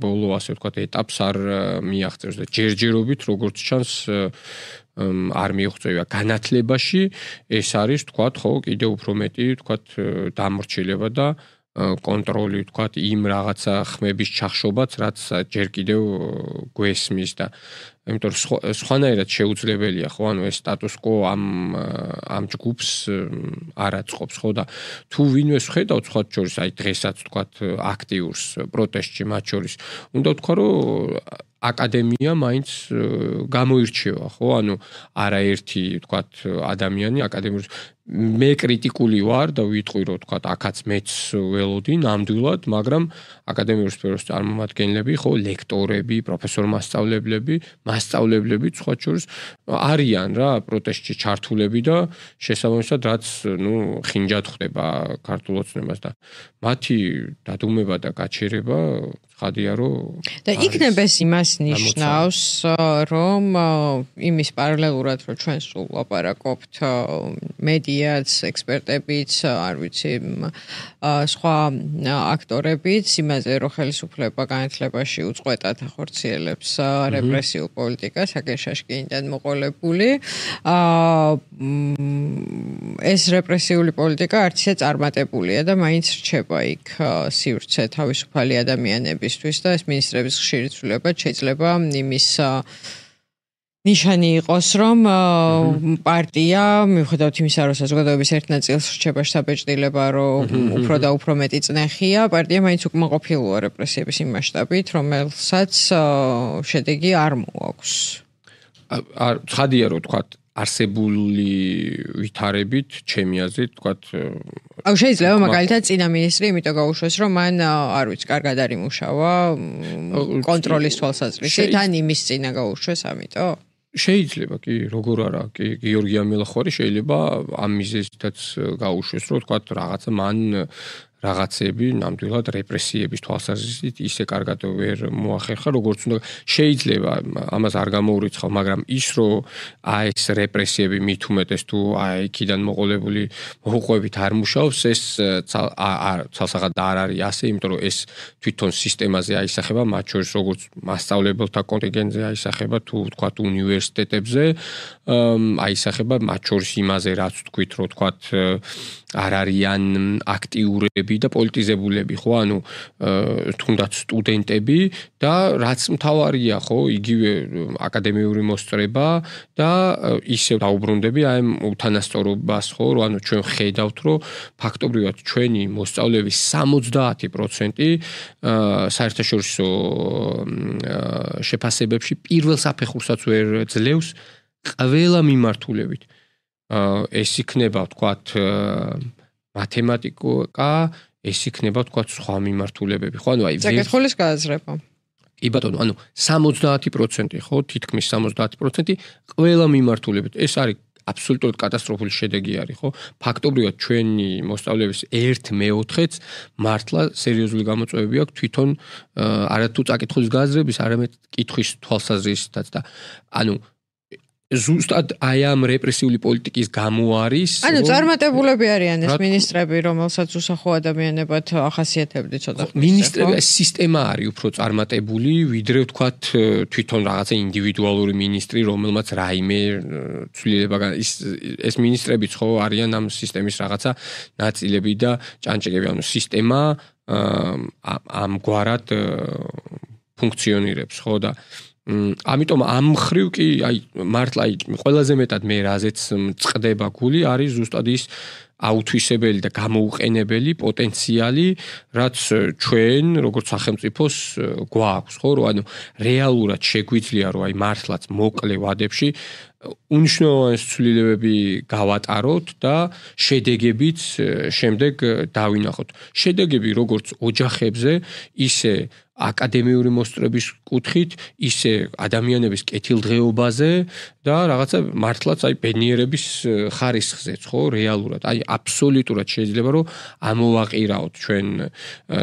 ბოლო ასე ვთქვათ ეტაპს არ მიაღწევს და ჯერჯერობით როგორც ჩანს არ მიიღწევა განათლებაში ეს არის თქვათ ხო კიდე უფრო მეტი თქვათ დამორჩილება და კონტროლი თქვათ იმ რაღაცა ხმების ჩახშობაც რაც ჯერ კიდევ გვესმის და იმიტომ რომ სხვანაირად შეუძლებელია ხო ანუ ეს სტატუს კო ამ ამ ჯგუფს არ აწყობს ხო და თუ ვინმეს ხედავთ სხვა შორის აი დღესაც თქვათ აქტიურს პროტესტში მათ შორის უნდა ვთქვა რომ აკადემია მაინც გამოირჩევა ხო ანუ არაერთი თქვათ ადამიანი აკადემიის მე კრიტიკული ვარ და ვიტყვი რომ თქვათ აქაც მეც ველოდი ნამდვილად მაგრამ აკადემიის სფეროს წარმომადგენლები ხო ლექტორები პროფესორ-მასწავლებლები მასწავლებლები სხვა შორის არიან რა პროტესტში ჩართულები და შესაბამისად რაც ნუ ხინჯად ხდება ქართულ ოცნებას და მათი დადუმება და გაჩერება ხადია რომ და იქნებ ეს იმას ნიშნავს რომ იმის პარალელურად რომ ჩვენ სულ ლაპარაკობთ მედიაც ექსპერტებიც არ ვიცი სხვა აქტორებიც იმაზე რომ ხელისუფლება განათლებაში უწყვეტად ახორციელებს რეპრესიულ პოლიტიკას აგერშაშკინიდან მოყოლებული ეს რეპრესიული პოლიტიკა არც ისე წარმატებულია და მაინც რჩება იქ სივრცე თავისუფალი ადამიანები და ეს მინისტრების ხშირი ცვლილება შეიძლება იმის ნიშანი იყოს, რომ პარტია, მიუხედავად იმისა, რომ საზოგადოების ერთ ნაწილს რჩება საბეჭდილება, რომ უფრო და უფრო მეტი წნეხია, პარტია მაინც უკმაყოფილოა რეპრესიების იმ მასშტაბით, რომელსაც შედეგი არ მოაქვს. ცხადია, რომ თქვა არსებული ვითარებით ჩემი აზრით თქვათ აუ შეიძლება მაგალითად წინა მინისტრი იმიტომ გაუშვეს რომ მან არ ვიცი კარგად არ იმუშავა კონტროლის თვალსაზრისით ან იმის წინა გაუშვეს ამიტომ შეიძლება კი როგორ არა კი გიორგი ამელახვარი შეიძლება ამ მიზეზითაც გაუშვეს რომ თქვათ რაღაცა მან რაღაცები ნამდვილად რეპრესიების თვალსაზრისით ისე კარგად ვერ მოახერხა როგორც უნდა შეიძლება ამას არ გამოურიცხავ მაგრამ ის რომ აი ეს რეპრესიები მით უმეტეს თუ აი იქიდან მოყოლებული მოუყვებით არ მუშაობს ეს ცალსაღად არ არის ასე იმიტომ რომ ეს თვითონ სისტემაზე აისახება მათ შორის როგორც მასწავლებელთა კონტინგენტზე აისახება თუ თქვათ უნივერსიტეტებზე აისახება მათ შორის იმაზე რაც თქვით რომ თქვათ არ არიან აქტიურები და პოლიტიზებულები ხო ანუ თუნდაც სტუდენტები და რაც მთავარია ხო იგივე აკადემიური მოსწრება და ისევ დაუბრუნდები აი უთანასწორობას ხო რომ ანუ ჩვენ ხედავთ რომ ფაქტობრივად ჩვენი მოსწავლეების სამოცდაათი პროცენტი საერთაშორისო შეფასებებში პირველ საფეხურსაც ვერ ძლევს ყველა მიმართულებით ეს იქნება ვთქვათ მათემატიკა ეს იქნება ვთქვათ სხვა მიმართულებები ხო ანუ აი საკითხის გააზრება კი ბატონო ანუ სამოცდაათი პროცენტი ხო თითქმის სამოცდაათი პროცენტი ყველა მიმართულებით ეს არის აბსოლუტურად კატასტროფული შედეგი არის, ხო? ფაქტობრივად ჩვენი მოსწავლეების ერთ მეოთხედს მართლა სერიოზული გამოწვევები აქვს თვითონ არათუ წაკითხვის გაზრების, არამედ კითხვის თვალსაზრისითაც და ანუ ზუსტად აი ამ რეპრესიული პოლიტიკის გამო არის ანუ წარმატებულები არიან ეს მინისტრები რომელსაც უსახო ადამიანებად ახასიათებდი ცოტა ხნის მინისტრები სისტემა არის უფრო წარმატებული ვიდრე ვთქვათ თვითონ რაღაცა ინდივიდუალური მინისტრი რომელმაც რაიმე ცვლილება ის ეს მინისტრებიც ხო არიან ამ სისტემის რაღაცა ნაწილები და ჭანჭაკები ანუ სისტემა ამგვარად ფუნქციონირებს ხო და ამიტომ ამ ხრივ კი აი მართლა აი ყველაზე მეტად მე რაზეც წდება გული არის ზუსტად ის აუთვისებელი და გამოუყენებელი პოტენციალი რაც ჩვენ როგორც სახელმწიფოს გვაქვს ხო რომ ანუ რეალურად შეგვიძლია რომ აი მართლაც მოკლე ვადებში უნიშნულოვანი ცვლილებები გავატაროთ და შედეგებიც შემდეგ დავინახოთ შედეგები როგორც ოჯახებზე ისე აკადემიური მოსწრების კუთხით, ისე ადამიანების კეთილდღეობაზე და რაღაცა მართლაც აი ბედნიერების ხარისხზეც, ხო, რეალურად. აი აბსოლუტურად შეიძლება რომ ამოვაყირაოთ ჩვენ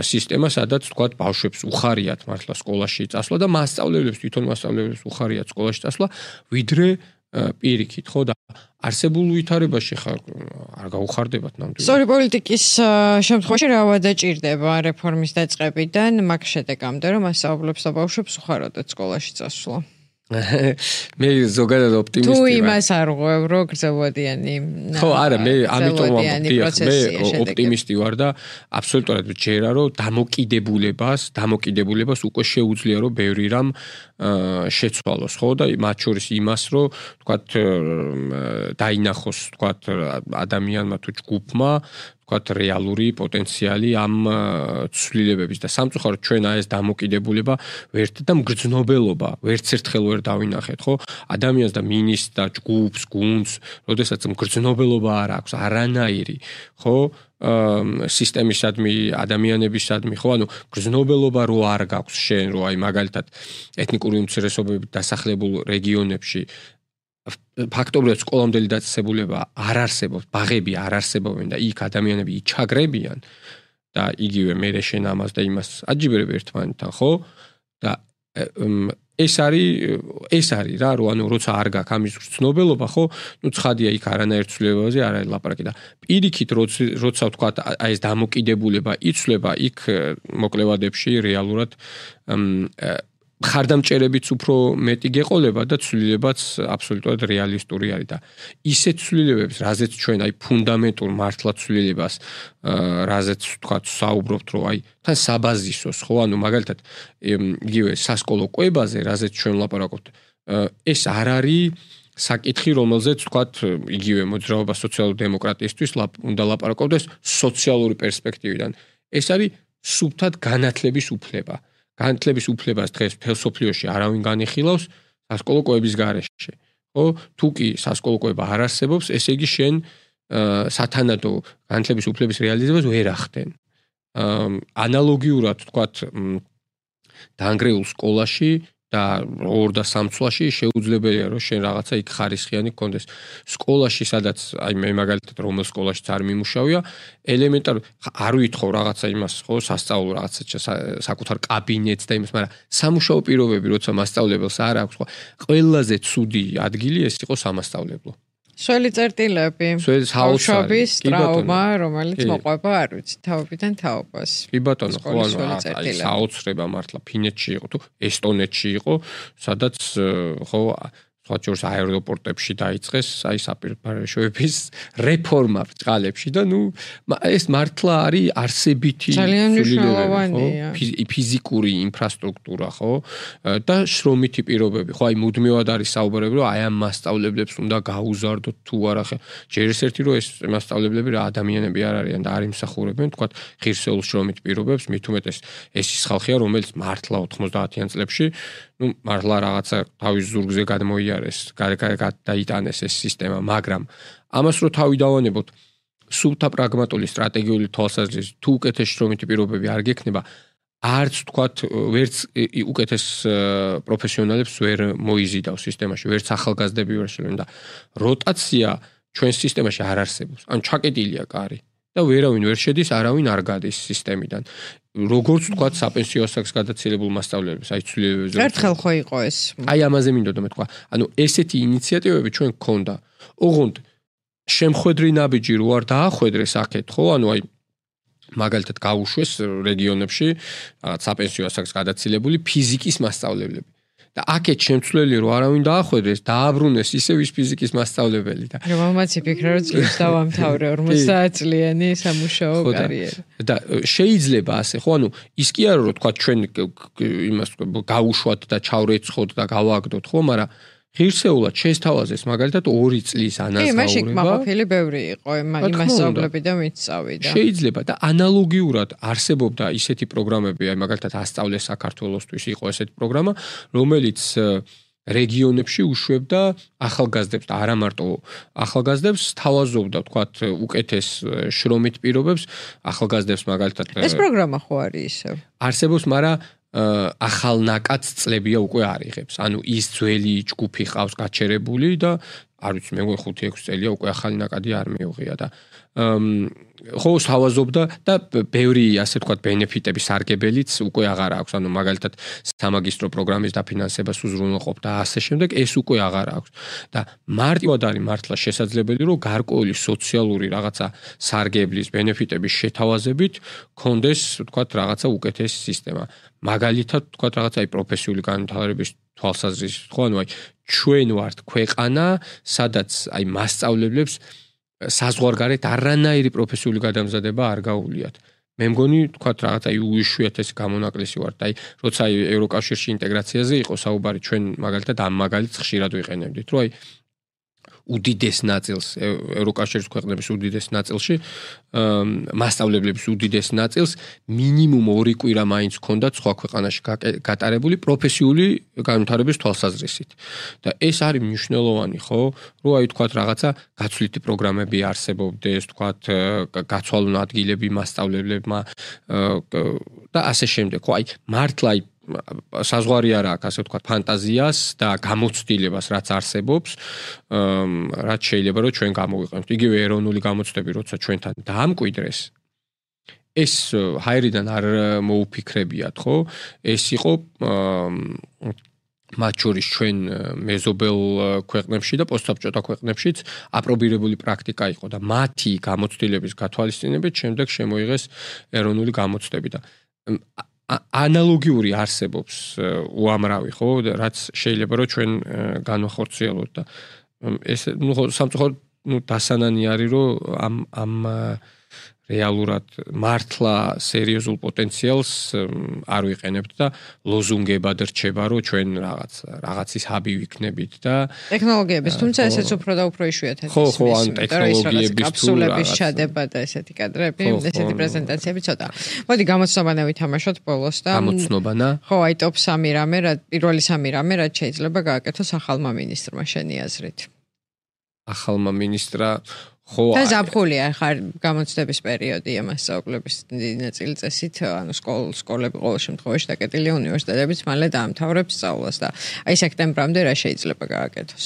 სისტემა, სადაც თქვა ბავშვებს უხარიათ მართლა სკოლაში წასვლა და მასწავლებლებს თვითონ მასწავლებლებს უხარიათ სკოლაში წასვლა, ვიდრე პირიქით, ხო და არსებულ ვითარებაში ხარ არ გაუხარდებათ ნამდვილად. სწორი პოლიტიკის შემთხვევაში რა ვადაჭირდება რეფორმის დაწყებიდან მაგ შედეგამდე რომ მასწავლებლებს და ბავშვებს უხაროდათ სკოლაში წასვლა. მე ზოგადად ოპტიმისტი ვარ. თუ იმას არ ღვევ რო გრძელვადიანი. ხო, არა, მე ამიტომ ვამბობ, მე ოპტიმისტი ვარ და აბსოლუტურად ვჯერა რომ დამოკიდებულებას, დამოკიდებულებას უკვე შეუძლია რომ ბევრი რამ შეცვალოს, ხო და მათ შორის იმას რომ თქვათ დაინახოს, თქვათ ადამიანმა თუ ჯგუფმა თქვათ რეალური პოტენციალი ამ ცვლილებების და სამწუხაროდ ჩვენ აი ეს დამოკიდებულება ვერთ და მგრძნობელობა ვერც ერთხელ ვერ დავინახეთ ხო ადამიანს და მინისტრს და ჯგუფს გუნდს როდესაც მგრძნობელობა არ აქვს არანაირი ხო სისტემისადმი ადამიანებისადმი ხო ანუ მგრძნობელობა რო არ გაქვს შენ რო აი მაგალითად ეთნიკური უმცირესობებით დასახლებულ რეგიონებში ფაქტობრივად სკოლამდელი დაწესებულება არ არსებობს, ბაღები არ არსებობენ და იქ ადამიანები იჩაგრებიან და იგივე მე შენ ამას და იმას აჯიბერებ ერთმანეთთან, ხო? და ეს არის ეს არის რა, რომ ანუ როცა არ გაქვს ამის ცნობელობა, ხო? ნუ ცხადია იქ არანაირ ცვლილებაზე არ არის ლაპარაკი და პირიქით როცა ვთქვა აი ეს დამოკიდებულება იცვლება იქ მოკლევადებში რეალურად ხარდამჭერებიც უფრო მეტი გეყოლება და ცვლილებაც აბსოლუტურად რეალისტური არის და ისეთ ცვლილებებს, რაზეც ჩვენ აი ფუნდამენტურ მართლა ცვლილებას, რაზეც თქვა საუბრობთ, რომ აი თან საბაზისოს, ხო, ანუ მაგალითად იგივე სასკოლო კვებაზე, რაზეც ჩვენ ლაპარაკობთ, ეს არ არის საკითხი, რომელზეც თქვა იგივე მოძრაობა სოციალ-დემოკრატიისთვის უნდა ლაპარაკობდეს სოციალური პერსპექტივიდან. ეს არის სუფთად განათლების უფლება. განათლების უფლებას დღეს ფილოსოფიაში არავინ განიხილავს სასკოლო კვების გარეშე. ხო? თუ კი სასკოლო კვება არ არსებობს, ესე იგი შენ სათანადო განათლების უფლების რეალიზებას ვერ ახდენ. ანალოგიურად თქვათ დაანგრეულ სკოლაში და ორ და სამ წლაში შეუძლებელია რომ შენ რაღაცა იქ ხარისხიანი გქონდეს. სკოლაში სადაც აი მე მაგალითად რომელ სკოლაშიც არ მიმუშავია, ელემენტარ არ ვითხოვ რაღაცა იმას, ხო, სასწავლო რაღაცა საკუთარ კაბინეტს და იმას, მაგრამ სამუშაო პირობები როცა მასწავლებელს არ აქვს, ხო, ყველაზე ცუდი ადგილი ეს იყო სამასწავლებლო. სველი წერტილები, ბავშვების ტრაუმა, რომელიც მოყვება, არ ვიცი, თაობიდან თაობას. კი ბატონო, ხო, აი საოცრება მართლა ფინეთში იყო თუ ესტონეთში იყო, სადაც ხო სხვა შორის აეროპორტებში დაიწყეს აი საპირფარეშოების რეფორმა ბრწყალებში და ნუ ეს მართლა არის არსებითი ცვლილებები, ფიზიკური ინფრასტრუქტურა, ხო? და შრომითი პირობები, ხო, აი მუდმივად არის საუბარები, რომ აი ამ მასწავლებლებს უნდა გაუზარდოთ თუ არა, ხე. ჯერ ეს ერთი რომ ეს მასწავლებლები რა ადამიანები არ არიან და არ იმსახურებენ, თქვა ღირსეულ შრომით პირობებს, მით უმეტეს ეს ის ხალხია, რომელიც მართლა ოთხმოცდაათიან წლებში ნუ მართლა რაღაცა თავის ზურგზე გადმოიარეს, გადაიტანეს ეს სისტემა, მაგრამ ამას რო თავი დავანებოთ, სულთა პრაგმატული სტრატეგიული თვალსაზრისით, თუ უკეთეს შრომითი პირობები არ გექნება, არც თქვათ ვერც უკეთეს პროფესიონალებს ვერ მოიზიდავს სისტემაში, ვერც ახალგაზრდები ვერ შევლენ და როტაცია ჩვენ სისტემაში არ არსებობს. ან ჩაკეტილია კარი და ვერავინ ვერ შედის, არავინ არ გადის სისტემიდან. როგორც თქვათ საპენსიო ასაკს გადაცილებულ მასწავლებლებს, აი ცვლილებებზე. ერთხელ ხო იყო ეს. აი ამაზე მინდოდა მეთქვა. ანუ ესეთი ინიციატივები ჩვენ გქონდა. ოღონდ შემხვედრი ნაბიჯი რო არ დაახვედრეს აქეთ, ხო? ანუ აი მაგალითად გაუშვეს რეგიონებში რაღაც საპენსიო ასაკს გადაცილებული ფიზიკის მასწავლებლები. და აქეთ შემცვლელი რო არავინ დაახვედრეს, დააბრუნეს ისევ ის ფიზიკის მასწავლებელი და რომელმაც იფიქრა რომ წლებს დავამთავრე ორმოცდაათ წლიანი სამუშაო კარიერა. და შეიძლება ასე, ხო, ანუ ის კი არა რომ თქვა ჩვენ იმას გაუშვათ და ჩავრეცხოთ და გავაგდოთ, ხო, მაგრამ ღირსეულად შესთავაზეს მაგალითად ორი წლის ანაზღაურება. კი, მაშინ მაყოფილი ბევრი იყო, იმასწავლები და მიწავიდა. შეიძლება და ანალოგიურად არსებობდა ისეთი პროგრამები, აი მაგალითად ასწავლე საქართველოსთვის იყო ესეთი პროგრამა, რომელიც რეგიონებში უშვებდა ახალგაზრდებს და არა მარტო ახალგაზრდებს, თავაზობდა თქვათ უკეთეს შრომით პირობებს ახალგაზრდებს მაგალითად. ეს პროგრამა ხო არის ისევ? არსებობს, მაგრამ ახალნაკადს წლებია უკვე არ იღებს. ანუ ის ძველი ჯგუფი ყავს გაჩერებული და არ ვიცი მე ხუთი ექვსი წელია უკვე ახალი ნაკადი არ მიუღია და ხო თავაზობდა და ბევრი ასე თქვა ბენეფიტების სარგებელიც უკვე აღარ აქვს. ანუ მაგალითად სამაგისტრო პროგრამის დაფინანსებას უზრუნველყოფ და ასე შემდეგ ეს უკვე აღარ აქვს. და მარტივად არის მართლა შესაძლებელი რომ გარკვეული სოციალური რაღაცა სარგებლის ბენეფიტების შეთავაზებით კონდეს თქვა რაღაცა უკეთესი სისტემა. მაგალითად თქვა რაღაცა აი პროფესიული განვითარების თვალსაზრისით ხო ანუ აი ჩვენ ვართ ქვეყანა სადაც აი მასწავლებლებს საზღვარგარეთ არანაირი პროფესიული გადამზადება არ გაუვლიათ. მე მგონი თქვა რაღაცა აი უიშვიათესი გამონაკლისი ვართ. აი როცა აი ევროკავშირში ინტეგრაციაზე იყო საუბარი ჩვენ მაგალითად ამ მაგალითს ხშირად ვიყენებდით რომ აი უდიდეს ნაწილს ევროკავშირის ქვეყნების უდიდეს ნაწილში მასწავლებლების უდიდეს ნაწილს მინიმუმ ორი კვირა მაინც ჰქონდათ სხვა ქვეყანაში გატარებული პროფესიული განვითარების თვალსაზრისით. და ეს არის მნიშვნელოვანი, ხო? რომ აი თქვათ რაღაცა გაცვლითი პროგრამები არსებობდეს, თქვათ გაცვალონ ადგილები მასწავლებლებმა და ასე შემდეგ. ხო, აი მართლა აი საზღვარი არ აქვს ასე ვთქვათ ფანტაზიას და გამოცდილებას რაც არსებობს რაც შეიძლება რომ ჩვენ გამოვიყენოთ იგივე ეროვნული გამოცდები როცა ჩვენთან დაამკვიდრეს ეს ჰაერიდან არ მოუფიქრებიათ ხო ეს იყო მათ შორის ჩვენ მეზობელ ქვეყნებში და პოსტსაბჭოთა ქვეყნებშიც აპრობირებული პრაქტიკა იყო და მათი გამოცდილების გათვალისწინებით შემდეგ შემოიღეს ეროვნული გამოცდები და ანალოგიური არსებობს უამრავი ხო რაც შეიძლება რომ ჩვენ განვახორციელოთ და ეს ნუ სამწუხაროდ ნუ დასანანი არის რომ ამ ამ რეალურად მართლა სერიოზულ პოტენციალს არ ვიყენებთ და ლოზუნგებად რჩება რომ ჩვენ რაღაც რაღაცის ჰაბი ვიქნებით და ტექნოლოგიების თუმცა ესეც უფრო და უფრო იშვიათად ხო ხო ან ტექნოლოგიების კაფსულების ჩადება და ესეთი კადრები ესეთი პრეზენტაციები ცოტა მოდი გამოცნობანა ვითამაშოთ ბოლოს და გამოცნობანა ხო აი ტოპ სამი რამე რა პირველი სამი რამე რაც შეიძლება გააკეთოს ახალმა მინისტრმა შენი აზრით ახალმა მინისტრა ხო და ზაფხულია ხარ გამოცდების პერიოდია მასწავლებლების ნაწილწესით ანუ სკოლები ყოველ შემთხვევაში დაკეტილია უნივერსიტეტებიც მალე დაამთავრებს სწავლას და აი სექტემბრამდე რა შეიძლება გააკეთოს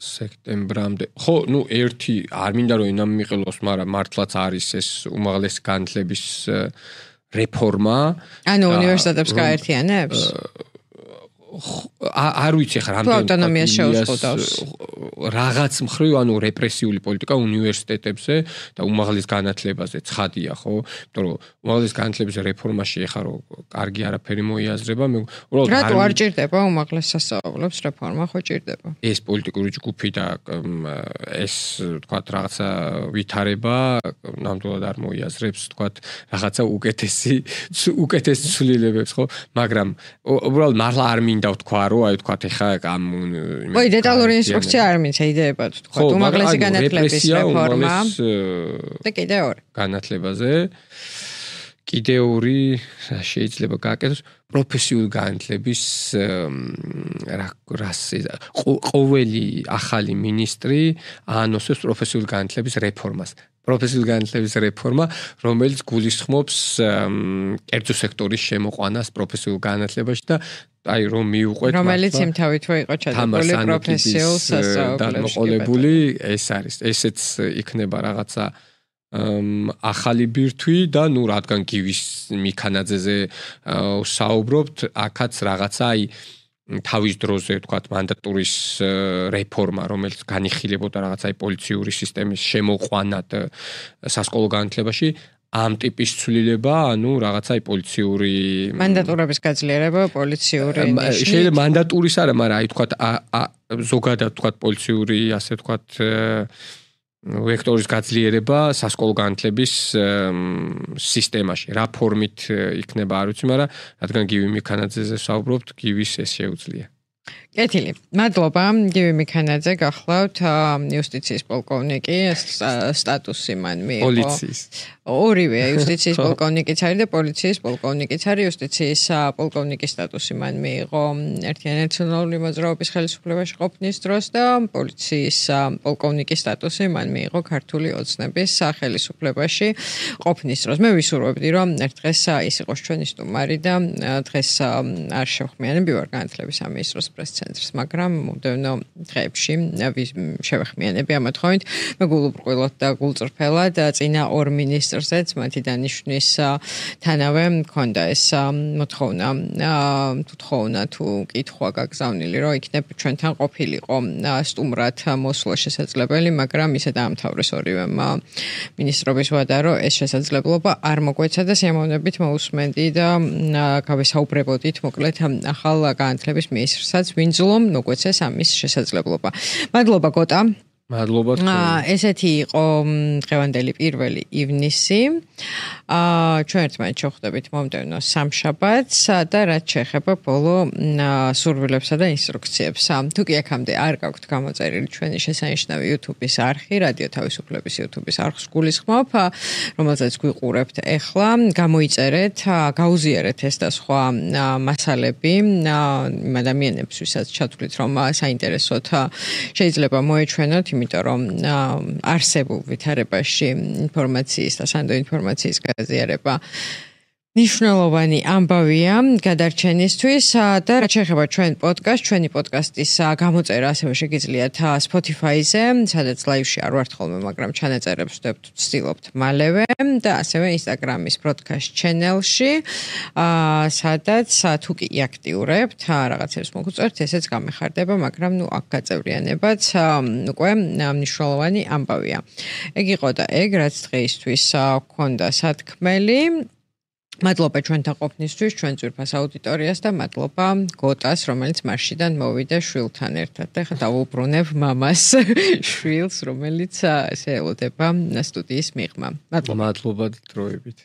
სექტემბრამდე ხო ნუ ერთი არ მინდა რომ ენა მიყოლოს მაგრამ მართლაც არის ეს უმაღლესი განათლების რეფორმა ანუ უნივერსიტეტებს გაერთიანებს არ ვიცი ხარ რამდენი ავტონომიას შეუსყუდავს რაღაც მხრივ ანუ რეპრესიული პოლიტიკა უნივერსიტეტებზე და უმაღლეს განათლებაზე ცხადია ხო იმიტომ რომ უმაღლეს განათლების რეფორმაში ეხა რომ კარგი არაფერი მოიაზრება მე უბრალოდ რატო არ ჭირდება უმაღლეს სასწავლებლებს რეფორმა ხო ჭირდება ეს პოლიტიკური ჯგუფი და ეს თქვა რაღაცა ვითარება ნამდვილად არ მოიაზრებს თქვა რაღაცა უკეთესი უკეთეს ცვლილებებს ხო მაგრამ უბრალოდ მართლა არ მინდა ვთქვა რომ აი ვთქვათ ეხა ამ ოი დეტალური ინსტრუქცია არ მინდა იდეებად ვთქვა უმაღლესი განათლების რეფორმა და კიდე ორი განათლებაზე კიდე ორი შეიძლება გააკეთოს პროფესიული განათლების რას ყოველი ახალი მინისტრი აანოსებს პროფესიული განათლების რეფორმას პროფესიული განათლების რეფორმა, რომელიც გულისხმობს კერძო სექტორის შემოყვანას პროფესიულ განათლებაში და აი რომ მიუყვეთ რომელიც იმთავითვე იყო ჩადებული პროფესიულ სასწავლებლებში. ეს არის, ესეც იქნება რაღაცა ახალი ბირთვი და ნუ რადგან გივის მიქანაძეზე საუბრობთ, აქაც რაღაცა აი თავის დროზე ვთქვათ მანდატურის რეფორმა, რომელიც განიხილებოდა რაღაცა აი პოლიციური სისტემის შემოყვანად სასკოლო განათლებაში, ამ ტიპის ცვლილება, ანუ რაღაცა აი პოლიციური მანდატურების გაძლიერება, პოლიციური ნიშნით. შეიძლება მანდატურის არა, მაგრამ აი ვთქვათ ზოგადად ვთქვათ პოლიციური, ასე ვთქვათ ვექტორის გაძლიერება სასკოლო განათლების სისტემაში. რა ფორმით იქნება არ ვიცი, მაგრამ რადგან გივი მიქანაძეზე საუბრობთ, გივის ეს შეუძლია. კეთილი. მადლობა. გივი მიქანაძე, გახლავთ იუსტიციის პოლკოვნიკი, სტატუსი მან მიიღო. პოლიციის. ორივე იუსტიციის პოლკოვნიკიც არის და პოლიციის პოლკოვნიკიც არის. იუსტიციის პოლკოვნიკის სტატუსი მან მიიღო ერთიანი ნაციონალური მოძრაობის ხელისუფლებაში ყოფნის დროს და პოლიციის პოლკოვნიკის სტატუსი მან მიიღო ქართული ოცნების ხელისუფლებაში ყოფნის დროს. მე ვისურვებდი, რომ ერთ დღეს ის იყოს ჩვენი სტუმარი და დღეს არ შევხმიანები ვარ განათლების სამინისტროს პრეს-ცენტრს, მაგრამ მომდევნო დღეებში შევეხმიანები ამ მოთხოვნით. მე გულუბრყვილად და გულწრფელად წინა ორ მინისტრზეც მათი დანიშვნის თანავე მქონდა ეს მოთხოვნა, თვითხოვნა თუ კითხვა გაგზავნილი, რომ იქნებ ჩვენთან ყოფილიყო სტუმრად მოსვლა შესაძლებელი, მაგრამ ისე დაამთავრეს ორივე მინისტრობის ვადა, რომ ეს შესაძლებლობა არ მოგვეცა და სიამოვნებით მოусმენდი და გავესაუბრებოდით მოკლედ ახალ განათლების მინისტრსაც ვინძლომ მოგვეცეს ამის შესაძლებლობა. მადლობა გოტა. მადლობა თქვენ. ესეთი იყო დღევანდელი პირველი ივნისი. აა ჩვენ ერთმანეთს შევხვდებით მომდევნო სამშაბათს და რაც შეეხება ბოლო სურვილებსა და ინსტრუქციებს. თუ კი აქამდე არ გაქვთ გამოწერილი ჩვენი შესანიშნავი YouTube-ის არხი, რადიო თავისუფლების YouTube-ის არხს გულისხმობ, რომელზეც გვიყურებთ ახლა, გამოიწერეთ, გაუზიარეთ ეს და სხვა მასალები იმ ადამიანებს, ვისაც ჩათვლით, რომ საინტერესოთ შეიძლება მოეჩვენოთ, იმიტომ რომ არსებულ ვითარებაში ინფორმაციის და სანდო ინფორმაციის გაზიარება ნიშნულოვანი ამბავია გადარჩენისთვის და რაც შეეხება ჩვენ პოდკასტ, ჩვენი პოდკასტის გამოწერა ასევე შეგიძლიათ Spotify-ზე, სადაც ლაივში არ ვართ ხოლმე, მაგრამ ჩანაწერებს ვცდილობთ მალევე და ასევე Instagram-ის broadcast channel-ში, სადაც თუ კი აქტიურებთ, რაღაცებს მოგწერთ, ესეც გამეხარდება, მაგრამ ნუ აქ გაწევრიანებაც უკვე მნიშვნელოვანი ამბავია. ეგ იყო და ეგ, რაც დღეისთვის გქონდა სათქმელი. მადლობა ჩვენთან ყოფნისთვის, ჩვენ ძვირფას აუდიტორიას და მადლობა გოტას, რომელიც მარშიდან მოვიდა შვილთან ერთად. და ხა დავუბრუნებ მამას შვილს, რომელიც ესე ელოდება სტუდიის მიღმა. მადლობა. მადლობა დროებით.